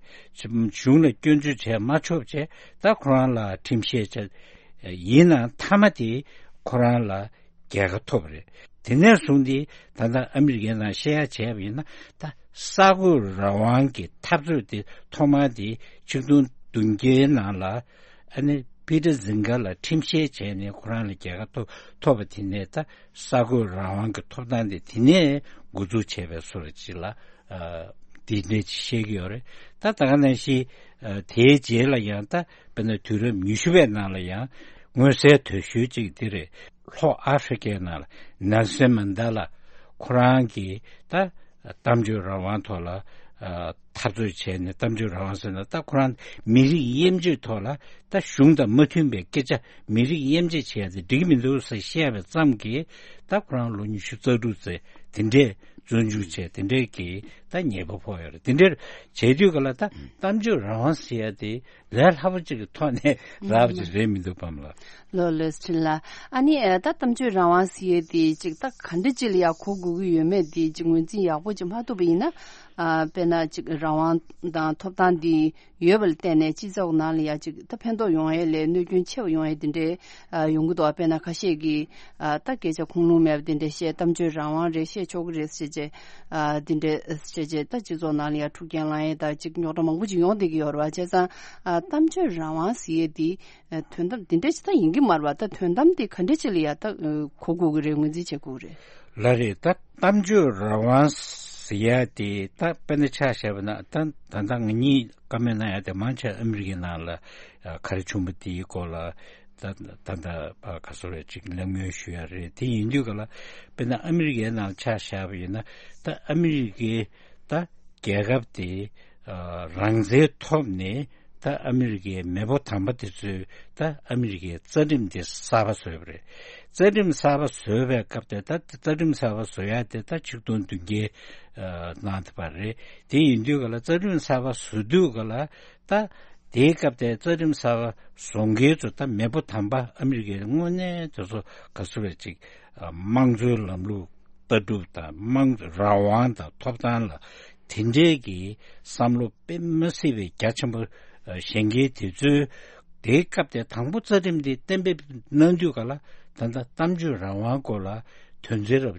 གཞུང་ལ་སྐྱོན་བརྗོད་བྱས་མ་ཆོག་བྱས་ད་ཁོ་རང་ལ་ཁྲིམས་བཤེར་བྱས། ཡིན་ནའང་མཐའ་མ་དེ་ཁོ་རང་ལ་རྒྱལ་ཁ་ཐོབ་རེད། དེ་ནས་བཟུང་སྟེ་ད་ལྟ་ཨ་མི་རི་ཀའི་ནང་བཤད་ཡ་བྱས་པ་ཡིན་ན་ད་གསར་འགོད་རང་དབང་གི་འཐབ་རྩོད་དེ་ཐོག་མར་དེ་ཆིག་སྟོང་བདུན་བརྒྱའི་ནང་ལ་ཨ་ནི་པི་ཏར་ཛིང་ག་ལ་ཁྲིམས་བཤེར་བྱས་ནས་ཁོ་རང་ལ་རྒྱལ་ཁ་ཐོབ་ཐོབ་པ་དེ་ནས་ད་གསར་འགོད་རང་དབང་གི་ཐོབ་ཐང་དེ་དེ་ནས་འགོ་འཛུགས་བྱས་པའི་བཟོ་འདྲ་ཅིག་ལ་ཨ་དེ་འདྲ་ཅིག་བཤད་ཀྱི་ཡོད་རེད། ད་ད་ག་ནང་བཞིན་ཨ་དེའི་རྗེས་ལ་ཡང་ད་དཔེར་ན་དུས་རབས་ཉི་ཤུ་པའི་ནང་ལ་ཡང་མངོན་གསལ་དོད་ཤོས་ཅིག་དེ་རེད། ལྷོ་ཨ་ཧྥེ་རི་ཀའི་ནང་ལ་ནེལ་སན་མན་ཌེ་ལ་ཁོ་རང་གིས་ད་གཏམ་བརྗོད་རང་དབང་ཐོག་ལ་ཨ་འཐབ་རྩོད་བྱས་ནས། གཏམ་བརྗོད་རང་དབང་ཟེར་ན་ད་ཁོ་རང་མི་རིགས་དབྱེ་འབྱེད་ཐོག་ལ་ད་གཞུང་དང་མ་མཐུན་པའི་སྐད་ཆ་མི་རིགས་དབྱེ་འབྱེད་བྱས་ཏེ་འགྲིག་མི་འདུག་ཟེར་བཤད་པ་ཙམ་གྱིས་ད་ཁོ་རང་ལོ་ཉི་ཤུ་རྩ་དྲུག་ཙམ་དེ་འདྲས་བཙོན་འཇུག་བྱས། དེ་འདྲས་ཀྱི་ད་ཉེས་པ་ཕོག་ཡོད་རེད། དེ་འདྲས་བྱས་དུས་ག་ལ་ད་གཏམ་བརྗོད་རང་དབང་ཟེར་ཡ་དེ་ལས་སླ་པོ་ཅིག་གི་ཐོག་ནས་རག་པ་ཅིག་རེད་མི་འདུག་པ་ལགས། ལོ་ལོས་ཁྲིན་ལགས། ཨ་ནི་ཨ་ད་གཏམ་བརྗོད་རང་དབང་ཟེར་ཡས་དེ་ཅིག་ད་ག་འདྲ་ཅིག་ལ་ཡ་གོ་དགོས་ཀྱི་ཡོད་མེད་དེ་ཅིག་ངོས་འཛིན་ཡག་པོ་ཅིག་མ་ཐུབ་པ་ཡིན་ན། ཨ་དཔེར་ན་ཅིག་རང་དབང་དང་ཐོབ་ཐང་དེ་ཡོད་པ་ལ་བརྟེན་ནས་སྤྱི་ཚོགས་ནང་ལ་ཡ་ཅིག་ད་ཕན་ཐོགས་ཡོང་ཡས་ལས་གནོད་སྐྱོན་ཆེ་བ་ཡོང་ཡས་དེ་འདྲའི་ཨ་ཡོང་གི་འདུག། ཨ་དཔེར་ན་ཁ་ཤས་ཀྱིས་ཨ་ད་སྐད་ཆ་ཁུངས་ལུང་མེད་པ་དེ་འདྲ་བཤད། གཏམ་བརྗོད་རང་དབང་རེད། བཤད་ཆོག་གི་རེད་ཟེར་བྱས་ཨ་དེ་འདྲ་བཤད་བྱས་ད་སྤྱི་ཚོགས་ནང་ལ་ཡ་འཁྲུག་རྐྱེན་ལངས་ཡས་ད་ཅིག་རྙོག་དྲ་མང་པོ་ཅིག་ཡོང་བསྡད་ཀྱི་ཡོད་རེད་པ། བྱས་ཙང་ཨ་གཏམ་བརྗོད་རང་དབང་ཟེར་ཡས་དེ། ཨ་དོན་དམ་དེ་འདྲ་ཅིག་ད་ཡིན་གྱི་མ་རེད་པ། ད་དོན་དམ་དེ་ག་འདྲ་ཅིག་ལ་ཡ་ད་ཨ་གོ་དགོས་ཀྱི་རེད། ངོས་འཛིན་བྱེད་དགོས་ཀྱི་རེད། ལགས་རེད། ད་གཏམ་བརྗོད་རང་དབང་ཟེར་ཡ་དེ་ད་དཔེར་ན་ཆ་བཞག་པ་ན་ད་ད་ལྟ་ང་གཉིས་བཀའ་མོལ་གནང་ཡ་དེ་མང་ཆེ་ཨ་མི་རི་ཀའི་ནང་ལ་ཨ་ག་རེ་བྱུང་བ་དེའི་སྐོར་ལ་ད་ད་ད་ཨ་ག་ཚོད་རེ་ཅིག་གླེང་མོལ་ཞུ་ཡ་རེད། དེ་ཡིན་དུས་ག་ལ་དཔེར་ན་ཨ་མི་རི་ཀའི་ནང་ཆ་བཞག་པ་ཡིན་ན་ད་ཨ་མི་རི་ཀའི་ད་རྒྱལ་ཁབ་དེ་ཨ་རང་བཙན་ཐོབ་ནས་ད་ཨ་མི་རི་ཀའི་མེས་པོ་དམ་པ་དེ་ཚོས་ད་ཨ་མི་རི་ཀའི་རྩ་ཁྲིམས་དེ་གསར་པ་བཟོས་པ་རེད། རྩ་ཁྲིམས་གསར་པ་བཟོས་པའི་སྐབས་དེ་ད་རྩ་ཁྲིམས་གསར་པ་བཟོ་ཡ་དེ་ད་ཆིག་སྟོང་བདུན་བརྒྱའི་ཨ་ནང་དེ་བར་རེད། དེ་ཡིན་དུས་ག་ལ་རྩ་ཁྲིམས་གསར་པ་བཟོ་དུས་ག་ལ་ད་དེའི་སྐབས་དེ་རྩ་ཁྲིམས་གསར་པ་བཟོ་མཁན་ཚོ་ད་མེས་པོ་དམ་པ་ཨ་མི་རི་ཀའི་དངོས་གནས་དེ་ཚོ་ག་ཚོད་རེ་ཅིག་ཨ་དམངས་གཙོའི་ལམ་ལུགས་ལྟ་གྲུབ་དང་དམངས་རང་དབང་དང་ཐོབ་ཐང་ལ་དེ་འདྲའི་གི་བསམ་བློ་དཔེ་མ་སྲིད་པའི་རྒྱ་ཆེན་པོ་ཨ་བཞེངས་མཁན་དེ་ཚོས་དེའི་སྐབས་དེ་དང་པོ་རྩ་ཁྲིམས་དེ་གཏན་འབེབས་གནང་དུས་ག་ལ་ད་ལྟ་གཏམ་བརྗོད་རང་དབང་སྐོར་ལ་དོན་ཚན་རབ་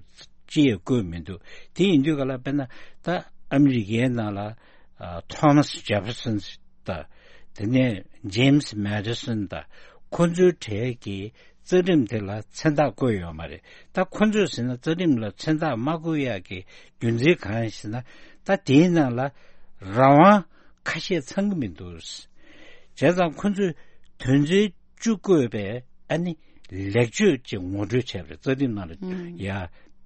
ཅི་ཡང་བཀོད་མི་འདུག། དེ་ཡིན་དུས་ག་ལ་དཔེར་ན་ད་ཨ་མི་རི་ཀའི་ནང་ལ་ཨ་ཐོ་མཱས་ཇེ་ཕེར་སོན་དང་དེ་ནས་ཇེམ་སི་མེ་ཌི་སོན་དང་ཁོ་ཚོའི་གྲས་ཀྱིས་རྩ་ཁྲིམས་དེ་ལ་མཚན་རྟགས་བཀོད་ཡོད་མ་རེད། ད་ཁོ་ཚོས་ཟེར་ན་རྩ་ཁྲིམས་ལ་མཚན་རྟགས་མ་བཀོད་ཡག་གི་རྒྱུ་མཚན་གང་ཡིན་ཟེར་ན་ད་དེའི་ནང་ལ་རང་དབང་ཁ་ཤས་ཚང་གི་མི་འདུག། བྱས་ཙང་ཁོ་ཚོས་དོན་ཚན་བཅུ་བཀོད་པའི་ཨ་ནི་ལེགས་བཅོས་ཅིག་ངོ་སྤྲོད་བྱས་པ་རེད། རྩ་ཁྲིམས་ནང་ལ་ཡ་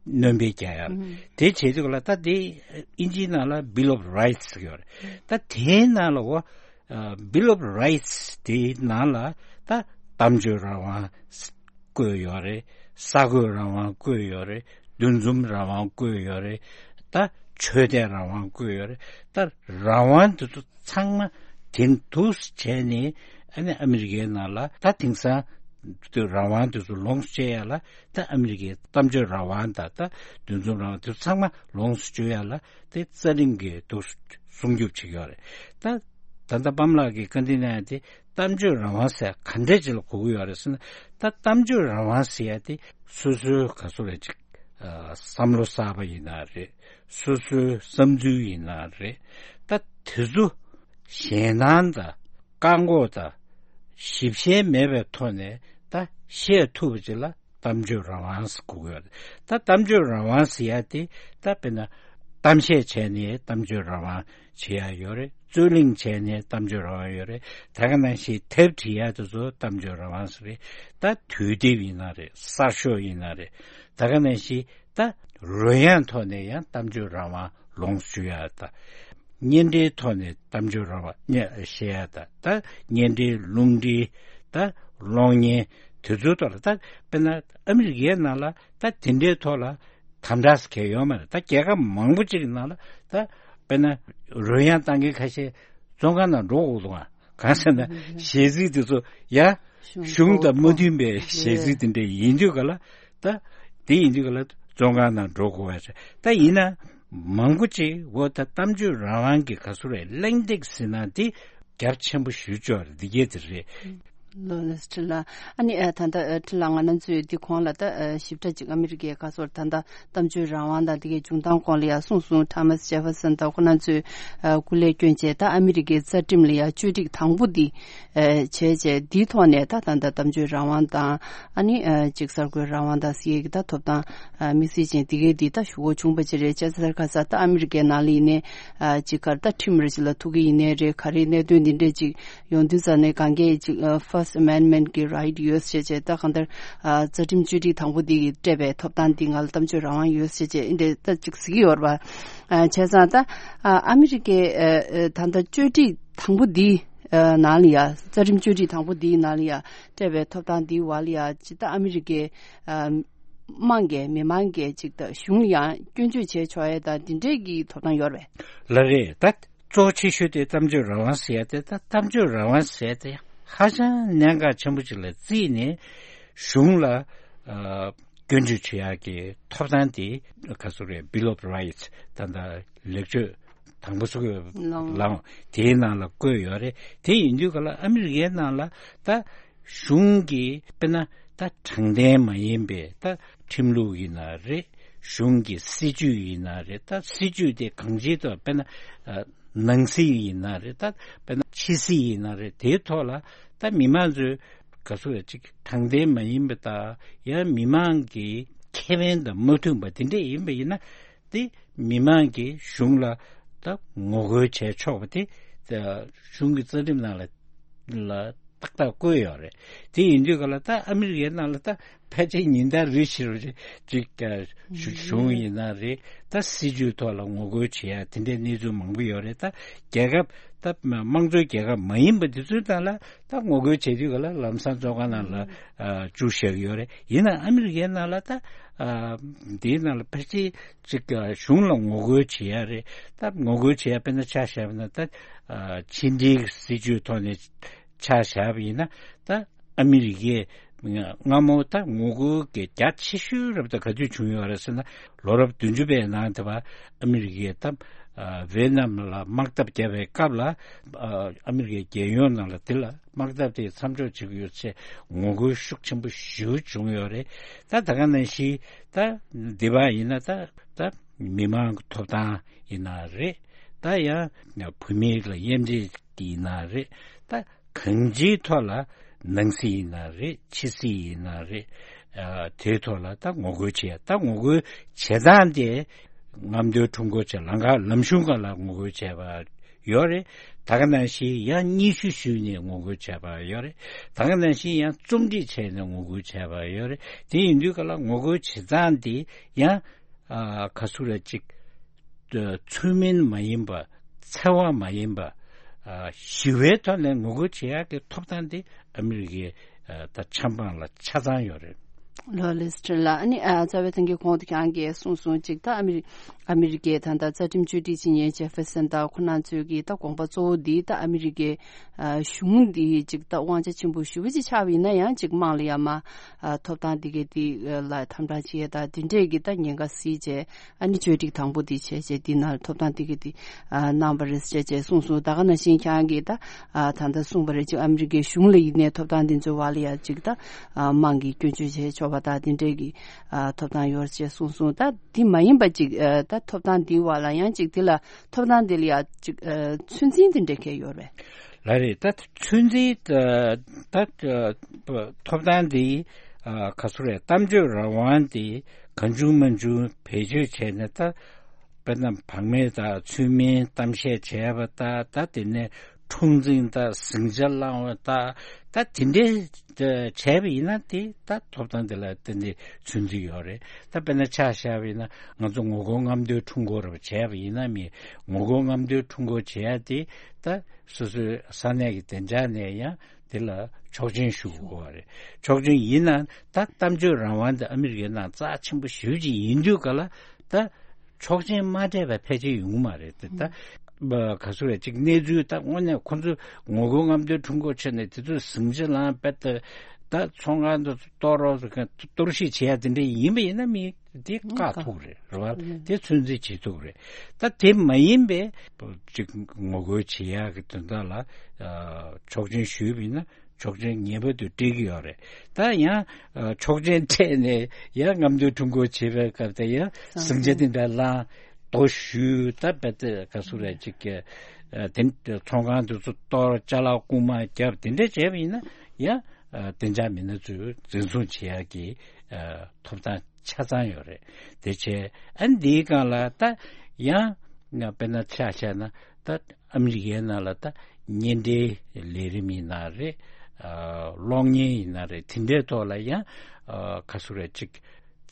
སྣོན་པ་རྒྱག་ཡ་ལ། དེ་བྱེད་དུས་ལ་ད་དེ་ཨིན་ཇིའི་ནང་ལ་Bill of Rights་ཟེར་གྱི་ཡོད་རེད། ད་དེའི་ནང་ལ་འོ་Bill of Rights་དེའི་ནང་ལ་ད་གཏམ་བརྗོད་རང་དབང་བཀོད་ཡོད་རེད། གསར་འགོད་རང་དབང་བཀོད་ཡོད་རེད། འདུ་འཛོམས་རང་དབང་བཀོད་ཡོད་རེད། ད་ཆོས་དད་རང་དབང་བཀོད་ཡོད་རེད། ད་རང་དབང་དེ་ཚོ་ཚང་མ་དེ་འདུག་བྱས་ནས་ཨ་ནི་ཨ་མི་རི་ཀའི་ནང་ལ་ད་དེང་སང་ དུ་རང་དབང་དེ་ཚོ་ལོངས་སྤྱོད་ཡ་ལ་ད་ཨ་མི་རི་ཀའི་གཏམ་བརྗོད་རང་དབང་དང་ད་འདུ་འཛོམས་རང་དབང་དེ་ཚོ་ཚང་མ་ལོངས་སུ་སྤྱོད་ཡ་ལ་དེ་རྩ་ཁྲིམས་ཀྱིས་འདུག་སྲུང་སྐྱོབ་བྱེད་ཀྱི་ཡོད་རེད། ད་ད་ལྟ་པཱ་ལགས་ཀྱིས་བཀའ་འདྲི་གནང་ཡ་དེ་གཏམ་བརྗོད་རང་དབང་ཟེར་ག་འདྲས་ཅིག་ལ་གོ་གི་ཡོད་རེད་ཟེར་ན། ད་གཏམ་བརྗོད་རང་དབང་ཟེར་ཡ་དེ་སོ་སོའི་ག་ཚོད་རེད་ཅིག་བསམ་བློ་གསར་པ་ཡིན་ན་རེད། སོ་སོའི་བསམ་ཚུལ་ཡིན་ན་རེད། ད་དེ་ཚོ་ཞེད་སྣང་དང་བཀག་འགོག་དང་ཞིབ་བཤེར་མེད་པའི་ཐོག་ནས་ད་བཤད་ཐུབ་པ་ཅིག་ལ་གཏམ་བརྗོད་རང་དབང་ཟེར་གོ་གི་ཡོད་རེད། ད་གཏམ་བརྗོད་རང་དབང་ཟེར་ཡ་དེ་ད་དཔེར་ན་གཏམ་བཤད་བྱས་ནས་གཏམ་བརྗོད་རང་དབང་བྱེད་ཡ་ཡོད་རེད། རྩོད་གླེང་བྱས་ནས་གཏམ་བརྗོད་རང་དབང་ཡོད་རེད། ད་ག་ནང་བཞིན་དེབ་བྲིས་ཡ་དེ་ཚོ་གཏམ་བརྗོད་རང་དབང་ཟེར་རེད། ད་དུས་དེབ་ཡིན་ན་རེད། གསར་ཤོག་ཡིན་ན་རེད། ད་ག་ནང་བཞིན་ད་རོལ་དབྱངས་ཐོག་ནས་ཡང་གཏམ་བརྗོད་རང་དབང་ལོངས་སུ་སྤྱོད་ཡ་ད། བརྙན་འཕྲིན་ཐོག་ནས་གཏམ་བརྗོད་རང་དབང་བཤད་ཡ་ད། ད་བརྙན་འཕྲིན་རླུང་འཕྲིན་ད་གློག་བརྙན་དེ་ཚོའི་ཐོག་ལ་ད་དཔེར་ན་ཨ་མི་རི་ཀའི་ནང་ལ་ད་དེ་འདྲའི་ཐོག་ལ་དམ་དྲག་ཟེར་མཁན་ཡོད་མ་རེད། ད་རྒྱལ་ཁབ་མང་པོ་ཅིག་གི་ནང་ལ་ད་དཔེར་ན་རོལ་དབྱངས་བཏང་མཁན་ཁ་ཤས་བཙོན་ཁང་ནང་འགྲོ་དགོས་འདུག་ཨ། གང་ཟེར་ན་གཞས་ཚིག་དེ་ཚོ་ཡ་གཞུང་དང་མ་མཐུན་པའི་གཞས་ཚིག་དེ་འདྲ་ཡིན་དུས་ག་ལ་ད་དེ་ཡིན་དུས་ག་ལ་བཙོན་ཁང་ནང་འགྲོ་དགོས་པ་ད་ཡིན་ན་མང་པོ་ཅིག་འོ་ད་གཏམ་བརྗོད་རང་དབང་གི་ག་ཚོད་རེད་གླེང་སྟེགས་ཟེར་ན་དེ་རྒྱ་ཆེན་པོ་ཞེ་པོ་ཅིག་རེད། འདི་གས་དེ་རེད། ལོ་ལེ་སི་ཊི་ལ། ཨ་ནི་ཨ་ད་ལྟ་ཨ་ཁྲི་ལ་ང་རང་ཚོས་འདི་གོང་ལ་ད་ཨ་ཞིབ་ཕྲ་ཅིག་ཨ་མི་རི་ཀའི་ག་ཚོད་ད་ལྟ་གཏམ་བརྗོད་རང་དབང་དང་འདི་གའི་འབྱུང་སྟངས་སྐོར་ལ་ཡང་གསུངས་སོང་། ཐ་མ་སི་ཇེ་ཕར་སན་དང་ཁོ་རང་ཚོས་ཨ་སྐུ་ལས་བསྐྱོན་བྱས་ད་ཨ་མི་རི་ཀའི་རྩ་ཁྲིམས་ལ་ཡང་བཅོས་སྒྲིག་དང་པོ་འདི་ཨ་བྱས་བྱས་འདིའི་ཐོག་ནས་ད་ད་ལྟ་གཏམ་བརྗོད་རང་དབང་དང་ཨ་ནི་ཨ་ཅིག་གསར་འགོད་རང་དབང་དང་ཟེར་ཡས་ཀྱི་ད་ཐོབ་ཐང་ཨ་དམིགས་བསལ་ཅན་འདི་གའི་འདི་ད་ཞུ་སྒོ་བྱུང་བ་ཅིག་རེད། བྱས་ཙང་ཁ་ས་ད་ཨ་མི་རི་ཀའི་ནང་ལ་ཡིན་ནའི་ཨ་ཅིག་གར་ད་ཁྲིམས་རེ་ཅིག་ལ་ཐུག་གི་ཡིན་ནའི་རེད། ག་རེ་གནད་དོན་འདི་འདྲས་ཅིག་ཡོང་དུས་ཙ་ནས་གང་གས་ཅིག་ཨ་First Amendment་གི་right་ཡོད་ཟེར་བྱས་ད་གང་ལྟར་ཨ་རྩ་ཁྲིམས་བཅོས་སྒྲིག་དང་པོ་འདི་གི་སྤྲད་པའི་ཐོབ་ཐང་འདི་ང་ལ་གཏམ་བརྗོད་རང་དབང་ཡོད་ཟེར་བྱས་འདི་འདྲས་ད་ཅིག་ཟེར་གྱི་ཡོད་རེད་པ། ཨ་བྱས་ཙང་ད་ཨ་ཨ་མི་རི་ཀའི་ཨ་ཨ་ད་ལྟ་བཅོས་སྒྲིག་དང་པོ་འདི་ཨ་ནང་ལ་ཡ་རྩ་ཁྲིམས་བཅོས་སྒྲིག་དང་པོ་འདིའི་ནང་ལ་ཡ་སྤྲད་པའི་ཐོབ་ཐང་འདིའི་བར་ལ་ཡ་ཅིག་ད་ཨ་མི་རི་ཀའི་ཨ་དམངས་ཀྱི་མི་མང་གི་ཅིག་ད་གཞུང་ལ་ཡང་སྐྱོན་བརྗོད་བྱས་ཆོག་ཡས་དང་འདི་འདྲས་ཀྱི་ཐོབ་ཐང་ཡོད་རེད། ལགས་རེད། ད་གཙོ་ཆེ་ཤོས་དེ་གཏམ་བརྗོད་རང་དབང་ཟེར་ཡ་དེ་ད་གཏམ་བརྗོད་རང་དབང་ཟེར་ཡ་དེ་ཧ་ཅང་གནད་འགག་ཆེན་པོ་ཅིག་ལ་བརྩིས་ནས་གཞུང་ལ་ཨ་སྐྱོན་བརྗོད་བྱེད་ཡ་གི་ཐོབ་ཐང་དེ་ག་ཚོད་རེད། Bill of Rights་ད་ད་ལེགས་བཅོས་དང་པོ་ཚུགས་ལའང་དེའི་ནང་ལ་བཀོད་ཡོད་རེད། དེ་ཡིན་དུས་ག་ལ་ཨ་མི་རི་ཀའི་ནང་ལ་ད་གཞུང་གི་དཔེར་ན་ད་དྲང་བདེན་མ་ཡིན་པའི་ད་ཁྲིམས་ལུགས་ཡིན་ན་རེད། གཞུང་གི་སྲིད་ཇུས་ཡིན་ན་རེད། ད་སྲིད་ཇུས་དེ་གང་ཅིའི་ཐོག་དཔེར་ན་ཨ་ནང་སྲིད་ཡིན་ན་རེད། ད་དཔེར་ན་ཕྱི་སྲིད་ཡིན་ན་རེད། དེའི་ཐོག་ལ་ད་མི་མང་ཚོས་ག་ཚོད་རེད་ཅིག་དྲང་བདེན་མ་ཡིན་པ་དང་ཡང་མི་མང་གི་ཁེ་ཕན་དང་མ་མཐུན་པ་དེ་འདྲས་ཡིན་པ་ཡིན་ན། དེ་མི་མང་གིས་གཞུང་ལ་ད་ངོ་རྒོལ་བྱས་ཆོག་པ་དེ་ད་གཞུང་གི་རྩ་ཁྲིམས་ནང་ལ་ལ་ཏག་ཏག་བཀོད་ཡོད་རེད། དེ་ཡིན་དུས་ག་ལ་ད་ཨ་མི་རི་ཀའི་ནང་ལ་ད་ཕལ་ཆེར་ཉིན་ལྟར་རེ་བཞིན་རེ་ཅིག་ཨ་གཞུ་གཞུང་ཡིན་ན་རེད། ད་སྲིད་ཇུས་ཐོག་ལ་ངོ་རྒོལ་བྱེད་ཡ་དེ་འདྲའི་གནས་ཚུལ་མང་པོ་ཡོད་རེད། ད་རྒྱལ་ཁབ་ད་དམངས་གཙོའི་རྒྱལ་ཁབ་མ་ཡིན་པ་དེ་ཚོའི་ནང་ལ་ད་ངོ་རྒོལ་བྱེད་དུས་ག་ལ་ལམ་སང་བཙོན་ཁང་ནང་ལ་ཨ་བཅུག་བཞག་གི་ཡོད་རེད། ཡིན་ནའང་ཨ་མི་རི་ཀའི་ནང་ལ་ད་ཨ་འདིའི་ནང་ལ་ཕལ་ཆེར་ཅིག་གཞུང་ལ་ངོ་རྒོལ་བྱེད་ཡ་རེད། ད་ངོ་རྒོལ་བྱེད་ཡ་དཔེར་ན་ཆ་བཞག་པ་ན་ད་ཕྱི་འབྲེལ་སྲིད་ཇུས་ཐོག་ནས་ཆ་བཞག་པ་ཡིན་ན་ད་ཨ་མི་རི་ཀས་སྔ་མོ་ད་ངོ་རྒོལ་གྱི་རྒྱ་ཆེ་ཤོས་རབ་ད་ག་དུས་བྱུང་ཡོད་རེད་ཟེར་ན། ལོ་རབས་བདུན་ཅུ་པའི་ནང་དེ་བ་ཨ་མི་རི་ཀས་ད་ཝེ་ནམ་ལ་དམག་འཐབ་བརྒྱབ་པའི་སྐབས་ལ་ཨ་མི་རི་ཀའི་རྒྱལ་ཡོངས་ནང་ལ་དེ་ལ་དམག་འཐབ་དེ་མཚམས་འཇོག་བྱེད་ཀྱི་ཡོད་ཅེས་ངོ་རྒོལ་ཤུགས་ཆེན་པོ་ཞེ་པོ་བྱུང་ཡོད་རེད། ད་ད་ག་ནང་བཞིན་ད་འདི་བ་ཡིན་ན་ད་ད་མི་མང་གི་ཐོབ་ཐང་ཡིན་ན་རེད། ད་ཡང་བོད་མི་ལ་དབྱེ་འབྱེད་ཡིན་ན་རེད། ད་གང་ཅིའི་ཐོག་ལ་ནང་སྲིད་ཡིན་ན་རེད། ཕྱི་སྲིད་ཡིན་ན་རེད། ཨ་དེའི་ཐོག་ལ་ད་ངོ་རྒོལ་བྱེད་ཡ་ད་ངོ་རྒོལ་བྱེད་སྟངས་དེ་རྔམ་སྟོན་ཁྲོམ་སྐོར་བྱས་ལམ་ཁ་ལམ་གཞུང་སྒང་ལ་ངོ་རྒོལ་བྱས་པ་ཡོད་རེད། ད་ག་ནང་བཞིན་ཡང་སྙན་ཞུ་ཞུས་ནས་ངོ་རྒོལ་བྱས་པ་ཡོད་རེད། ད་ག་ནང་བཞིན་ཡང་རྩོམ་སྒྲིག་བྱས་ནས་ངོ་རྒོལ་བྱས་པ་ཡོད་རེད། དེ་ཡིན་དུས་ག་ལ་ངོ་རྒོལ་བྱེད་སྟངས་དེ་ཡང་ཨ་ག་ཚོད་རེད་ཅིག་ཚུལ་མིན་མ་ཡིན་པ། འཚེ་བ་མ་ཡིན་པ། ཨ་ཞི་བའི་ཐོག་ནས་ངོ་རྒོལ་བྱེད་ཡག་གི་ཐོབ་ཐང་དེ་ཨ་མི་རི་ཀའི་ཨ་ད་ཆབ་འབངས་ལ་ཆ་ཚང་ཡོད་རེད། ལོ་ལེ་སི་ཊི་ལ་ཨ་ནི་ཨ་རྩ་བའི་ཐང་གི་གོང་དུ་ཁྱེད་རང་གིས་གསུངས་སོང་ཅིག་ད་ཨ་མི་རི་ ཨ་མི་རི་ཀའི་ད་ལྟ་རྩ་ཁྲིམས་བཅོས་སྒྲིག་བྱེད་མཁན་ཇེ་ཧྥེར་སན་དང་ཁོ་རང་ཚོའི་གི་ད་དགོངས་པ་གཙོ་བོ་འདི་ད་ཨ་མི་རི་ཀའི་ཨ་གཞུང་འདི་ཅིག་ད་དབང་ཆ་ཆེན་པོ་ཞེ་པོ་ཅིག་ཆགས་པ་ཡིན་ན་ཡང་ཅིག་དམངས་ལ་ཡང་མ་ཨ་ཐོབ་ཐང་འདི་གའི་འདི་ལ་དམ་དྲག་བྱེད་ཡ་ད་འདི་འདྲས་ཀྱི་ད་ཉེན་ཁ་སེལ་བྱས། ཨ་ནི་བཅོས་སྒྲིག་དང་པོ་འདི་བྱས་བྱས་འདི་ནང་ཐོབ་ཐང་འདི་གའི་འདི་ཨ་གནང་བ་རེད་ཟེར་བྱས་གསུངས་སོང་། ད་ག་ནང་བཞིན་ཁྱེད་རང་གིས་ད་ཨ་ད་ལྟ་གསུངས་པ་རེད། ཅིག་ཨ་མི་རི་ཀའི་གཞུང་ལ་ཡིན་ནའི་ཐོབ་ཐང་འདི་ཚོའི་བར་ལ་ཡང་ཅིག་ད་ཨ་དམངས་ཀྱིས་སྐྱོན་བརྗོད་བྱས་ཆོག་པ་ད་འདི་འདྲས་ཀྱི་ཨ་ཐོབ་ཐང་ཡོད་ཅེས་གསུངས་སོང་། ད་འདི་མ་ཡིན་པ་ཅིག་ཨ་ད་ཐོབ་ཐང་འདིའི་བར་ལ་ཡང་ཅིག་འདི་ལ་ཐོབ་ཐང་འདི་ལ་ཡང་ཅིག་ཨ་ཚོད་འཛིན་འདི་འདྲ་གས་ཡོད་རེད། ལགས་རེད། ད་ཚོད་འཛིན་ད་ད་ཐོབ་ཐང་འདི་ཨ་ག་ཚོད་རེད། གཏམ་བརྗོད་རང་དབང་འདི་གང་བྱུང་མང་བྱུང་བེད་སྤྱོད་བྱས་ནས་ད་དཔེར་ན་བག་མེད་དང་ཚུལ་མིན་གཏམ་བཤད་བྱས་པ་ད་ད་དེ་ནས་འཁྲུག་འཛིང་དང་ཟིང་ཆ་བསླངས་པ་དང་ད་དེ་འདྲའི་བྱས་པ་ཡིན་ན་དེ་ད་ཐོབ་ཐང་དེ་ལ་ཏན་ཏན་ཚོད་འཛིན་ཡོད་རེད། ད་དཔེར་ན་ཆ་བཞག་པ་ཡིན་ན་ང་ཚོ་ངོ་རྒོལ་རྔམ་སྟོན་ཁྲོམ་སྐོར་བྱས་པ་ཡིན་ན་མི་ངོ་རྒོལ་རྔམ་སྟོན་ཁྲོམ་སྐོར་བྱེད་ཡ་དེ་ད་སོ་སོའི་ས་གནས་ཀྱི་བདེ་འཇགས་ནས་ཡང་དེ་ལ་ཆོག་མཆན་ཞུ་དགོས་པ་རེད། ཆོག་མཆན་ཡིན་ན་ད་གཏམ་བརྗོད་རང་དབང་དེ་ཨ་མི་རི་ཀའི་ནང་རྩ་ཆེན་པོ་ཞེ་པོ་ཅིག་ཡིན་དུས་ག་ལ་ད། ཆོག་མཆན་མ་སྤྲད་པ་ཕལ་ཆེར་ཡོང་གི་མ་རེད་དེ་ད། ག་ཚོད་རེད་ཅིག་གནས་ཚུལ་ད་དངོས་གནས་ཁོ་ཚོས་ངོ་རྒོལ་རྔམ་སྟོན་ཁྲོམ་སྐོར་བྱས་ནས་དེ་ཚོས་ཟིང་ཆ་ལངས་པ་དེ་ད་ཚོང་ཁང་དུ་གཏོར་རོགས་ཟེར་མཁན་གཏོར་བཤིག་བྱེད་ཡ་དེ་འདྲ་ཡིན་པ་ཡིན་ན་མི་དེ་བཀག་ཐུབ་རེད་རེད་བ། དེ་ཚོད་འཛིན་བྱེད་ཐུབ་རེད། ད་དེ་མ་ཡིན་པའི་ཅིག་ངོ་རྒོལ་བྱེད་ཡ་གི་དོན་དག་ལ་ཆོག་མཆན་ཞུས་པ་ཡིན་ན། ཆོག་མཆན་ངེས་པར་དུ་སྤྲད་ཀྱི་ཡོད་རེད། ད་ཡང་ཆོག་མཆན་སྤྲད་ནས་ཡང་རྔམ་སྟོན་ཁྲོམ་སྐོར་བྱེད་པའི་སྐབས་དེ་ཡང་ཟིང་ཆ་དེ་འདྲ་ལངས་རྡོ་གཞུས་ད་བེད་ཀ་སུ་རེད་ཅིག་གི་དེ་ཚོང་ཁང་དེ་ཚོ་གཏོར་ཅ་ལག་རྐུན་མ་བརྒྱབ་དེ་འདྲ་བྱས་པ་ཡིན་ན་ཡང་བདེ་འཇགས་མི་སྣ་ཚོས་འཛིན་བཟུང་བྱེད་ཡག་གི་ཐོབ་ཐང་ཆ་ཚང་ཡོད་རེད། དེ་བྱས་ཨ་འདིའི་སྒང་ལ་ད་ཡང་དཔེར་ན་ཆ་བཞག་ན་ད། ཨ་མི་རི་ཀའི་ནང་ལ་ད་གཉེན་འབྲེལ་ལས་རིམ་ཡིན་ན་རེད། གློག་བརྙན་ཡིན་ན་རེད། དེ་འདྲའི་ཐོག་ལ་ཡང་ག་ཚོད་རེད་ཅིག་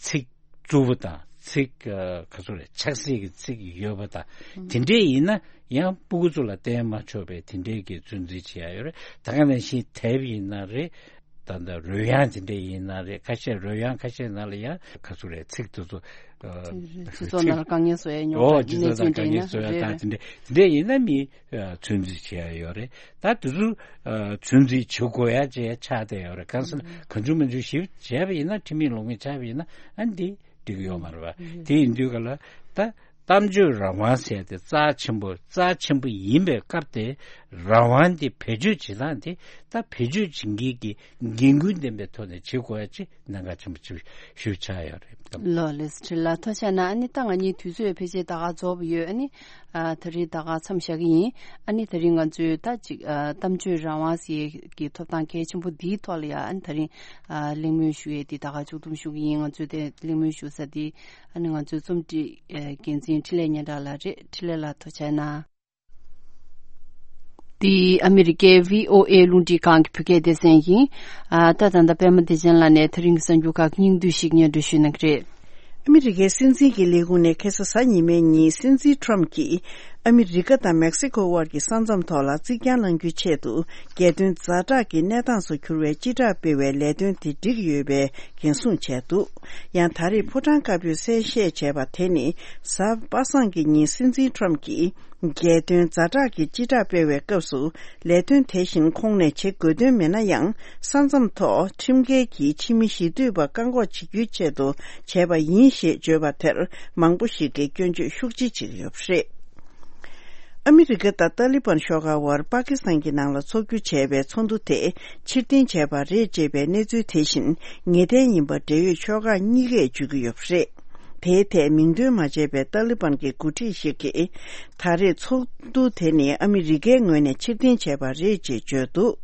ཚིག་རྩུབ་པོ་དང་ཚིག་ག་ཚོད་རེད་ཆགས་སྲེད་ཀྱི་ཚིག་ཡོད་པ་དང་དེ་འདྲས་ཡིན་ན་ཡང་སྤུ་གུ་ཚོ་ལ་བསྟན་མ་ཆོག་པའི་དེ་འདྲས་ཀྱི་ཚོད་འཛིན་བྱེད་ཡ་ཡོད་རེད། ད་ག་ནང་བཞིན་དེབ་ཡིན་ན་རེད། ད་ལྟ་རོལ་དབྱངས་དེ་འདྲ་ཡིན་ན་རེད། ཁ་ཤས་རོལ་དབྱངས་ཁ་ཤས་ནང་ལ་ཡང་ག་ཚོད་རེད་ཚིག་དེ་ཚོ་སྤྱི་ཚོགས་ནང་ལ་དཀའ་ངལ་བཟོ་ཡ་ཉོ་ཨོ་སྤྱི་ཚོགས་ནང་དཀའ་ངལ་བཟོ་ཡ་དང་དེ་འདྲ་དེ་འདྲ་ཡིན་ན་མི་ཚོད་འཛིན་བྱེད་ཡ་ཡོད་རེད། ད་དེ་ཚོ་ཚོད་འཛིན་བྱེད་དགོས་ཡ་བྱས་ཆགས་བསྡད་ཡོད་རེད། གང་ཟེར་ན་གང་བྱུང་མང་བྱུང་ཞིབ་བྱས་པ་ཡིན་ན་ཁྲིམས་མེད་ལུགས་མེད་ཆགས་པ་ཡིན་ན་ཨ་འདི་འགྲིག་གི་ཡོད་མ་རེད་པ། དེ་ཡིན་དུས་ག་ལ་ད། གཏམ་བརྗོད་རང་དབང་ཟེར་དེ་རྩ་ཆེན་པོ་རྩ་ཆེན་པོ་ཡིན་པའི་སྐབས་དེ་རང་དབང་དེ་བེད་སྤྱོད་བྱེད་སྟངས་དེ་ད་བེད་སྤྱོད་བྱེད་མཁན་གྱི་འགན་འཁུར་ལྡན་པའི་ཐོག་ནས་བྱེད་དགོས་ཡ་ཅིག་གནད་འགག་ཆེན་པོ་ཅིག་ཞུ་ཆགས་ཡོད་རེད། ལགས་ལགས་སོ། ཁྲི་ལ་ཐུགས་རྗེ་གནང་། ཨ་ནི་ད་ང་གཉིས་དུས་ཚོད་ཕལ་ཆེར་ད་ག་རྫོགས་པ་ཡོད། ཨ་ནི་ཨ་ད་རིང་ད་ག་མཚམས་བཞག་གི་ཡིན། ཨ་ནི་ད་རིང་ང་ཚོས་ད་ཅིག་ཨ་གཏམ་བརྗོད་རང་དབང་ཟེར་གྱི་ཐོབ་ཐང་གལ་ཆེན་པོ་འདིའི་ཐོག་ལ་ཡ་ཨ་ནི་ད་རིང་ཨ་གླེང་མོལ་ཞུ་ཡས་འདི་ད་ག་མཇུག་བསྡོམས་ཞུ་གི་ཡིན། ང་ཚོས་དེ་གླེང་མོལ་ཞུ་ས་འདི། ཨ་ནི་ང་ཚོའི་རྩོམ་སྒྲིག་འགན་འཛིན་འཕྲིན་ལས་སྙན་གྲགས་ལགས་རེད། འཕྲིན་ལས་ལགས་ཐུགས་རྗེ་གནང་། འདི་ཨ་མི་རི་ཀའི་ཝི་ཨོ་ཨེ་རླུང་འཕྲིན་ཁང་གི་བོད་སྐད་སྡེ་ཚན་ཡིན། ཨ་ད་ད་ལྟ་པད་མ་བདེ་ཆེན་ལགས་ནས་ད་རིང་གི་གསར་འགྱུར་ཁག་སྙིང་བསྡུས་ཤིག་སྙན་སྒྲོན་ཞུ་གནང་གི་རེད། ཨ་མི་རི་ཀའི་སྲིད་འཛིན་གྱི་ལས་ཁུངས་ནས་ཁ་སང་གཟའ་ཉི་མའི་ཉིན་སྲིད་འཛིན་ཁྲོམ་གྱིས་ཨ་མི་རི་ཀ་དང་མེག་སི་ཀོ་དབར་གྱི་ས་མཚམས་ཐོག་ལ་རྩིག་གྱང་བསླང་རྒྱུའི་ཆེད་དུ་རྒྱལ་དོན་ཛ་དྲག་གི་གནས་སྟངས་སུ་གྱུར་བའི་སྤྱི་བསྒྲགས་སྤེལ་བའི་ལས་དོན་དེ་འགྲིག་ཡོད་པའི་འགན་སྲུང་བྱས་འདུག་ཡང་ད་རེས་ཕོ་བྲང་དཀར་པོས་གསལ་བཤད་བྱས་པ་དེ་ནི་གཟའ་པ་སངས་ཀྱི་ཉིན་སྲིད་འཛིན་ཁྲོམ་གྱིས་རྒྱལ་དོན་ཛ་དྲག་གི་སྤྱི་བསྒྲགས་སྤེལ་བའི་སྐབས་སུ་ལས་དོན་དེ་བཞིན་ཁོང་ནས་བྱེད་དགོས་དོན་མེད་ན་ཡང་ས་མཚམས་ཐོག་ཁྲིམས་འགལ་གྱིས་ཕྱི་མི་ཞི་འཐུས་པ་བཀག་འགོག་བྱེད་རྒྱུའི་ཆེད་དུ་བྱས་པ་ཡིན་ཞེས་བརྗོད་པ་དེར་མང་པོ་ཞིག་གིས་སྐྱོན་བརྗོད་ཤུགས་ཆེ་བྱེད་ཀྱི་ཡོད་པ་རེད། ཨ་མི་རི་ཀ་དང་ཏཱ་ལི་བན་ཤོག་ཁག་དབར་པ་ཀི་སི་ཐན་གྱི་ནང་ལ་འཚོགས་རྒྱུ་བྱས་པའི་ཚོགས་འདུ་དེ་ཕྱིར་འཐེན་བྱས་པ་རེད་ཅེས་པའི་གནས་ཚུལ་དེ་བཞིན་ངེས་གཏན་ཡིན་པ་འབྲེལ་ཡོད་ཕྱོགས་ཁག་གཉིས་ཀས་བརྗོད་ཀྱི་ཡོད་པ་རེད། དེའི་ཐད་མིང་འདོན་མ་བྱས་པའི་ཏཱ་ལི་བན་གྱི་འགོ་ཁྲིད་ཞིག་གིས། ད་རེས་ཚོགས་འདུ་དེ་ནི་ཨ་མི་རི་ཀའི་ངོས་ནས་ཕྱིར་འཐེན་བྱས་པ་རེད་ཅེས་བརྗོད་འདུག་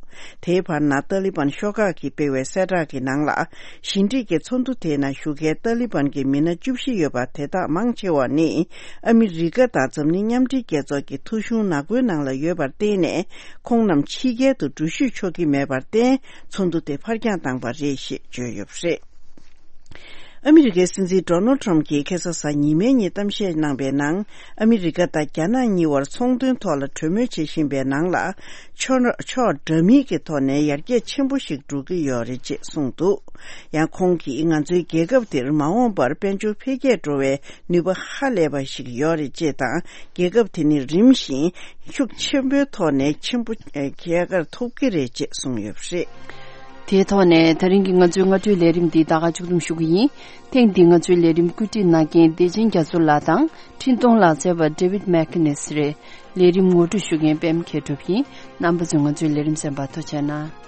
དེའི་བར་ན་ཏཱ་ལི་བན་ཤོག་ཁག་གིས་སྤེལ་བའི་གསལ་བསྒྲགས་ཀྱི་ནང་ལ། ཞི་འགྲིག་གི་ཚོགས་འདུ་དེའི་ནང་ཞུགས་མཁན་ཏཱ་ལི་བན་གྱི་མི་སྣ་བཅུ་བཞི་ཡོད་པ་དེ་དག་མང་ཆེ་བ་ནི་ཨ་མི་རི་ཀ་དང་འཛམ་གླིང་མཉམ་འབྲེལ་རྒྱལ་ཚོགས་ཀྱི་ཐོ་གཞུང་ནག་པོའི་ནང་ལ་ཡོད་པར་བརྟེན་ནས་ཁོང་རྣམས་ཕྱི་རྒྱལ་དུ་འགྲུལ་བཞུད་ཆོག་གི་མེད་པར་བརྟེན་ཚོགས་འདུ་དེ་ཕར་འགྱངས་བཏང་པ་རེད་ཞེས་བརྗོད་ཡོད་པ་རེད། ཨ་མི་རི་ཀའི་སྲིད་འཛིན་ཌོ་ནལ་ཊམ་གྱིས་ཁ་སང་གཟའ་ཉི་མའི་ཉིན་གཏམ་བཤད་གནང་པའི་ནང་། ཨ་མི་རི་ཀ་དང་རྒྱ་ནག་གཉིས་བར་ཚོང་དོན་ཐོག་ལ་གྲོས་མོལ་བྱེད་བཞིན་པའི་ནང་ལ། ཕྱོགས་ཕྱོགས་འདྲ་མིན་གྱི་ཐོག་ནས་ཡར་རྒྱས་ཆེན་པོ་ཞིག་འགྲོ་གི་ཡོད་རེད་ཅེས་གསུངས་འདུག། ཡང་ཁོང་གིས་ང་ཚོའི་རྒྱལ་ཁབ་འདིར་མ་འོངས་པར་དཔལ་འབྱོར་འཕེལ་རྒྱས་འགྲོ་བའི་ནུས་པ་ཧ་ལས་པ་ཞིག་ཡོད་རེད་ཅེས་དང་། རྒྱལ་ཁབ་དེ་ནི་རིམ་བཞིན་ཤུགས་ཆེན་པོའི་ཐོག་ནས་ཆེན་པོ་ཨེ་རྒྱལ་ཁར་ཐུག་གི་རེད་ཅེས་གསུངས་ཡོད་པ་རེད། དེའི་ཐོག་ནས་ད་རིང་གི་ང་ཚོའི་སྔ་དྲོའི་ལས་རིམ་འདི་ད་ག་མཇུག་བསྡོམས་ཞུ་གི་ཡིན། ཐེངས་འདིའི་ང་ཚོའི་ལས་རིམ་བཀོད་སྒྲིག་གནང་མཁན་བདེ་ཆེན་རྒྱ་མཚོ་ལགས་དང་འཕྲིན་གཏོང་ལག་རྩལ་བ་David McInnes རེད། ལས་རིམ་ངོ་སྤྲོད་ཞུ་མཁན་པད་མ་མཁས་གྲུབ་ཡིན། རྣམ་པ་ཚོས་ང་ཚོའི་ལས་རིམ་གསན་པར་ཐུགས་རྗེ་གནང་།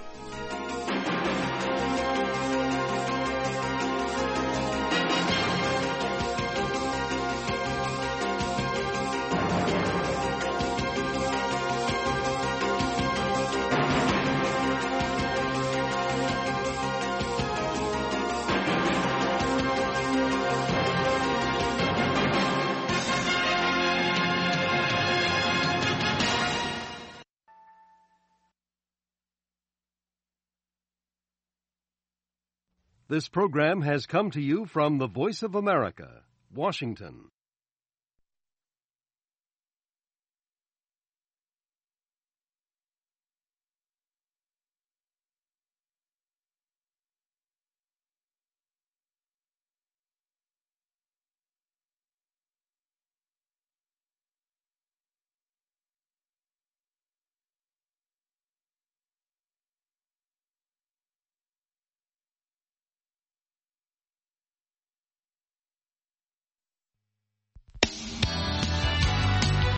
This program has come to you from the Voice of America, Washington.